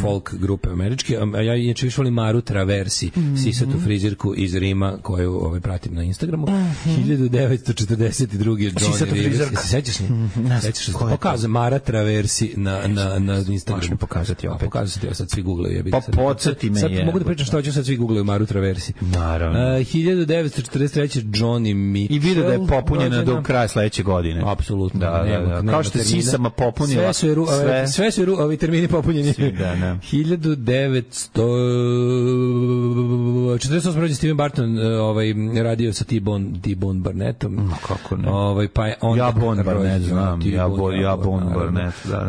Speaker 6: folk grupe američke. Ja inače više volim Maru Traversi, sisatu frizirku iz Rima, koju pratim na Instagramu. 1942. Johnny Rivers. Sećaš se? Sećaš se? Pokazam Mara Traversi na Instagramu.
Speaker 7: Možemo pokazati opet.
Speaker 6: Pokazati, sad svi googlaju.
Speaker 7: Pa podsjeti me je.
Speaker 6: Sad mogu da pričam što hoću, sad svi googlaju Maru Traversi.
Speaker 7: Naravno.
Speaker 6: 1943. Johnny Mitchell.
Speaker 7: I vidio da je popunjena do kraja sledeće godine.
Speaker 6: Apsolutno.
Speaker 7: Da. Kao što je sisama popunila.
Speaker 6: Sve su ovi termini popunjeni. 1948. rođen Steven Barton, radio sa T-Bone Barnettom.
Speaker 7: Kako ne?
Speaker 6: Pa
Speaker 7: ja Bone Barnett znam. Ja Bone Barnett, da.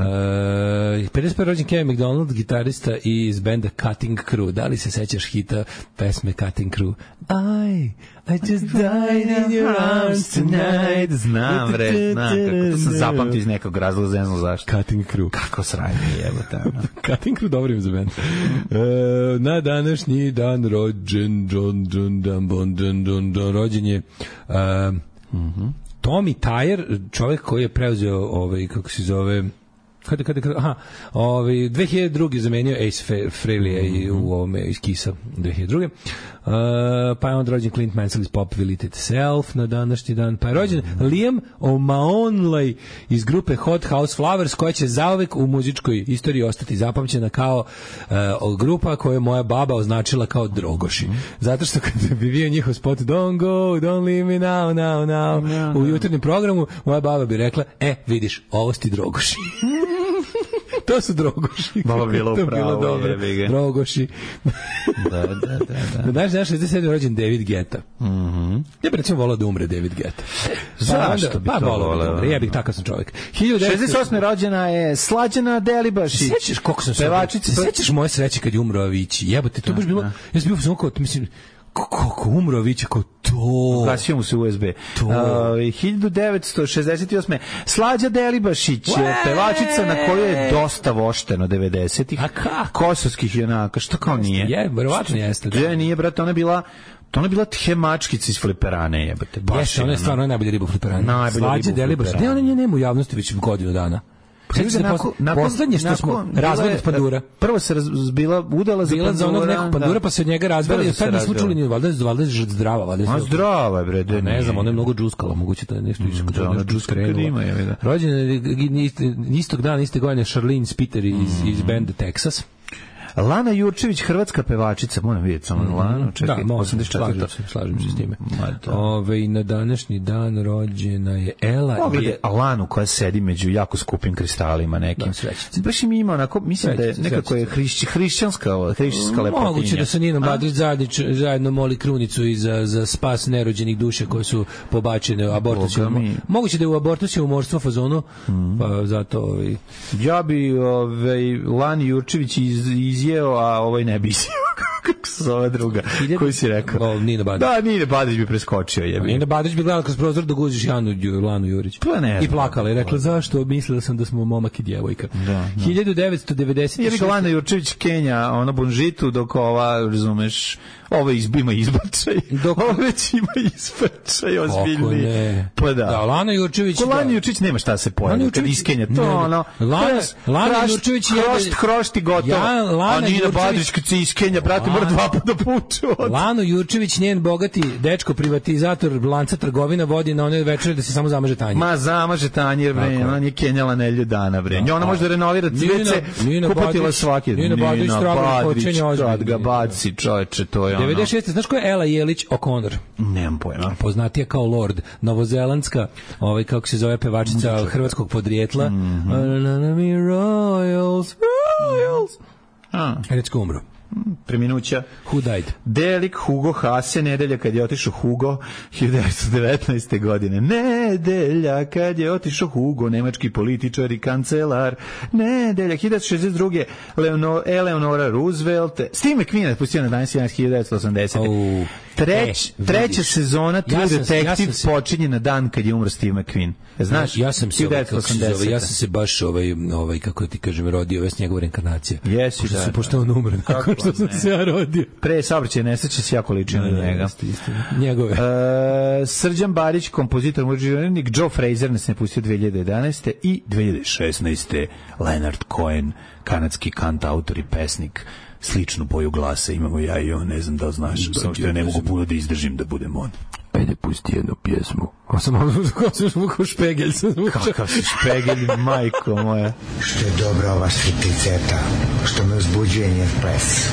Speaker 6: 55. rođen Kevin McDonald, gitarista iz benda Cutting Crew. Da li se sećaš hita pesme Cutting Crew? I just died in your arms tonight.
Speaker 7: Znam, kako to sam zapamtio iz nekog razloga, ne znam zašto.
Speaker 6: Cutting Crew.
Speaker 7: Kako sranje jebote.
Speaker 6: Cutting Crew, dobro ime za band. Na današnji dan rođen rođen je Tommy Tyer, čovjek koji je preuzeo kako se zove 2002. zamenio Ace Frehley u ovome iz Kisa 2002. Pa je on rođen Clint Mansell iz Pop Will Eat Itself na današnji dan. Pa je rođen Liam O'Mahony iz grupe Hot House Flowers, koja će zauvek u muzičkoj istoriji ostati zapamćena kao grupa koju je moja baba označila kao Drogoši. Zato što kad bi bio njihov spot Don't go, don't leave me now u jutarnjem programu, moja baba bi rekla, vidiš, ovo su ti Drogoši. To su Drogoši.
Speaker 7: Malo bilo upravo.
Speaker 6: Drogoši.
Speaker 7: Da.
Speaker 6: Znaš, 67. rođen David Guetta. Ja bih recimo volao da umre David Guetta.
Speaker 7: Zašto bi to volao?
Speaker 6: Ja bih takav sam čovjek.
Speaker 7: 68. rođena je Slađana Delibašić.
Speaker 6: Sećaš koliko sam pevačica? Sećaš moje sreće kad je umro Avicii? Jebote, to baš bilo. Ja sam bio kao, mislim, kako umro Avicii, kao to.
Speaker 7: Ugasio mu se USB. 1968. Slađa Delibašić, pevačica na koju je dosta vošteno 90-ih.
Speaker 6: A kako?
Speaker 7: Kosovskih junaka, što kao nije?
Speaker 6: Verovatno jeste.
Speaker 7: Nije, brate, ona je bila hemačkica iz Fliperane, jebate.
Speaker 6: Jeste, ona je stvarno najbolja riba u Fliperane. Slađa Delibašić. Ne, ona nema u javnosti već godinu dana. Poslednje što smo razvod od pandura.
Speaker 7: Prvo se udala za pandura.
Speaker 6: Za onog nekog pandura, pa se od njega razvela i sad nismo čuli ni valjda zdrava.
Speaker 7: Zdrava je, bre.
Speaker 6: Ne znam, ona je mnogo džuskala, moguće da je nešto
Speaker 7: krenula.
Speaker 6: Rođena je istog dana, iste godine Charlene Spiter iz benda Texas.
Speaker 7: Lana Jurčević, hrvatska pevačica, moram vidjeti samo Lanu, čekaj, 84.
Speaker 6: Slažem se s time. Na današnji dan rođena je Ela.
Speaker 7: Pogledaj Lanu koja sedi među jako skupim kristalima nekim. Baš im ima onako, mislim da je nekako je hrišćanska lepotinja.
Speaker 6: Moguće da sa Ninom Badrić zajedno moli krunicu i za spas nerođenih duša koje su pobačene u abortusu. Moguće da je u abortusu umorstvo fazonu, pa zato...
Speaker 7: Ja bi Lani Jurčević izjeo, a ovaj ne bi izjeo. Kako se zove druga? Koju si rekao?
Speaker 6: Nina Badrić.
Speaker 7: Da, Nina Badrić bi preskočio.
Speaker 6: Nina Badrić bi gledala kroz prozor da guziš Lanu Jurić. I plakala i rekla, zašto? Mislila sam da smo momak i djevojka. 1990.
Speaker 7: Je Lana Jurčević Kenja, ono Bonžitu, dok ova, razumeš, ovo ima izbačaj. Ovo već ima izbačaj, ozbiljni. Pa da.
Speaker 6: Lana Jurčević...
Speaker 7: Ko Lana Jurčević nema šta se pojavi, kad iskenja. To ono...
Speaker 6: Lana Jurčević je...
Speaker 7: Hrošt i gotovo. A Nina Badrić kad se iskenja, brate, mora 2 puta da puču.
Speaker 6: Lanu Jurčević, njen bogati dečko privatizator lanca trgovina vodi na one večere da se samo zamaže tanjir.
Speaker 7: Ma zamaže tanjir, bre, ona nije kenjala nelju dana, bre. Ona može da renovira cvece, kupatila svaki.
Speaker 6: Nina Badrić,
Speaker 7: kad ga baci, čoveče, to je
Speaker 6: 96. Znaš ko je Ela Jelić O'Connor?
Speaker 7: Nemam pojma.
Speaker 6: Poznatija kao Lord. Novozelandska, kako se zove pevačica hrvatskog podrijetla. Royals. Recko umro.
Speaker 7: Preminuća.
Speaker 6: Who died?
Speaker 7: Delik Hugo Hase, nedelja kad je otišao Hugo, 1919. godine. Nedelja kad je otišao Hugo, nemački političar i kancelar. Nedelja, 1962. Eleonora Roosevelt. Steve McQueen pustio na dan 1980. Treća sezona True Detective počinje na dan kad je umro Steve McQueen. Znaš,
Speaker 6: ja sam se baš kako ti kažem rodio, ove njegova reinkarnacija.
Speaker 7: Jesi, da.
Speaker 6: Se pošto on umre nakon što sam se ja rodio.
Speaker 7: Pre saobraćaja nesreće se jako liči na njega.
Speaker 6: Njegove.
Speaker 7: Srđan Barić, kompozitor, muzičarnik, Joe Frazier nas ne pustio 2011. i 2016. Leonard Cohen, kanadski kantautor i pesnik. Sličnu boju glasa imamo ja i on, ne znam da li znaš, samo što ja ne mogu puno da izdržim da budem on.
Speaker 6: Ajde, pusti jednu pjesmu. Ko špegelj sam zvučao.
Speaker 7: Kakav si špegelj, majko moja.
Speaker 10: Što je dobra ova špiceta, što me uzbuđuje njen ples.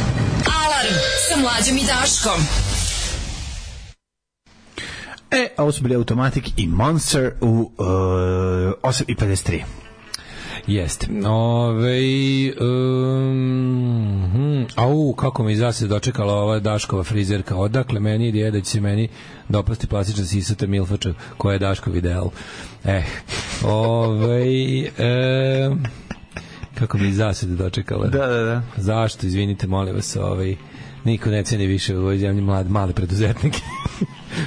Speaker 5: Alarm sa Mlađom i Daškom.
Speaker 7: Ovo su bili Automatic i Monster u 8:53.
Speaker 6: Jeste. Kako mi zase dočekala ova Daškova frizerka. Odakle meni ideja da će se meni dopasti plastična sisata milfača koja je Daškov ideal. Kako mi zase dočekala.
Speaker 7: Da.
Speaker 6: Zašto? Izvinite, molim vas, niko ne ceni više u ovoj zemlji male preduzetnike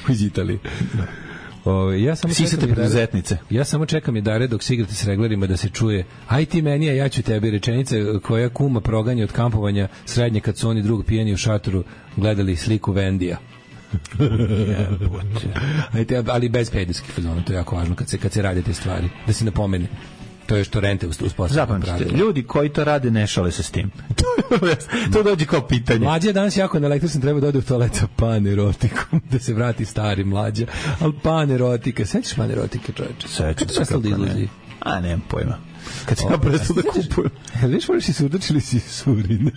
Speaker 6: iz Italije. Ja samo čekam i dare dok se igrate s reglerima da se čuje aj ti meni, a ja ću tebi, rečenice koja kuma proganja od kampovanja srednje kad su oni drugo pijeni u šatoru gledali sliku Vendija. Ali bez pedijskih fazona, to je jako važno kad se rade te stvari, da se napomene. To je što rente uspostavljaju.
Speaker 7: Zapamćite, ljudi koji to rade ne šale se s tim. To dođe kao pitanje.
Speaker 6: Mlađa je danas jako neelektričan, treba da ode u toalet sa panerotikom, da se vrati stari Mlađa. Ali panerotika, sećaš panerotike, čoveče?
Speaker 7: Sećam se kako ne. A, nemam pojma. Kad se ja prestao da kupujem.
Speaker 6: Viš, voliš si surdač ili si surine?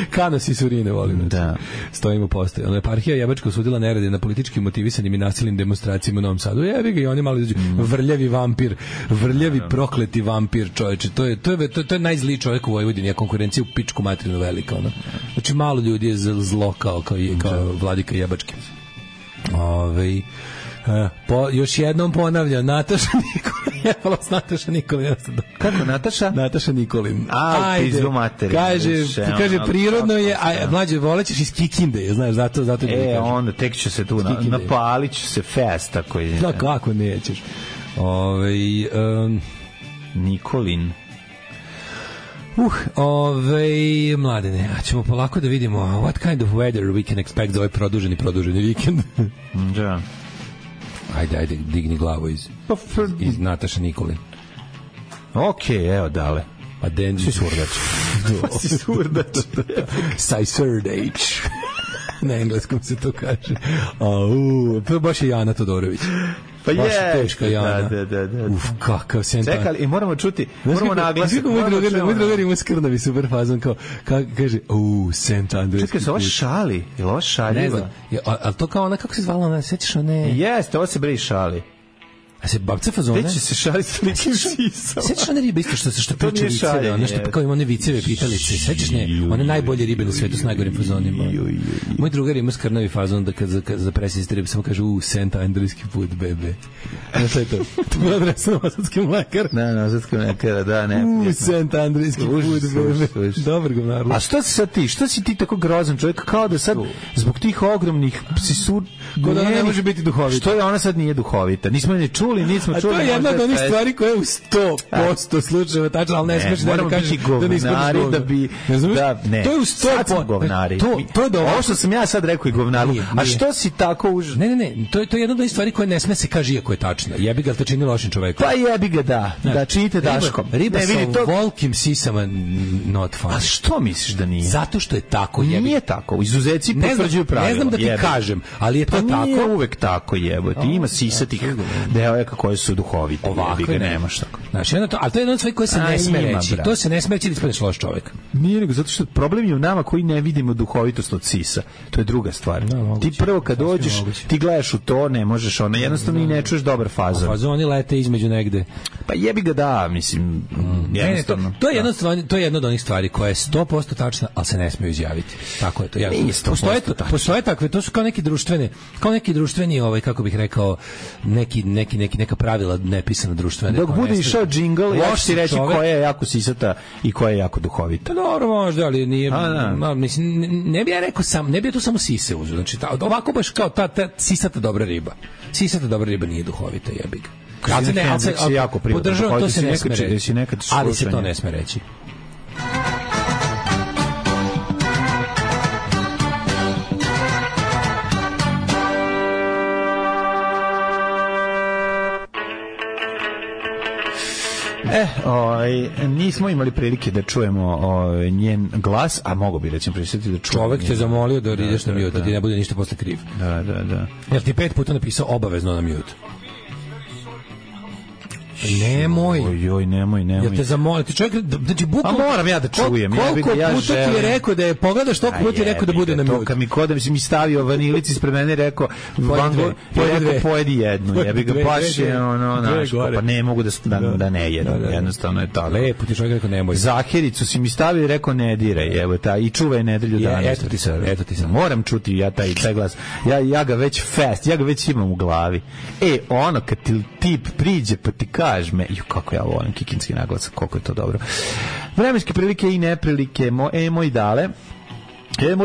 Speaker 6: Kanos i surine volim.
Speaker 7: Da.
Speaker 6: Stojimo postoje. Eparhija Jebačka osudila nerede na politički motivisanim i nasilnim demonstracijama u Novom Sadu. Jebi ga i oni mali vrljavi vampir, vrljavi prokleti vampir, čoveče. To je najzliji čovjek u Vojvodini, a konkurencija u pičku materinu velika. Znači malo ljudi je zlo kao Vladika Jebački. Još jednom ponavljam, Nataša Nikolin. Jebalo s Nataša Nikolin.
Speaker 7: Kako Nataša?
Speaker 6: Nataša Nikolin.
Speaker 7: Pizdu materinu.
Speaker 6: Kaže, prirodno je, Mlađe, volećeš iz Kikinde, znaš, zato da kažem.
Speaker 7: Onda tek će se tu, napalit će se fest, tako je.
Speaker 6: Da, kako nećeš.
Speaker 7: Nikolin.
Speaker 6: Mladene, a ćemo polako da vidimo what kind of weather we can expect za ovaj produženi vikend.
Speaker 7: Da.
Speaker 6: Ajde, digni glavu iz Nataša Nikolin.
Speaker 7: Evo dale.
Speaker 6: Pa den si surdač.
Speaker 7: Si surdač.
Speaker 6: Sajsurdage. Na engleskom se to kaže. To baš je Jana Todorović.
Speaker 7: Pa
Speaker 6: baš je teška Jana.
Speaker 7: Da.
Speaker 6: Kakav sentan.
Speaker 7: Čekaj, i moramo čuti, moramo naglasiti.
Speaker 6: Moj drugar ima skrnavi super fazon, kao kaže, St. Andrews.
Speaker 7: Čekaj, se ovo šali? Je li ovo šaljiva?
Speaker 6: Ne znam, ali to kao ona, kako se zvala ona, sećaš one?
Speaker 7: Jeste, ovo se bre šali.
Speaker 6: A se babca fazone?
Speaker 7: Gde će se šaliti s ličnim sisom?
Speaker 6: Sećaš one ribe isto što priča viceve, ono što kao ima one viceve pitalice. Sećaš one najbolje ribe na svetu s najgorim fazonima. Moj drugar ima skrnavi fazon da kad za presjesti ribe samo kaže St. Andrijski put, bebe. Šta je to? To je adresa Novosadske mlekare.
Speaker 7: Da, Novosadske mlekare, da, ne.
Speaker 6: St. Andrijski put, bebe. Dobar govnarlo.
Speaker 7: A što si sad ti? Što si ti tako grozan čovjek? Kao da sad zbog tih ogromnih
Speaker 6: da ne može biti duhovita.
Speaker 7: Što je ona sad nije duhovita? Nismo je čuli, nismo čuli.
Speaker 6: A to je jedna od onih stvari koje je u 100% slučajeva tačno, ali ne smiješ da kažeš da ne ispadneš govnar.
Speaker 7: Ne,
Speaker 6: to je u 100%
Speaker 7: govnari.
Speaker 6: To je dobro.
Speaker 7: Ovo što sam ja sad rekao i govnaru. A što si tako
Speaker 6: Ne, to je jedna od onih stvari koje ne sme se kaže iako je tačna. Jebi ga, te čini lošim čovekom.
Speaker 7: Pa jebi ga, da činite Daškom.
Speaker 6: Riba sa volkim sisama not fun.
Speaker 7: A što misliš da nije?
Speaker 6: Zato što je tako, jebi.
Speaker 7: Nije tako, izuzeci potvrđuju pravilo.
Speaker 6: Ne znam da ti kažem, ali je to tako.
Speaker 7: Nije uvek tako, jebote. Ima sisatih devojaka koje su duhovite. Jebi ga, nemaš tako.
Speaker 6: Znaš, ali to je jedna od stvari koje se ne sme reći. To se ne sme reći da ispadneš loš čovjek.
Speaker 7: Nije nego zato što problem je u nama koji ne vidimo duhovitost od sisa. To je druga stvar. Ti prvo kad dođeš, ti gledaš u to, ne možeš ona, jednostavno i ne čuješ dobar fazon.
Speaker 6: Fazoni lete između negde.
Speaker 7: Pa jebi ga da, mislim, jednostavno.
Speaker 6: To je jedna od onih stvari koja je 100% tačna, ali se ne smije izjaviti. Tako je to. Postoje takve, to su kao neki društveni, kako bih rekao, neka pravila nepisana društvene.
Speaker 7: Dok bude išao džingl, ja ću ti reći koja je jako sisata i koja je jako duhovita.
Speaker 6: Dobro, možda, ali nije, mislim, ne bi ja rekao ne bi to samo sise uzeo. Znači, ovako baš kao ta sisata dobra riba. Sisata dobra riba nije duhovita, jebi ga. Podržavam, to se ne sme reći. Ali se to ne sme reći.
Speaker 7: Nismo imali prilike da čujemo njen glas, a mogo bi recimo prisetiti da čujemo.
Speaker 6: Čovek te zamolio da ideš na mute, da ti ne bude ništa posle kriv.
Speaker 7: Da.
Speaker 6: Jer ti 5 puta napisao obavezno na mute. Nemoj.
Speaker 7: Nemoj.
Speaker 6: Ja te zamolim, ti čovjek, znači bukvalno.
Speaker 7: A moram ja da čujem.
Speaker 6: Koliko puta ti je rekao da je pogledaš, toliko puta ti je rekao da bude na mute.
Speaker 7: Kad mi kodam, mi stavio vanilici ispred mene, rekao pojedi jednu. Ja bih ga baš pa ne mogu da ne jedem. Jednostavno je tako.
Speaker 6: Lepo ti čovjek rekao nemoj.
Speaker 7: Zahiricu si mi stavio i rekao ne diraj. Evo ta i čuvaj nedelju dana.
Speaker 6: Eto ti sad.
Speaker 7: Moram čuti ja taj glas. Ja ga već imam u glavi. Ono kad ti tip priđe pa ti kaže me, kako ja volim kikinski naglas, koliko je to dobro. Vremenske prilike i neprilike, moj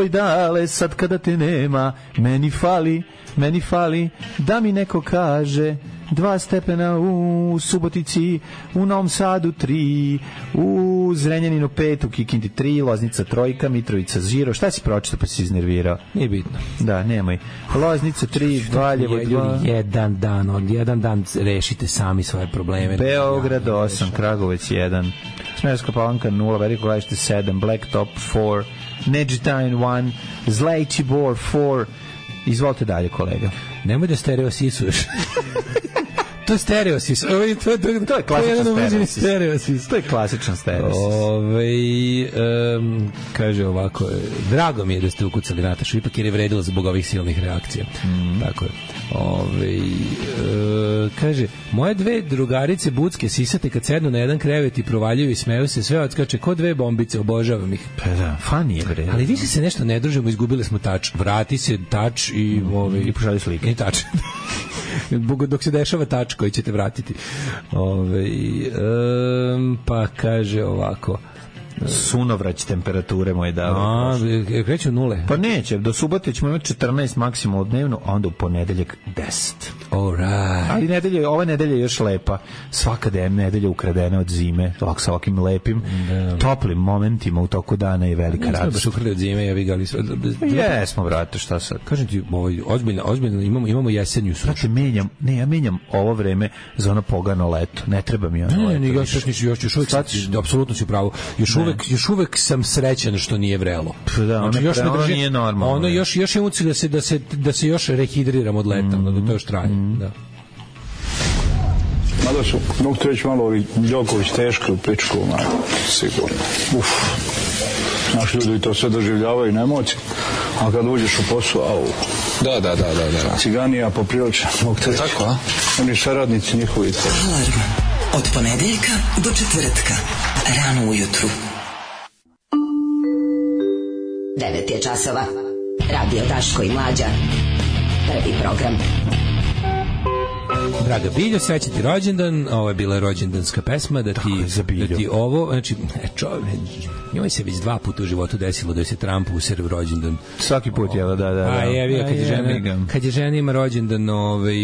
Speaker 7: dale, sad kada te nema, meni fali, da mi neko kaže 2 stepena u Subotici, u Novom Sadu 3, u Zrenjaninu 5, u Kikinti 3, Loznica 3, Mitrovica 0. Šta si pročitao pa si iznervirao?
Speaker 6: Nije bitno.
Speaker 7: Da, nemoj. Loznica 3, Valjevo 2.
Speaker 6: Jedan dan rešite sami svoje probleme.
Speaker 7: Beograd 8, Kragovec 1, Smederevska Palanka 0, Veliko Gradište 7, Blacktop 4, Neđetajn 1, Zlajčibor 4. Izvolite dalje, kolega.
Speaker 6: Nemoj da stereo sisuješ. To je stereosis. To je klasičan stereosis.
Speaker 7: To je klasičan stereosis.
Speaker 6: Kaže ovako, drago mi je da ste ukucali Natašu, ipak jer je vredilo zbog ovih silnih reakcija. Tako je. Kaže, moje 2 drugarice bucke sisate kad sednu na jedan krevet i provaljuju i smeju se, sve odskače ko 2 bombice, obožavam ih.
Speaker 7: Pa da, funny je bre.
Speaker 6: Ali više se nešto ne družimo, izgubili smo tač. Vrati se tač i
Speaker 7: i pošalji slike.
Speaker 6: I tač. Dok se dešava tač koji ćete vratiti. Pa kaže ovako,
Speaker 7: sunovrać temperature moje dave.
Speaker 6: Kreću nule.
Speaker 7: Pa neće, do subote ćemo imati 14 maksimalno dnevno, a onda u ponedeljak 10.
Speaker 6: Alright.
Speaker 7: Ali ova nedelja je još lepa. Svaka nedelja ukradena od zime, ovako sa ovakvim lepim, toplim momentima u toku dana je velika radost.
Speaker 6: Nismo baš ukrali od zime, ja vi gali sve.
Speaker 7: Jesmo, brate, šta sad?
Speaker 6: Kažem ti, ozbiljno imamo jesenju sušu.
Speaker 7: Brate, ja menjam ovo vreme za ono pogano leto. Ne treba mi ono leto.
Speaker 6: Još uvek, apsolutno si u pravu. Još uvek sam srećan što nije vrelo.
Speaker 7: Da, ono nije normalno.
Speaker 6: Ono još imam ucilj da se još rehidriram od leta, da to još traje. Da.
Speaker 9: Mada su, mogu ti reći malo ovi Đoković teški u pičku, sigurno. Naši ljudi to sve doživljavaju na emociji. a kad uđeš u posao, au.
Speaker 11: Da.
Speaker 9: Ciganija poprilično, mogu te reći.
Speaker 11: Tako, a?
Speaker 9: Oni saradnici njihovi.
Speaker 12: Alarm od ponedeljka do četvrtka, rano ujutru. 9 je časova. Radio Daško i Mlađa. Prvi program.
Speaker 6: Draga Biljo, srećan ti rođendan. Ovo je bila rođendanska pesma da ti ovo, znači njoj se već 2 puta u životu desilo da se Trump usere u rođendan.
Speaker 7: Svaki put je, da.
Speaker 6: A kad je žena ima rođendan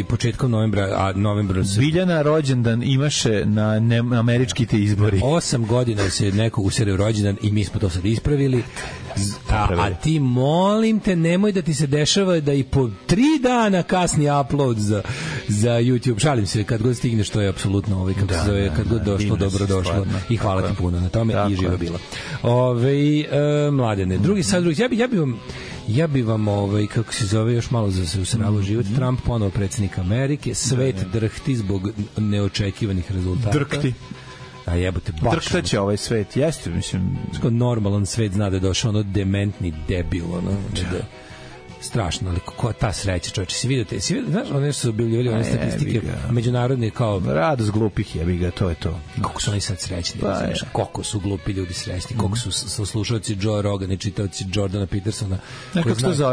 Speaker 6: početkom novembra, a novembra se...
Speaker 7: Biljana rođendan imaše na američki te izbori.
Speaker 6: 8 godina se neko usere u rođendan i mi smo to sad ispravili. A ti, molim te, nemoj da ti se dešava da i po 3 dana kasni upload za YouTube. Šalim se, kad god stigneš, to je apsolutno kad god došlo, dobro došlo. I hvala ti puno na tome i živa bila. Mladene, drugi. Ja bi vam kako se zove, još malo za se usravo život. Trump ponovo predsjednik Amerike, svet drhti zbog neočekivanih rezultata.
Speaker 7: Drhti.
Speaker 6: A jebote, baš.
Speaker 7: Drhtaće ovaj svet, jeste, mislim.
Speaker 6: Normalan svet zna da je došao dementni debil, strašno, ali koja ta sreća, čovječe, si vidio, znaš, one su objavljivali one statistike međunarodne kao...
Speaker 7: Radost glupih, jebi ga, to je to.
Speaker 6: Koliko su oni sad srećni, znaš, koliko su glupi ljudi srećni, koliko su slušalci Joe Rogan i čitaoci Jordana Petersona,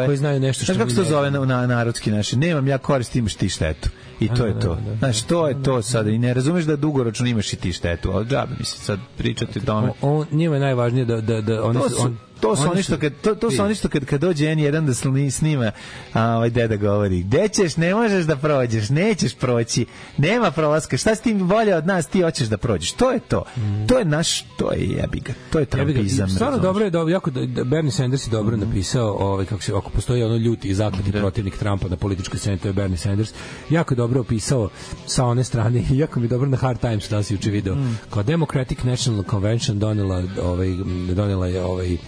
Speaker 6: koji znaju nešto što...
Speaker 7: Znaš kako se to zove na narodski naši? Nemam ja korist, imaš ti štetu. I to je to. Znaš, to je to sada. I ne razumeš da dugoročno imaš i ti štetu, ali džabe mi se sad pričati o tome.
Speaker 6: Njima je najvažnije da oni...
Speaker 7: To su oni što kad dođe N1 da snima, deda govori, gde ćeš, ne možeš da prođeš, nećeš proći, nema prolaska, šta si ti bolje od nas, ti hoćeš da prođeš. To je to. To je naš, to je jebiga. To je trumpizam.
Speaker 6: Stvarno dobro je, jako Bernie Sanders je dobro napisao, ako postoji ono ljuti i zaklati protivnik Trumpa na političkoj sceni, to je Bernie Sanders. Jako dobro opisao sa one strane, jako mi dobro na Hard Times da si juče video. Kao Democratic National Convention donela je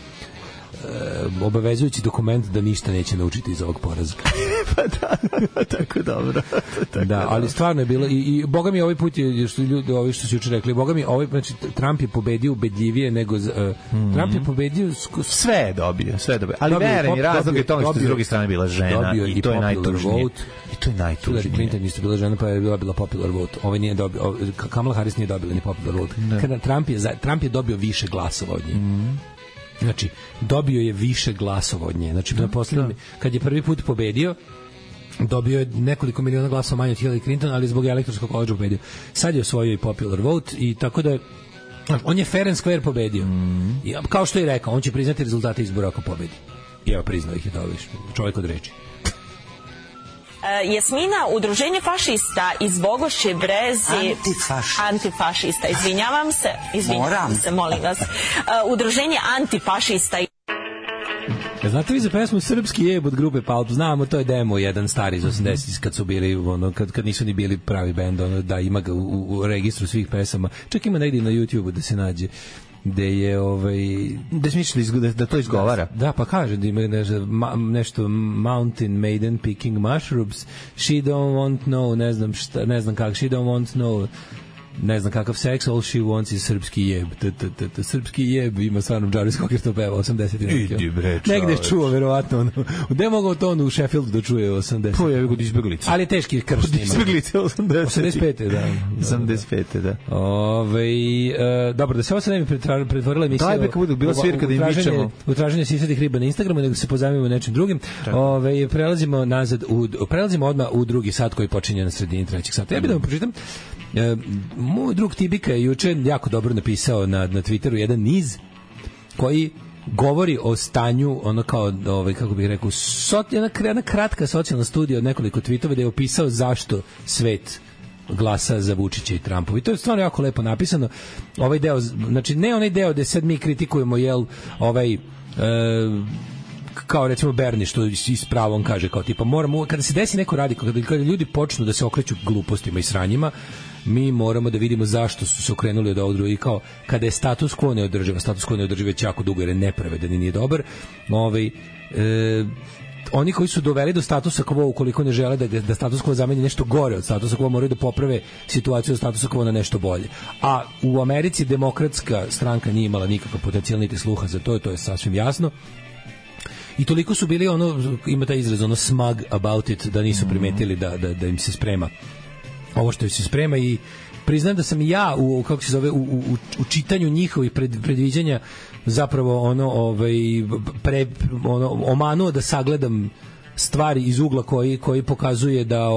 Speaker 6: obavezujući dokument da ništa neće naučiti iz ovog poraza.
Speaker 7: Pa da, tako dobro.
Speaker 6: Da, ali stvarno je bilo i boga mi ovaj put je što ljudi ovi što su juče rekli, boga mi ovaj, znači Trump je pobedio ubedljivije nego Trump je pobedio
Speaker 7: sve je dobio. Ali vereni razlog je tome što s druge strane bila žena i to je najtužnije.
Speaker 6: Hillary Clinton isto bila žena pa je bila popular vote. Ovaj nije dobio, Kamala Harris nije dobila ni popular vote. Kada Trump je dobio više glasova od nje. Znači, dobio je više glasova od nje. Znači, kad je prvi put pobedio, dobio je nekoliko miliona glasova manje od Hillary Clinton, ali zbog elektorskog koledža pobedio. Sad je osvojio i popular vote i tako da je on je fair and square pobedio. I, kao što je rekao, on će priznati rezultate izbora ako pobedi. I evo, priznao ih je to čovjek od reči.
Speaker 13: Jasmina, udruženje fašista iz Bogošće Brezi... Antifašista, izvinjavam se, molim vas. Udruženje antifašista...
Speaker 6: Znate vi za pesmu Srpski jeb od grupe Palp? Znamo, to je demo jedan stari iz 80 kad su bili, kad nisu ni bili pravi bend, da ima ga u registru svih pesama. Čak ima negdje na YouTubeu da se nađe. Gde je
Speaker 7: da smisliš da to izgovara.
Speaker 6: Da, pa kaže da ima nešto Mountain Maiden picking mushrooms, she don't want no, ne znam kako, she don't want no, ne znam kakav seks, all she wants is srpski jeb. Srpski jeb ima stvarno Jarvis Cocker to peva 80. Negde čuo, verovatno. Gde je mogao to u Sheffieldu da čuje 80?
Speaker 7: To je kod izbeglica.
Speaker 6: Ali je teški krš snima.
Speaker 7: Izbeglice
Speaker 6: 85. Da.
Speaker 7: 85. da.
Speaker 6: Dobro, da se ovo sad ne bi pretvorila emisija.
Speaker 7: Daj beka budu, bila svirka da im vičemo.
Speaker 6: U traženju sisadih riba na Instagramu, nego se pozajmimo nečim drugim. Prelazimo odmah u drugi sat koji počinje na sredini trećeg sata. Ja bih da vam pročitam. Moj drug Tibika je juče jako dobro napisao na Twitteru jedan niz koji govori o stanju, ono kao, kako bih rekao, jedna kratka socijalna studija od nekoliko tweetova da je opisao zašto svet glasa za Vučića i Trumpa. I to je stvarno jako lepo napisano. Ovaj deo, znači ne onaj deo gde sad mi kritikujemo, kao recimo Bernie što i s pravom kaže, kao tipa moramo, kada se desi neko radikalno, kada ljudi počnu da se okreću glupostima i sranjima, mi moramo da vidimo zašto su se okrenuli od ovog drugog. I kao kada je status quo neodrživ već jako dugo jer je nepravedan i nije dobar, oni koji su doveli do statusa quo, ukoliko ne žele da status quo zameni nešto gore od statusa quo, moraju da poprave situaciju od statusa quo na nešto bolje. A u Americi demokratska stranka nije imala nikakav potencijal niti sluha za to, to je sasvim jasno. i toliko su bili ono, ima taj izraz, ono smug about it, da nisu primetili da im se sprema ovo što im se sprema. I priznam da sam i ja u čitanju njihovih predviđanja zapravo omanuo da sagledam stvari iz ugla koji pokazuje da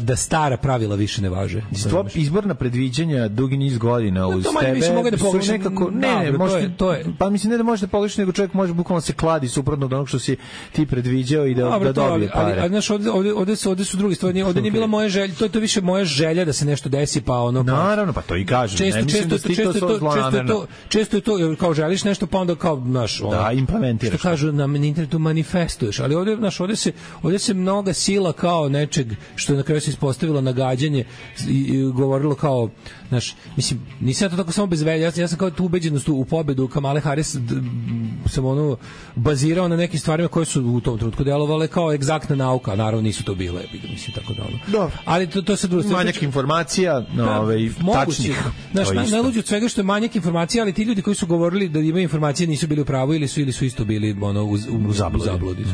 Speaker 6: da stara pravila više ne važe.
Speaker 7: Izborna predviđanja dugi niz godina uz tebe su nekako pa mislim ne da možete pogrešiti, nego čovjek može bukvalno se kladi suprotno od onog što si ti predviđao i da dobije pare.
Speaker 6: Ali znaš, ovde su druge stvari, ovde nije bila moja želja, to je više moja želja da se nešto desi, pa ono...
Speaker 7: Naravno, pa to i kažem.
Speaker 6: Često je to, kao želiš nešto, pa onda kao, znaš...
Speaker 7: Da, implementiraš.
Speaker 6: Što kažu na internetu, manifestuješ, ali ovde se mnoga sila kao nečeg što na kraju se ispostavilo nagađanje i govorilo kao, znaš, mislim, nisam ja to tako samo bez velja, ja sam kao tu ubeđenost u pobedu Kamale Harris sam bazirao na nekim stvarima koje su u tom trenutku delovale kao egzaktna nauka, naravno nisu to bile, mislim, tako da ono.
Speaker 7: Dobro.
Speaker 6: Ali to se drugo...
Speaker 7: Manjak informacija, tačnih.
Speaker 6: Znaš, najluđe od svega što je manjak informacija, ali ti ljudi koji su govorili da imaju informacije nisu bili u pravu ili su isto bili u zabludi.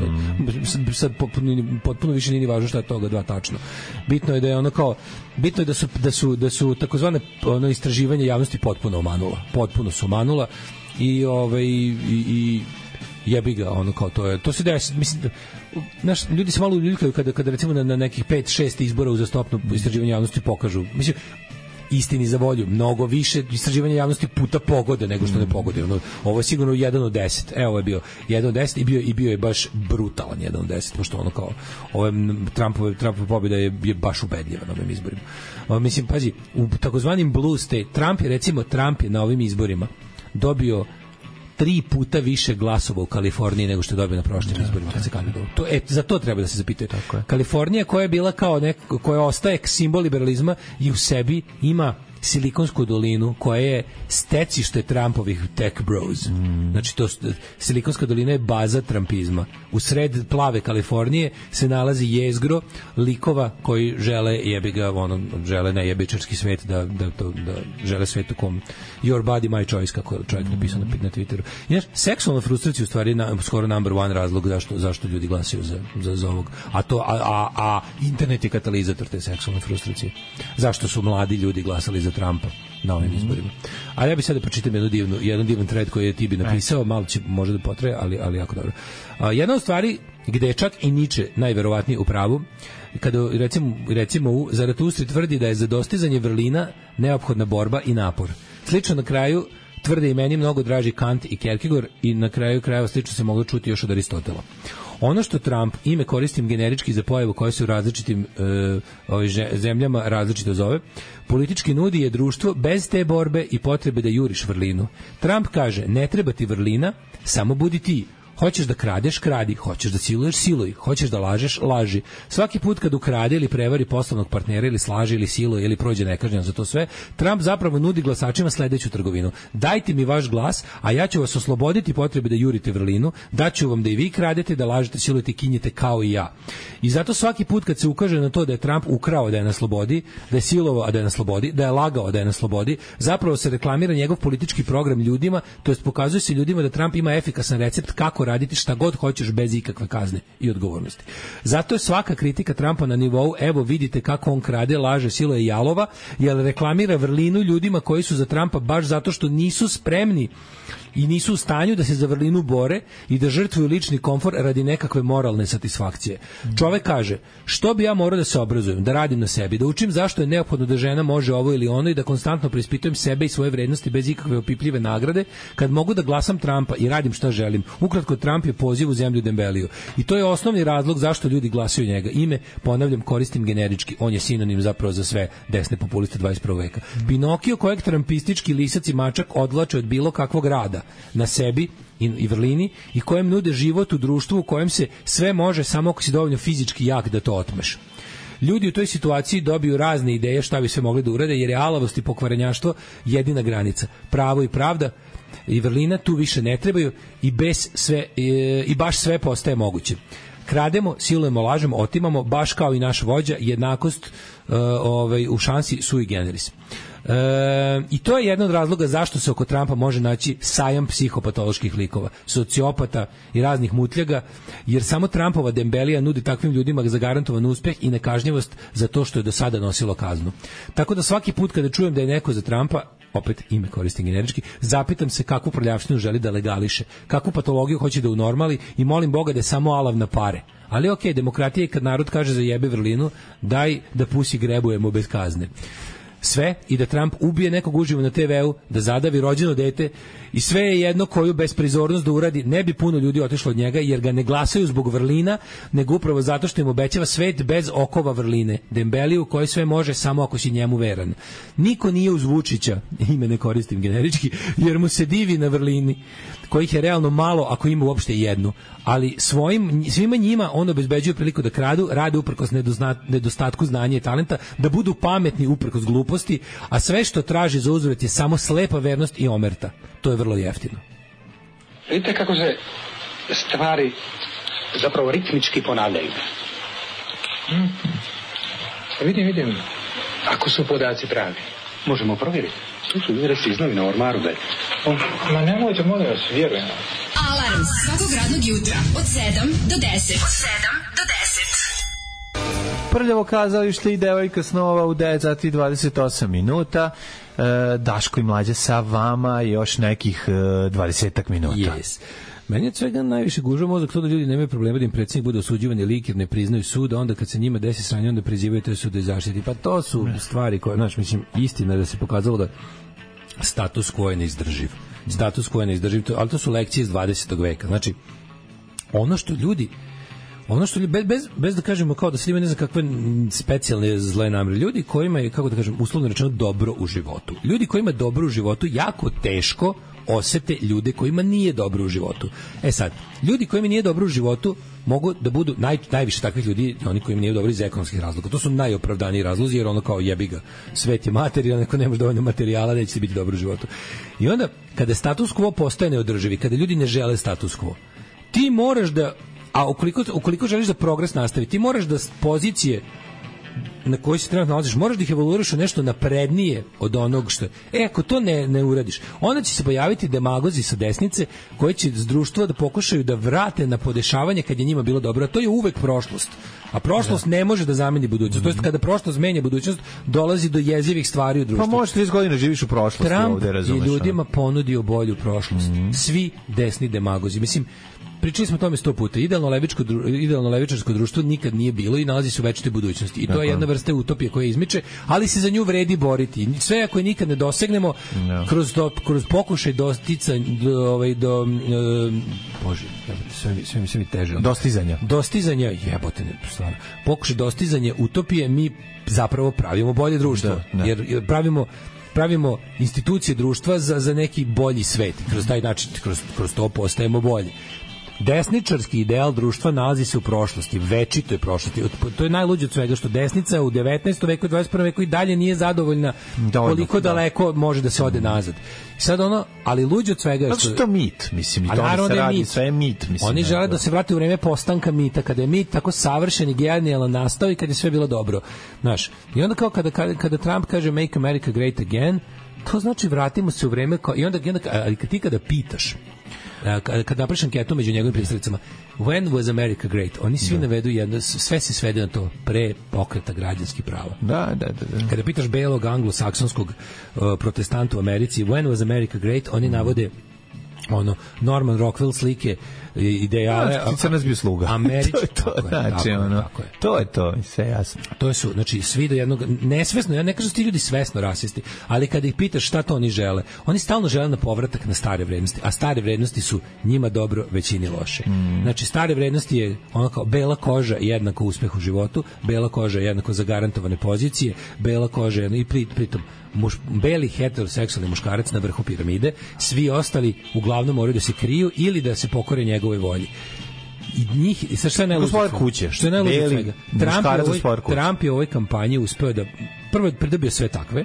Speaker 6: Sad potpuno više nije ni važno šta je toga dva tačno. Bitno je da je ono kao, bitno je da su takozvane istraživanja javnosti potpuno su omanula i jebi ga, ono kao to se desi, mislim da naš ljudi se malo uljuljkaju kada recimo na nekih 5-6 izbora uzastopno istraživanje javnosti pokažu, mislim, istini za volju, mnogo više istraživanja javnosti puta pogode nego što ne pogode. Ovo je sigurno 1 od 10. Evo, ovo je bio 1 od 10 i bio je baš brutalan 1 od 10, pošto ono kao Trumpova pobjeda je baš ubedljiva na ovim izborima. Mislim, pazi, u takozvanim blue state, Trump je na ovim izborima dobio 3 puta više glasova u Kaliforniji nego što je dobio na prošlim izborima kad se kandidovao. Za to treba da se zapitaju. Kalifornija koja je bila kao koja ostaje simbol liberalizma i u sebi ima Silikonsku dolinu koja je stecište Trumpovih tech bros. Znači Silikonska dolina je baza trumpizma. U sred plave Kalifornije se nalazi jezgro likova koji žele žele nejebičarski svet da žele svet u kom your body my choice, kako je čovjek napisao na Twitteru. Znaš, seksualna frustracija u stvari skoro number one razlog zašto ljudi glasaju za ovog. A internet je katalizator te seksualne frustracije. Zašto su mladi ljudi glasali za Trumpa na ovim izborima. Ali ja bih sada pročitam jedan divan thread koji je Tibi napisao, malo će možda da potraje, ali jako dobro. Jedna od stvari gde je čak i Nietzsche najverovatniji u pravu, kada recimo u Zaratustri tvrdi da je za dostizanje vrlina neophodna borba i napor. Slično na kraju tvrde i meni mnogo draži Kant i Kierkegaard i na kraju krajeva slično se moglo čuti još od Aristotela. Ono što Trump, ime koristim generički za pojavu koja se u različitim zemljama različito zove, politički nudi je društvo bez te borbe i potrebe da juriš vrlinu. Trump kaže, ne treba ti vrlina, samo budi ti. Hoćeš da kradeš, kradi. Hoćeš da siluješ, siluj. Hoćeš da lažeš, laži. Svaki put kad ukrade ili prevari poslovnog partnera ili slaže ili siluje ili prođe nekažnjeno za to sve, Trump zapravo nudi glasačima sledeću trgovinu. Dajte mi vaš glas, a ja ću vas osloboditi potrebe da jurite vrlinu, daću vam da i vi kradete, da lažete, silujete, kinjete kao i ja. I zato svaki put kad se ukaže na to da je Trump ukrao da je na slobodi, da je silovao a da je na slobodi, da je lagao da je na slobodi, zapravo se reklamira njegov politički program ljudima, to jest pokazuje se ljudima da Trump ima efikasan recept kako raditi šta god hoćeš bez ikakve kazne i odgovornosti. Zato je svaka kritika Trumpa na nivou, evo vidite kako on krade, laže, siluje i jalova, jer reklamira vrlinu ljudima koji su za Trumpa baš zato što nisu spremni i nisu u stanju da se za vrlinu bore i da žrtvuju lični komfor radi nekakve moralne satisfakcije. Čovek kaže, što bi ja morao da se obrazujem, da radim na sebi, da učim zašto je neophodno da žena može ovo ili ono i da konstantno preispitujem sebe i svoje vrednosti bez ikakve opipljive nagrade, kad mogu da glasam Trumpa i radim šta želim. Ukratko, Trump je poziv u zemlju Dembeliju. I to je osnovni razlog zašto ljudi glasaju njega. Ime, ponavljam, koristim generički, on je sinonim zapravo za sve desne populiste 21. veka. Pinokio kojeg trampistički lisac i mačak odvlače od bilo kakvog rada na sebi i vrlini i kojem nude život u društvu u kojem se sve može samo ako si dovoljno fizički jak da to otmeš. Ljudi u toj situaciji dobiju razne ideje šta bi sve mogli da urade, jer je alavost i pokvarenjaštvo jedina granica. Pravo i pravda i vrlina tu više ne trebaju i baš sve postaje moguće. krademo, silujemo, lažemo, otimamo, baš kao i naš vođa, jednakost u šansi sui generis. I to je jedan od razloga zašto se oko Trumpa može naći sajam psihopatoloških likova, sociopata i raznih mutljaga, jer samo Trumpova dembelija nudi takvim ljudima zagarantovan uspeh i nekažnjivost za to što je do sada nosilo kaznu. Tako da svaki put kada čujem da je neko za Trumpa, opet ime koristim generički, zapitam se kakvu prljavštinu želi da legališe, kakvu patologiju hoće da unormali i molim Boga da je samo alav na pare. Ali okej, demokratija je kad narod kaže za jebe vrlinu, daj da pusi grebujemo bez kazne. Sve i da Trump ubije nekog uživo na TV-u, da zadavi rođeno dete i sve je jedno koju besprizornost da uradi, ne bi puno ljudi otišlo od njega jer ga ne glasaju zbog vrlina, nego upravo zato što im obećava svet bez okova vrline, dembeliju koji sve može samo ako si njemu veran. Niko nije uz Vučića, ime ne koristim generički, jer mu se divi na vrlini, kojih je realno malo ako ima uopšte jednu, ali svima njima on obezbeđuje priliku da kradu, rade uprkos nedostatku znanja i talenta, da budu pametni uprkos gluposti, a sve što traži za uzvrat je samo slepa vernost i omerta. To je vrlo jeftino.
Speaker 11: Vidite kako se stvari zapravo ritmički ponavljaju. Vidim. Ako su podaci pravi, možemo provjeriti. Tu su udresi iz novina u ormaru, gledaj. Ma nemojte, molim vas, vjerujem.
Speaker 5: Alarm svakog radnog jutra od 7 do 10. Od 7 do 10.
Speaker 7: Prljavo kazalište i devojka snova u 9 sati 28 minuta. Daško i Mlađa sa vama još nekih 20 minuta.
Speaker 6: Yes. Meni je od svega najviše gužva mozak to da ljudi nemaju problema da im predsjednik bude osuđivan i lik jer ne priznaju sud, a onda kad se njima desi sranje onda prizivaju te sude i zaštiti. Pa to su stvari koje, znači, mislim, istina da se pokazalo da status quo je neizdrživ. Status quo je neizdrživ, ali to su lekcije iz 20. veka. Znači, ono što ljudi bez da kažemo kao da se ima ne znam kakve specijalne zle namere, ljudi kojima je, kako da kažem, uslovno rečeno dobro u životu. Ljudi kojima je dobro u životu jako teško osete ljude kojima nije dobro u životu. Sad, ljudi kojima nije dobro u životu mogu da budu najviše takvih ljudi, oni kojima nije dobro iz ekonomskih razloga. To su najopravdaniji razlozi, jer ono kao jebi ga, svet je materijalan, neko nemaš dovoljno materijala, neće ti biti dobro u životu. I onda, kada status quo postaje neodrživi, kada ljudi ne žele status quo, ti moraš da, a ukoliko želiš da progres nastavi, ti moraš da pozicije na kojoj se trenutno nalaziš, moraš da ih evoluiraš u nešto naprednije od onog što je. Ako to ne uradiš, onda će se pojaviti demagozi sa desnice koji će s društva da pokušaju da vrate na podešavanje kad je njima bilo dobro, a to je uvek prošlost. A prošlost ne može da zameni budućnost. To jest kada prošlost menja budućnost, dolazi do jezivih stvari u društvu.
Speaker 7: Pa možeš 30 godina živiš u prošlosti.
Speaker 6: Trump
Speaker 7: ovde, razumeš,
Speaker 6: je ljudima ponudio bolju prošlost. Svi desni demagozi. Mislim, pričali smo o tome 100 puta. Idealno levičarsko društvo nikad nije bilo i nalazi se u večitoj budućnosti. I to je jedna vrsta utopije koja izmiče, ali se za nju vredi boriti. Sve ako je nikad ne dosegnemo, kroz pokušaj sve mi teže. Dostizanja, jebote, stvarno. Pokušaj dostizanja utopije, mi zapravo pravimo bolje društvo. Jer pravimo institucije društva za neki bolji svet. Kroz taj način, kroz to postajemo bolji. Desničarski ideal društva nalazi se u prošlosti, večitoj prošlosti. To je najluđe od svega, što desnica u 19. veku i 21. veku i dalje nije zadovoljna koliko daleko može da se ode nazad. Sad ali luđe od svega je
Speaker 7: što je to mit, mislim, i to se radi, sve je mit, mislim.
Speaker 6: Oni žele da se vrate u vreme postanka mita, kada je mit tako savršen i genijalan nastao i kada je sve bilo dobro. Znaš, i onda kao kada Trump kaže Make America Great Again, to znači vratimo se u vreme i onda ali kada pitaš, kad napraviš anketu među njegovim pristalica, when was America great? Oni svi navedu jedno, sve se svede na to, pre pokreta građanskih prava.
Speaker 7: Da.
Speaker 6: Kada pitaš belog anglosaksonskog protestanta u Americi, when was America great? Oni navode Norman Rockwell slike, ideale.
Speaker 7: Ti nas bio sluga.
Speaker 6: Američki,
Speaker 7: to je to, sve jasno.
Speaker 6: To su, znači, svi do jednog, nesvesno, ja ne kažem da ti ljudi svesno rasisti, ali kada ih pitaš šta to oni žele, oni stalno žele na povratak na stare vrednosti, a stare vrednosti su njima dobro, većini loše. Znači, stare vrednosti je ono kao bela koža jednako uspeh u životu, bela koža jednako zagarantovane pozicije, bela koža i pritom beli heteroseksualni muškarac na vrhu piramide, svi ostali uglavnom moraju da se kriju ili da se pokore njegove volji. I njih, i što je najluđe
Speaker 7: kuće,
Speaker 6: što je najluđe svega, Trump je u ovoj kampanji uspeo da prvo pridobio sve takve,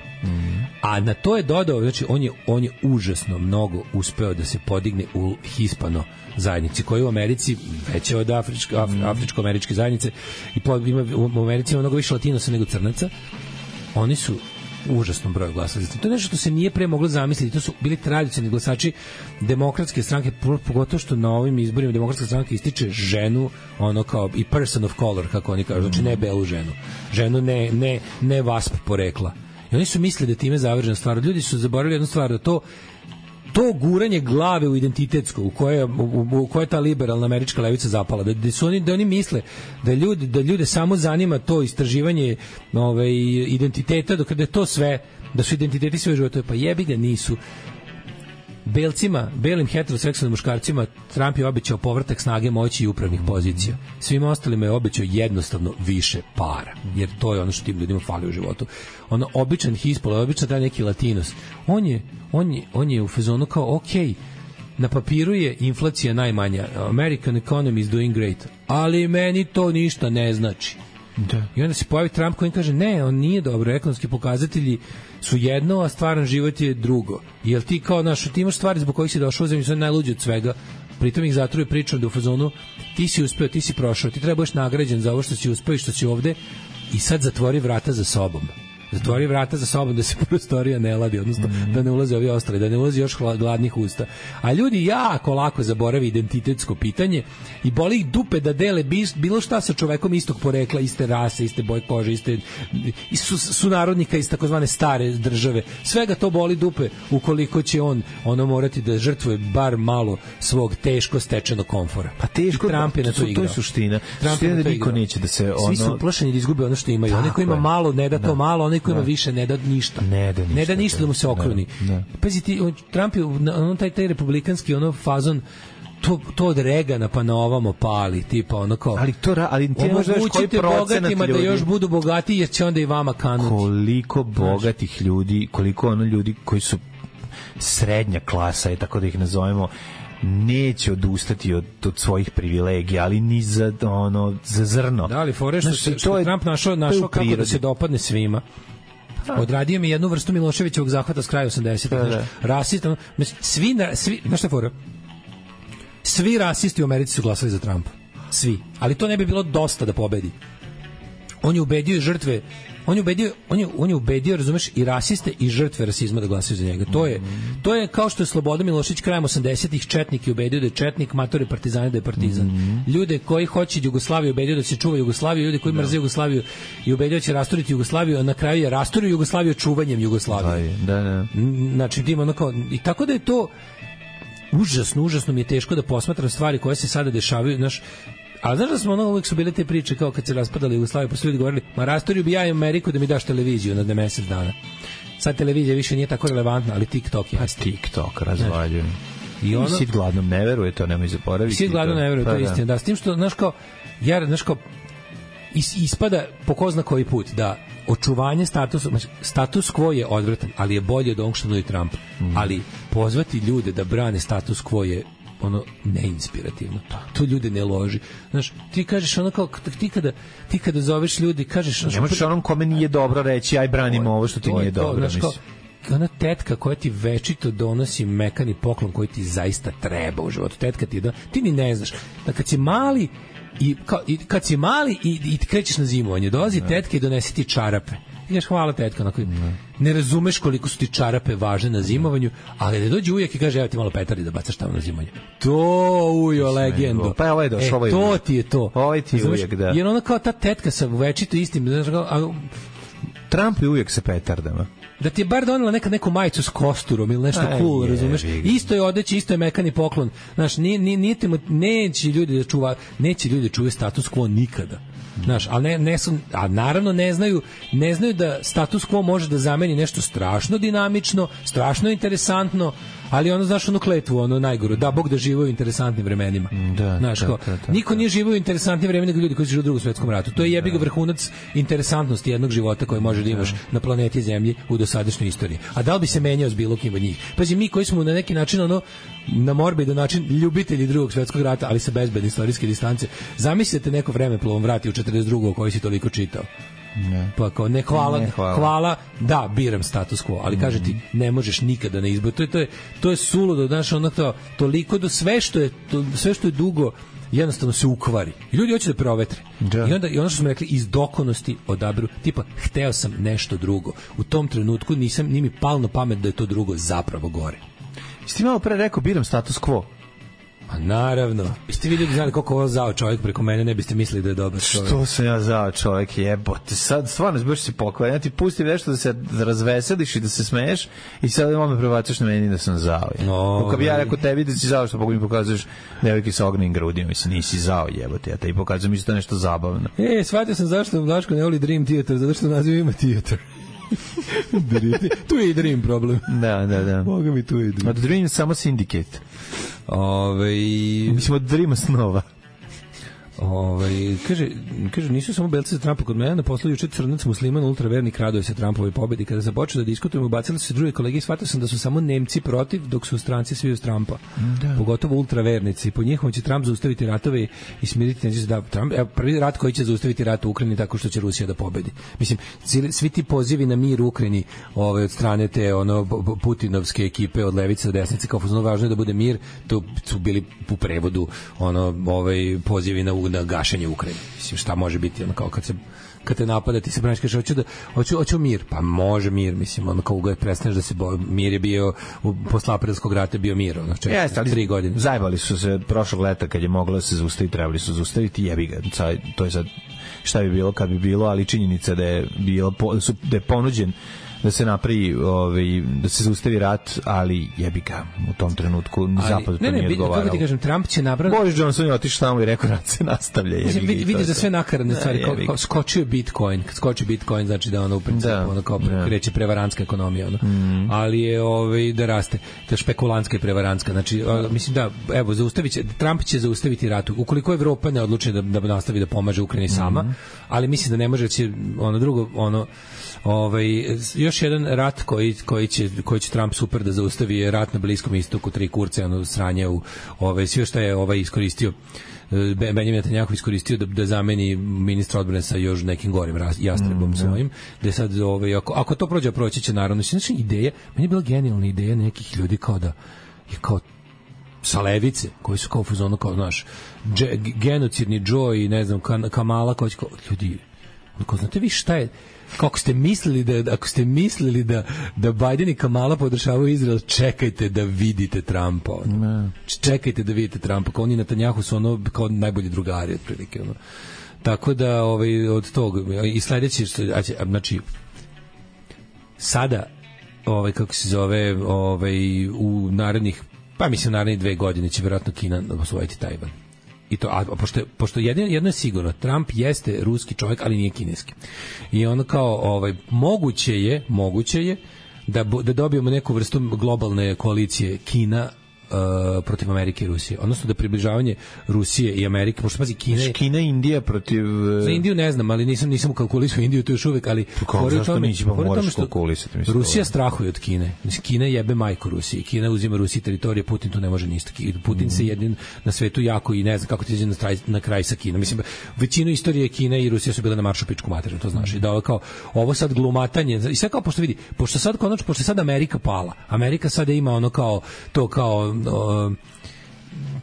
Speaker 6: A na to je dodao, znači on je užasno mnogo uspeo da se podigne u hispano zajednici, koja je u Americi veća od afričko-američke zajednice i u Americi ima mnogo više latinosa nego crnaca. Oni su užasnom broju glasali. To je nešto što se nije pre moglo zamisliti. To su bili tradicionalni glasači demokratske stranke, pogotovo što na ovim izborima demokratska stranka ističe ženu, ono kao i person of color, kako oni kažu, znači ne belu ženu. Ženu ne vasp porekla. I oni su mislili da time je završena stvar. Ljudi su zaboravili jednu stvar, da to guranje glave u identitetsko u koje je ta liberalna američka levica zapala, da oni misle da ljude samo zanima to istraživanje identiteta, dok da je to sve, da su identiteti sve života, pa jebi ga nisu. Belim heteroseksualnim muškarcima Trump je obećao povratak snage, moći i upravnih pozicija. Svima ostalima je obećao jednostavno više para, jer to je ono što tim ljudima fali u životu. Ono običan hispol, običan taj neki latinos. On je u fazonu kao okej, na papiru je inflacija najmanja. American economy is doing great. Ali meni to ništa ne znači. Da. I onda se pojavi Trump koji kaže ne, on nije dobro, ekonomski pokazatelji su jedno, a stvaran život je drugo. Jel ti kao ti imaš stvari zbog kojih si došao u zemlju, su najluđi od svega, pritom ih zatruje pričom da u fazonu ti si uspeo, ti si prošao, ti trebaš nagrađen za ovo što si uspeo i što si ovde i sad zatvori vrata za sobom. Zatvori vrata za sobom da se prostorija ne ladi, odnosno da ne ulaze ovi ostali, da ne ulazi još gladnih usta. A ljudi jako lako zaboravi identitetsko pitanje i boli ih dupe da dele bilo šta sa čovekom istog porekla, iste rase, iste boje kože, su narodnika iz takozvane stare države. Svega to boli dupe ukoliko će on morati da žrtvuje bar malo svog teško stečenog komfora.
Speaker 7: Pa teško,
Speaker 6: Trump je na to igrao.
Speaker 7: To je suština. Suština da niko neće da se
Speaker 6: Svi su uplašeni da izgube ono što imaju. Onaj ko ima malo ne da to malo, onaj ko ima više ne da ništa. Ne da ništa da mu se okruni. Pazi ti, Trump je taj republikanski fazon to od Regana pa na ovamo pali, tipa ono kao
Speaker 7: ali ti ne znaš koji procenat ljudi
Speaker 6: da još budu bogatiji jer će onda i vama kanuti.
Speaker 7: Koliko bogatih ljudi, koliko ljudi koji su srednja klasa, tako da ih nazovemo, neće odustati od svojih privilegija, ali ni za zrno.
Speaker 6: Da, ali fore što Trump našao kako da se dopadne svima. Odradio mi jednu vrstu Miloševićevog zahvata s kraja 80-ih. Rasista, svi, znaš šta fora? Svi rasisti u Americi su glasali za Trumpa. Svi. Ali to ne bi bilo dosta da pobedi. On je ubedio i žrtve, on je ubedio, razumeš, i rasiste i žrtve rasizma da glasaju za njega. To je kao što je Slobodan Milošević krajem 80-ih četnik i ubedio da je četnik, matore partizane da je partizan. Ljude koji hoće Jugoslaviju ubedio da se čuva Jugoslaviju, ljude koji mrze Jugoslaviju i ubedio da će rasturiti Jugoslaviju, a na kraju je rasturio Jugoslaviju čuvanjem Jugoslavije.
Speaker 7: Da.
Speaker 6: Znači, i tako da je to užasno mi je teško da posmatram stvari koje se sada dešavaju, a znaš da smo uvijek su bile te priče kao kad se raspadali Jugoslaviju, pa su ljudi govorili, ma rastorio bi ja i Ameriku da mi daš televiziju na mesec dana. Sad televizija više nije tako relevantna, ali TikTok je.
Speaker 7: TikTok razvaljujem. I sit gladnom ne veruje, to nemoj zaboraviti.
Speaker 6: Sit gladnom ne veruje, to je istina. Da, s tim što, ispada po ko zna koji put da očuvanje status quo je odvratan, ali je bolje od onog što nudi Trump. Ali pozvati ljude da brane status quo je neinspirativno. To ljude ne loži. Znaš, ti kažeš kao ti kada zoveš ljudi, kažeš,
Speaker 7: ne možeš onom kome nije dobro reći aj branimo ovo što ti nije dobro, mislim.
Speaker 6: Ona tetka koja ti večito donosi mekani poklon koji ti zaista treba u životu. Tetka ti ni ne znaš. Da kad si mali i krećeš na zimovanje, dolazi tetka i donesi ti čarape. Ti kažeš hvala tetka, ne razumeš koliko su ti čarape važne na zimovanju, ali da dođe ujak i kaže evo ti malo petardi da bacaš tamo na zimovanje. To ujo legendo.
Speaker 7: Pa ovo je došlo,
Speaker 6: to ti je to.
Speaker 7: Ovo ti je ujak, da.
Speaker 6: Jer ona kao ta tetka sa večito istim,
Speaker 7: Trump je uvijek sa petardama.
Speaker 6: Da ti je bar donela neku majicu s kosturom ili nešto cool, razumeš? Isto je odeći, isto je mekani poklon. Znaš, neće ljudi da čuvaju status quo nikada. Znaš, a naravno ne znaju da status quo može da zameni nešto strašno dinamično, strašno interesantno, ali znaš, kletvu, najgoru, da Bog da žive u interesantnim vremenima. Znaš, niko nije živio u interesantnim vremenima nego ljudi koji su živeli u Drugom svetskom ratu. To je jebi ga vrhunac interesantnosti jednog života koji može da imaš na planeti Zemlji u dosadašnjoj istoriji. A da li bi se menjao s bilo kim od njih? Pazi, mi koji smo na neki način na morbidan način ljubitelji Drugog svetskog rata, ali sa bezbedne istorijske distance, zamislite neko vremeplovom vrati u 42. koji si toliko čitao. Pa kao ne hvala, da, biram status quo, ali kaže ti ne možeš nikada ne izbori. To je suludo, znaš, onako toliko do sve što je dugo jednostavno se ukvari. I ljudi hoće da preovetre. I ono što smo rekli, iz dokonosti odaberu, tipa, hteo sam nešto drugo. U tom trenutku nije mi palo na pamet da je to drugo zapravo gore.
Speaker 7: Jeste malo pre rekao, biram status quo?
Speaker 6: Pa naravno. Jeste vi ljudi znali koliko ovo zao čovjek preko mene, ne biste mislili da je dobar čovjek.
Speaker 7: Što sam ja zao čovjek, jebote. Sad stvarno zbiš se pokvaran. Ja ti pustim nešto da se razveseliš i da se smeješ i sad odmah me prebacaš na meni da sam zao. Kad bi ja rekao tebi da si zao, što mi pokazuješ devojke sa ognjenim grudima, mislim, nisi zao, jebote. Ja te i pokazujem isto nešto zabavno.
Speaker 6: Shvatio sam zašto Vlaško ne voli Dream Theater, zato što naziv ima Theater. Tu je i Dream problem.
Speaker 7: Da.
Speaker 6: Boga mi tu je Dream.
Speaker 7: Od Dream samo Syndicate. Mislim od Dreama snova.
Speaker 6: Kaže, nisu samo belci za Trumpa kod mene, na poslu juče crnac musliman ultravernik raduje se Trumpovoj pobedi. Kada se počeo da diskutujemo, ubacili se drugi kolege i shvatio sam da su samo Nemci protiv, dok su stranci svi uz Trumpa. Pogotovo ultravernici. Po njihovom će Trump zaustaviti ratove i smiriti tenziju. Da, prvi rat koji će zaustaviti rat u Ukrajini tako što će Rusija da pobedi. Mislim, svi ti pozivi na mir u Ukrajini od strane te putinovske ekipe od levice do desnice, kao važno je da bude mir, to su bili u prevodu pozivi na gašenje Ukrajine. Mislim, šta može biti ono kao kad te napada, ti se braniš, kažeš hoću mir. Pa može mir, mislim, ono kao ugad prestaneš da se mir je bio posle aprilskog rata bio mir, ono 3 godine.
Speaker 7: Zajebali su se prošlog leta kad je moglo da se zaustaviti, trebali su zaustaviti, jebi ga. To je sad šta bi bilo kad bi bilo, ali činjenica da je ponuđen da se napravi, da se zaustavi rat, ali jebi ga, u tom trenutku ni zapad to nije odgovaralo.
Speaker 6: Kako ti kažem, Trump će napraviti...
Speaker 7: Boris Johnson je otišao tamo i rekao rat se nastavlja.
Speaker 6: Vidiš da sve nakaradne stvari, kao skočio Bitcoin, kad skoči Bitcoin znači da ono u principu kao kreće prevarantska ekonomija, ali je da raste, to je špekulantska i prevarantska, znači mislim da, evo, Trump će zaustaviti rat, ukoliko Evropa ne odluči da nastavi da pomaže Ukrajini sama, ali mislim da ne može, će još jedan rat koji će Trump super da zaustavi je rat na Bliskom istoku, 3 kurce, sranje u sve što je iskoristio Benjamin Netanjahu iskoristio da zameni ministra odbrane sa još nekim gorim jastrebom svojim, da je sad ako to proći će naravno. Znači, ideja, meni je bila genijalna ideja nekih ljudi kao sa levice, koji su kao fuzonu, kao, znaš, genocidni Joe i ne znam, Kamala, ljudi, znate vi šta je, ako ste mislili da Biden i Kamala podržavaju Izrael, čekajte da vidite Trumpa. Čekajte da vidite Trumpa. Kao oni Netanjahu su kao najbolji drugari otprilike. Tako da od toga i sledeće, znači sada kako se zove u narednih 2 godine će vjerojatno Kina osvojiti Tajvan. I to, a pošto jedno je sigurno, Trump jeste ruski čovjek, ali nije kineski. I ono kao, moguće je da dobijemo neku vrstu globalne koalicije Kina protiv Amerike i Rusije. Odnosno da približavanje Rusije i Amerike, pošto pazi
Speaker 7: Kina i Indija protiv...
Speaker 6: Za Indiju ne znam, ali nisam kalkulisao Indiju, to još uvek, ali...
Speaker 7: Zašto neće pa moraš kalkulisati?
Speaker 6: Rusija strahuje od Kine. Kina jebe majku Rusiji. Kina uzima Rusiji teritorije, Putin tu ne može ništa. Putin se jedin na svetu jako i ne zna kako ti izađe na kraj sa Kinom. Mislim, većinu istorije Kina i Rusija su bile na maršu pičku materinu, to znaš. I da ovo sad glumatanje, i sve kao pošto vidi, pošto sad Amerika pala, Amerika sada ima ono kao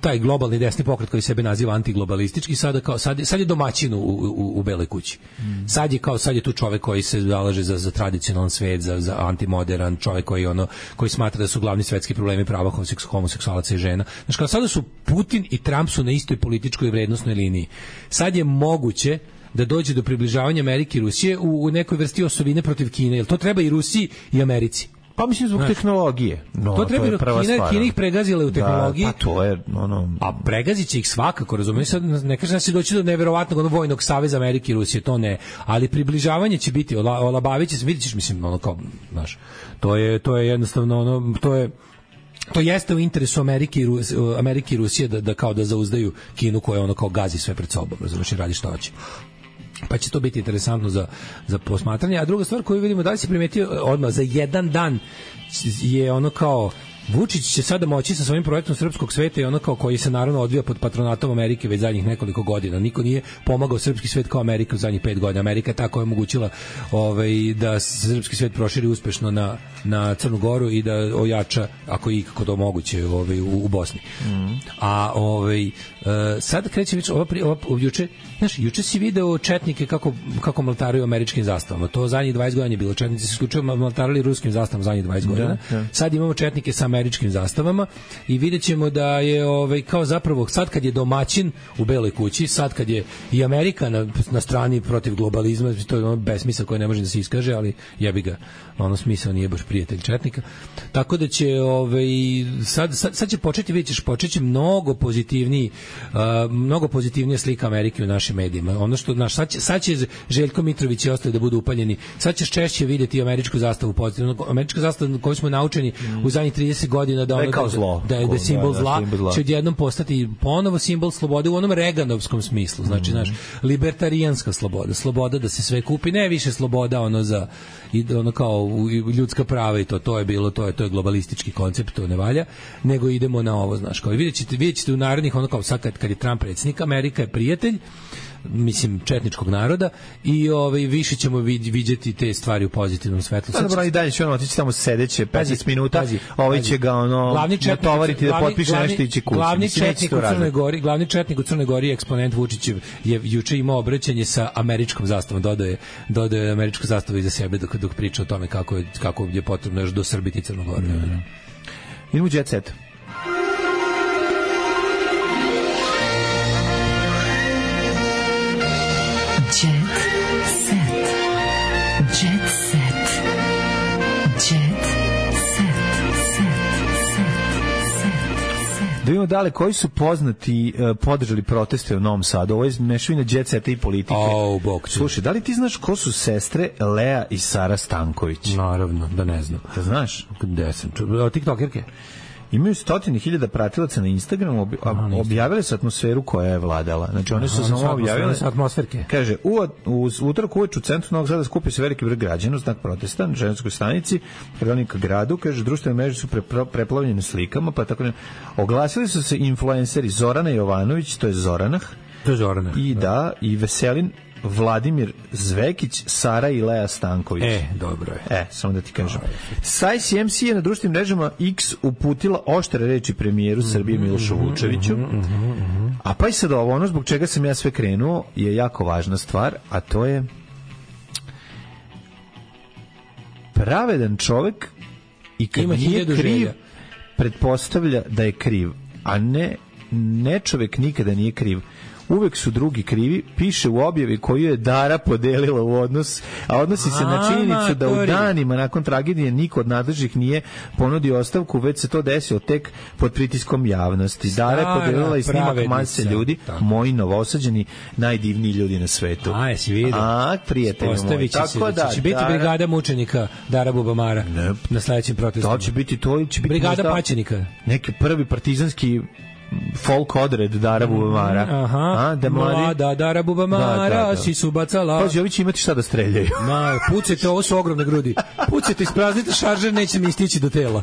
Speaker 6: taj globalni desni pokret koji sebe naziva antiglobalistički, sad je domaćin u Beloj kući. Sad je tu čovek koji se zalaže za tradicionalan svet, za antimodern, čovek koji smatra da su glavni svetski problemi prava homoseksualaca i žena. Znači, kao sada su Putin i Trump su na istoj političkoj vrednostnoj liniji. Sad je moguće da dođe do približavanja Amerike i Rusije u nekoj vrsti osovine protiv Kine, jer to treba i Rusiji i Americi.
Speaker 7: Pa mislim zbog tehnologije.
Speaker 6: To treba, Kina ih pregazila u tehnologiji.
Speaker 7: Pa to je
Speaker 6: A pregazit će ih svakako, razumiješ? Sad ne kažem da će doći do neverovatnog vojnog saveza Amerike i Rusije, to ne. Ali približavanje će biti, olabavit će se, vidjet ćeš, mislim, znaš, to je jednostavno, to jeste u interesu Amerike i Rusije da kao da zauzdaju Kinu koja kao gazi sve pred sobom, razumiješ, i radi što hoće. Pa će to biti interesantno za posmatranje. A druga stvar koju vidimo, da li si primetio odmah za jedan dan je Vučić će sada moći sa svojim projektom Srpskog sveta i ono kao koji se naravno odvija pod patronatom Amerike već zadnjih nekoliko godina. Niko nije pomagao srpski svet kao Amerika u zadnjih 5 godina. Amerika je tako omogućila da se srpski svet proširi uspešno na Crnu Goru i da ojača, ako je ikako to moguće, u Bosni. A sad kreće već juče si video četnike kako maltaraju američkim zastavama. To zadnjih 20 godina je bilo. Četnici su isključivo maltarali ruskim zastavama zadnjih 20 godina. Sad imamo četnike sa američkim zastavama i vidjet ćemo da je kao zapravo sad kad je domaćin u Beloj kući, sad kad je i Amerika na strani protiv globalizma, to je ono besmisao koji ne može da se iskaže, ali jebi ga, ono smisao nije baš prijatelj četnika. Tako da će sad će početi, vidjet ćeš, počeće mnogo pozitivnija slika Amerike u našim medijima. Ono što sad će Željko Mitrović i ostali da budu upaljeni. Sad ćeš češće vidjeti američku zastavu pozitivno. Američka zastava koju smo naučeni u zadnjih 30 godina da je simbol zla, će odjednom postati ponovo simbol slobode u onom Reganovskom smislu. Znači, libertarijanska sloboda da se sve kupi, ne više sloboda kao ljudska prava i to je bilo, to je globalistički koncept, to ne valja, nego idemo na ovo, znaš, kao vidjet ćete u narednih, ono kao sad kad je Trump predsjednik, Amerika je prijatelj, mislim, četničkog naroda i više ćemo vidjeti te stvari u pozitivnom svetlu.
Speaker 7: Dobro, i dalje će otići tamo sedeće 15 minuta, će ga natovariti da potpiše nešto i će kući.
Speaker 6: Glavni četnik u Crnoj Gori, eksponent Vučićev, je juče imao obraćanje sa američkom zastavom, dodaje američku zastavu iza sebe dok priča o tome kako je potrebno još dosrbiti Crnu Goru.
Speaker 7: Idemo u Jet Set. Da vidimo dale, koji su poznati podržali proteste u Novom Sadu. Ovo je mešavina Jet Seta i politike. Slušaj, da li ti znaš ko su sestre Lea i Sara Stanković?
Speaker 6: Naravno, da ne znam.
Speaker 7: Da znaš?
Speaker 6: Gde sam? TikTokerke?
Speaker 7: Imaju 100.000 pratilaca na Instagramu, objavile su atmosferu koja je vladala. Znači, one su samo objavile
Speaker 6: atmosferke.
Speaker 7: Kaže, u utorak uveč u centru Novog Sada skupio se veliki broj građana u znak protesta na Ženskoj stanici, Hronika gradu. Kaže, društvene mreže su preplavljene slikama, pa tako ne. Oglasili su se influenceri Zorana Jovanović, to je Zoranah. I Veselin Vladimir Zvekić, Sara i Lea Stanković.
Speaker 6: Dobro je.
Speaker 7: Samo da ti kažem. SAIS je na društvenim mrežama X uputila oštre reči premijeru Srbije Milošu Vučeviću. A pa i sad ono zbog čega sam ja sve krenuo je jako važna stvar, a to je pravedan čovek i kad nije kriv pretpostavlja da je kriv, a ne čovek nikada nije kriv. Uvek su drugi krivi, piše u objavi koju je Dara podelila u odnos, a odnosi se na činjenicu da u danima nakon tragedije niko od nadležnih nije ponudio ostavku, već se to desilo tek pod pritiskom javnosti. Dara je podelila i snimak mase ljudi, moji novosađeni, najdivniji ljudi na svetu.
Speaker 6: Jesi vidio?
Speaker 7: Prijatelji moji.
Speaker 6: Tako da će biti brigada mučenika Dara Bubamara na sledećem protestu.
Speaker 7: To će biti
Speaker 6: brigada paćenika.
Speaker 7: Neki prvi partizanski folk odred Dara Bubamara.
Speaker 6: Mlada Dara Bubamara, si su bacala.
Speaker 7: Pazi, ovi će imati šta da streljaju.
Speaker 6: Pucajte, ovo su ogromne grudi. Pucajte, ispraznite šaržer, neće mi stići do tela.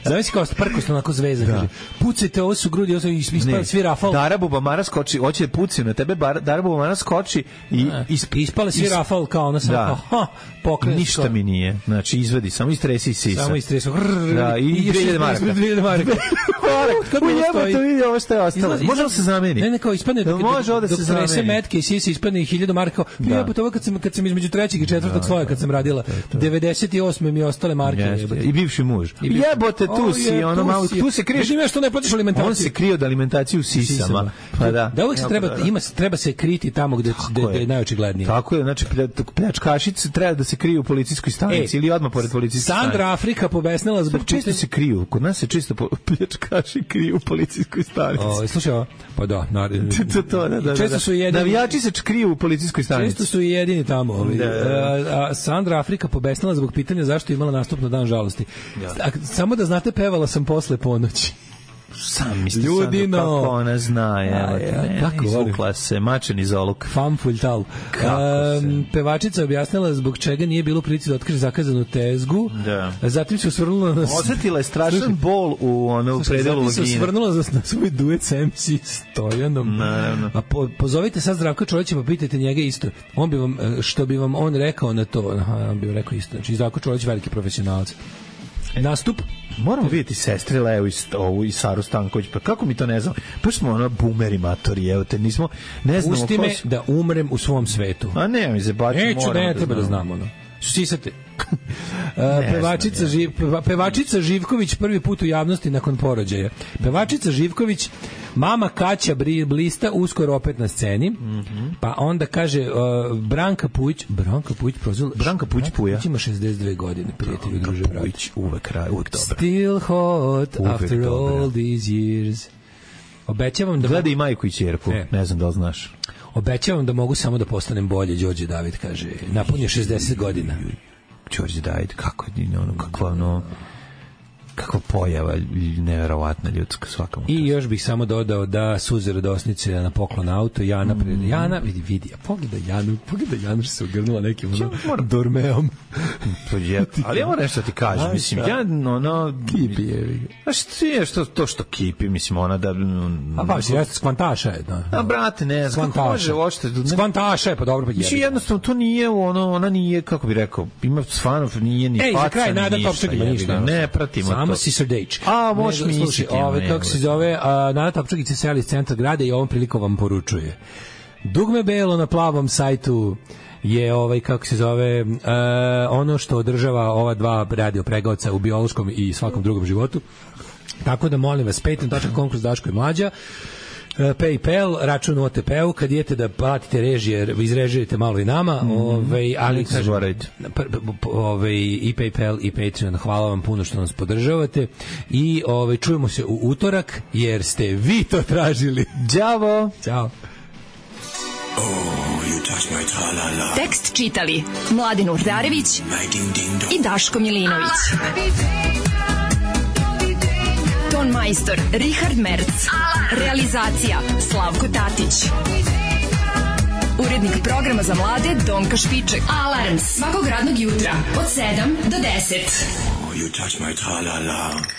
Speaker 6: Zavisi kao prkosno onako zvezda. Pucajte, ovo su grudi, ovo su ispali svi rafal.
Speaker 7: Dara Bubamara skoči, hoće da pucaju na tebe, Dara Bubamara skoči i
Speaker 6: ispale svi rafal kao ona sam pokrene.
Speaker 7: Ništa mi nije. Znači, izvedi, samo istresi sisa.
Speaker 6: Samo istresi.
Speaker 7: I 2000 maraka.
Speaker 6: 2000 maraka.
Speaker 7: Ujebate, vidi ovo što je ostalo. Može li se zameni?
Speaker 6: Ne, kao ispadne dok trese metke i sisi ispadne 1000 maraka. Jebate, ovo kad sam između 3. i 4. sloja kad sam radila. 98. mi ostale marke.
Speaker 7: I bivši muž. Jebote, tu si, ono malo, tu se kriješ.
Speaker 6: Vidim ja što ne platiš alimentaciju.
Speaker 7: On se krije od alimentacije u sisama. Pa da.
Speaker 6: Da uvijek se treba se kriti tamo gde je najočiglednije.
Speaker 7: Tako je, znači pljačkašice treba da se kriju u policijskoj stanici ili odmah pored policijske stanice.
Speaker 6: Sandra Afrika pobesnila zbog
Speaker 7: često se kriju. Kod nas se čisto pljačkaši kriju u policijskoj stanici.
Speaker 6: Slušaj ovo, pa da.
Speaker 7: Često su jedini. Navijači se kriju u policijskoj stanici.
Speaker 6: Često su i jedini tamo. Sandra Afrika pobesnila zbog pitanja zašto je imala nastup na dan žalosti. Samo da znate, pevala sam posle ponoći.
Speaker 7: Sam misli
Speaker 6: Ljudino.
Speaker 7: kako ona zna,
Speaker 6: kako
Speaker 7: izvukla se, mačen iz oluk.
Speaker 6: Famfultal. Pevačica objasnila zbog čega nije bilo prilici da otkaže zakazanu tezgu.
Speaker 7: Da.
Speaker 6: Zatim se osvrnula na...
Speaker 7: Osetila je strašan bol u predelu vagine.
Speaker 6: Zatim se osvrnula na svoj duet s MC Stojanom.
Speaker 7: Naravno.
Speaker 6: A pozovite sad Zdravka Čolića pa pitajte njega isto. On bi vam, što bi vam on rekao na to? On bi vam rekao isto. Znači, Zdravko Čolić veliki profesionalac. Nastup.
Speaker 7: Moramo vidjeti sestri Leo i Saru Stanković, pa kako mi to ne znam? Pa smo ono boomeri matori, evo te, nismo, ne znamo.
Speaker 6: Pusti me da umrem u svom svetu.
Speaker 7: A ne, mi se bači,
Speaker 6: neću, ne treba da znamo, ono. Sisate. Pevačica Živković prvi put u javnosti nakon porođaja. Pevačica Živković, mama Kaća Blista, uskoro opet na sceni. Pa onda kaže Branka Pujić prozvala.
Speaker 7: Branka Pujić Puja.
Speaker 6: Ima 62 godine, prijatelju, druže,
Speaker 7: Pujić, uvek dobro.
Speaker 6: Still hot after all these years. Obećavam da...
Speaker 7: Gledaj i majku i ćerku, ne znam da li znaš.
Speaker 6: Obećavam da mogu samo da postanem bolje, Đorđe David kaže. Napunio 60 godina.
Speaker 7: Đorđe David, kakva pojava neverovatna ljudska svakamo.
Speaker 6: I još bih samo dodao da suze radosnice na poklon auto, Jana pred Jana, vidi, pogledaj Janu što se ugrnula nekim dormeom.
Speaker 7: Ali ja moram nešto ti kažem, mislim, ja
Speaker 6: kipi je.
Speaker 7: To što kipi, mislim, ona da...
Speaker 6: A pa si jeste skvantaša je.
Speaker 7: A brate, ne znam, kako može ošte...
Speaker 6: Skvantaša je, pa dobro, pa jebi.
Speaker 7: Mislim, jednostavno, to nije ona nije, kako bi rekao, ima stvarno, nije ni faca,
Speaker 6: za kraj, Nada Topčak ima ništa.
Speaker 7: Ne pratimo to.
Speaker 6: Samo si Srdejč.
Speaker 7: A, možeš mi misliti.
Speaker 6: Kako se zove, Nada Topčagić se seli iz centra grada i ovom prilikom vam poručuje. Dugme belo na plavom sajtu je kako se zove ono što održava ova dva radio pregaoca u biološkom i svakom drugom životu. Tako da molim vas, patreon.com kroz Daško i Mlađa, PayPal, račun u OTP-u, kad idete da platite režije, izrežirajte malo i nama, ali kažem, i PayPal i Patreon, hvala vam puno što nas podržavate i čujemo se u utorak, jer ste vi to tražili.
Speaker 7: Ćao!
Speaker 6: Ćao!
Speaker 5: Tekst čitali Mladin Urdarević i Daško Milinović. Ton majstor Richard Merc. Realizacija Slavko Tatić. Urednik programa za mlade Donka Špiček. Alarms svakog radnog jutra od 7 do 10.
Speaker 8: You touch my tra-la-la.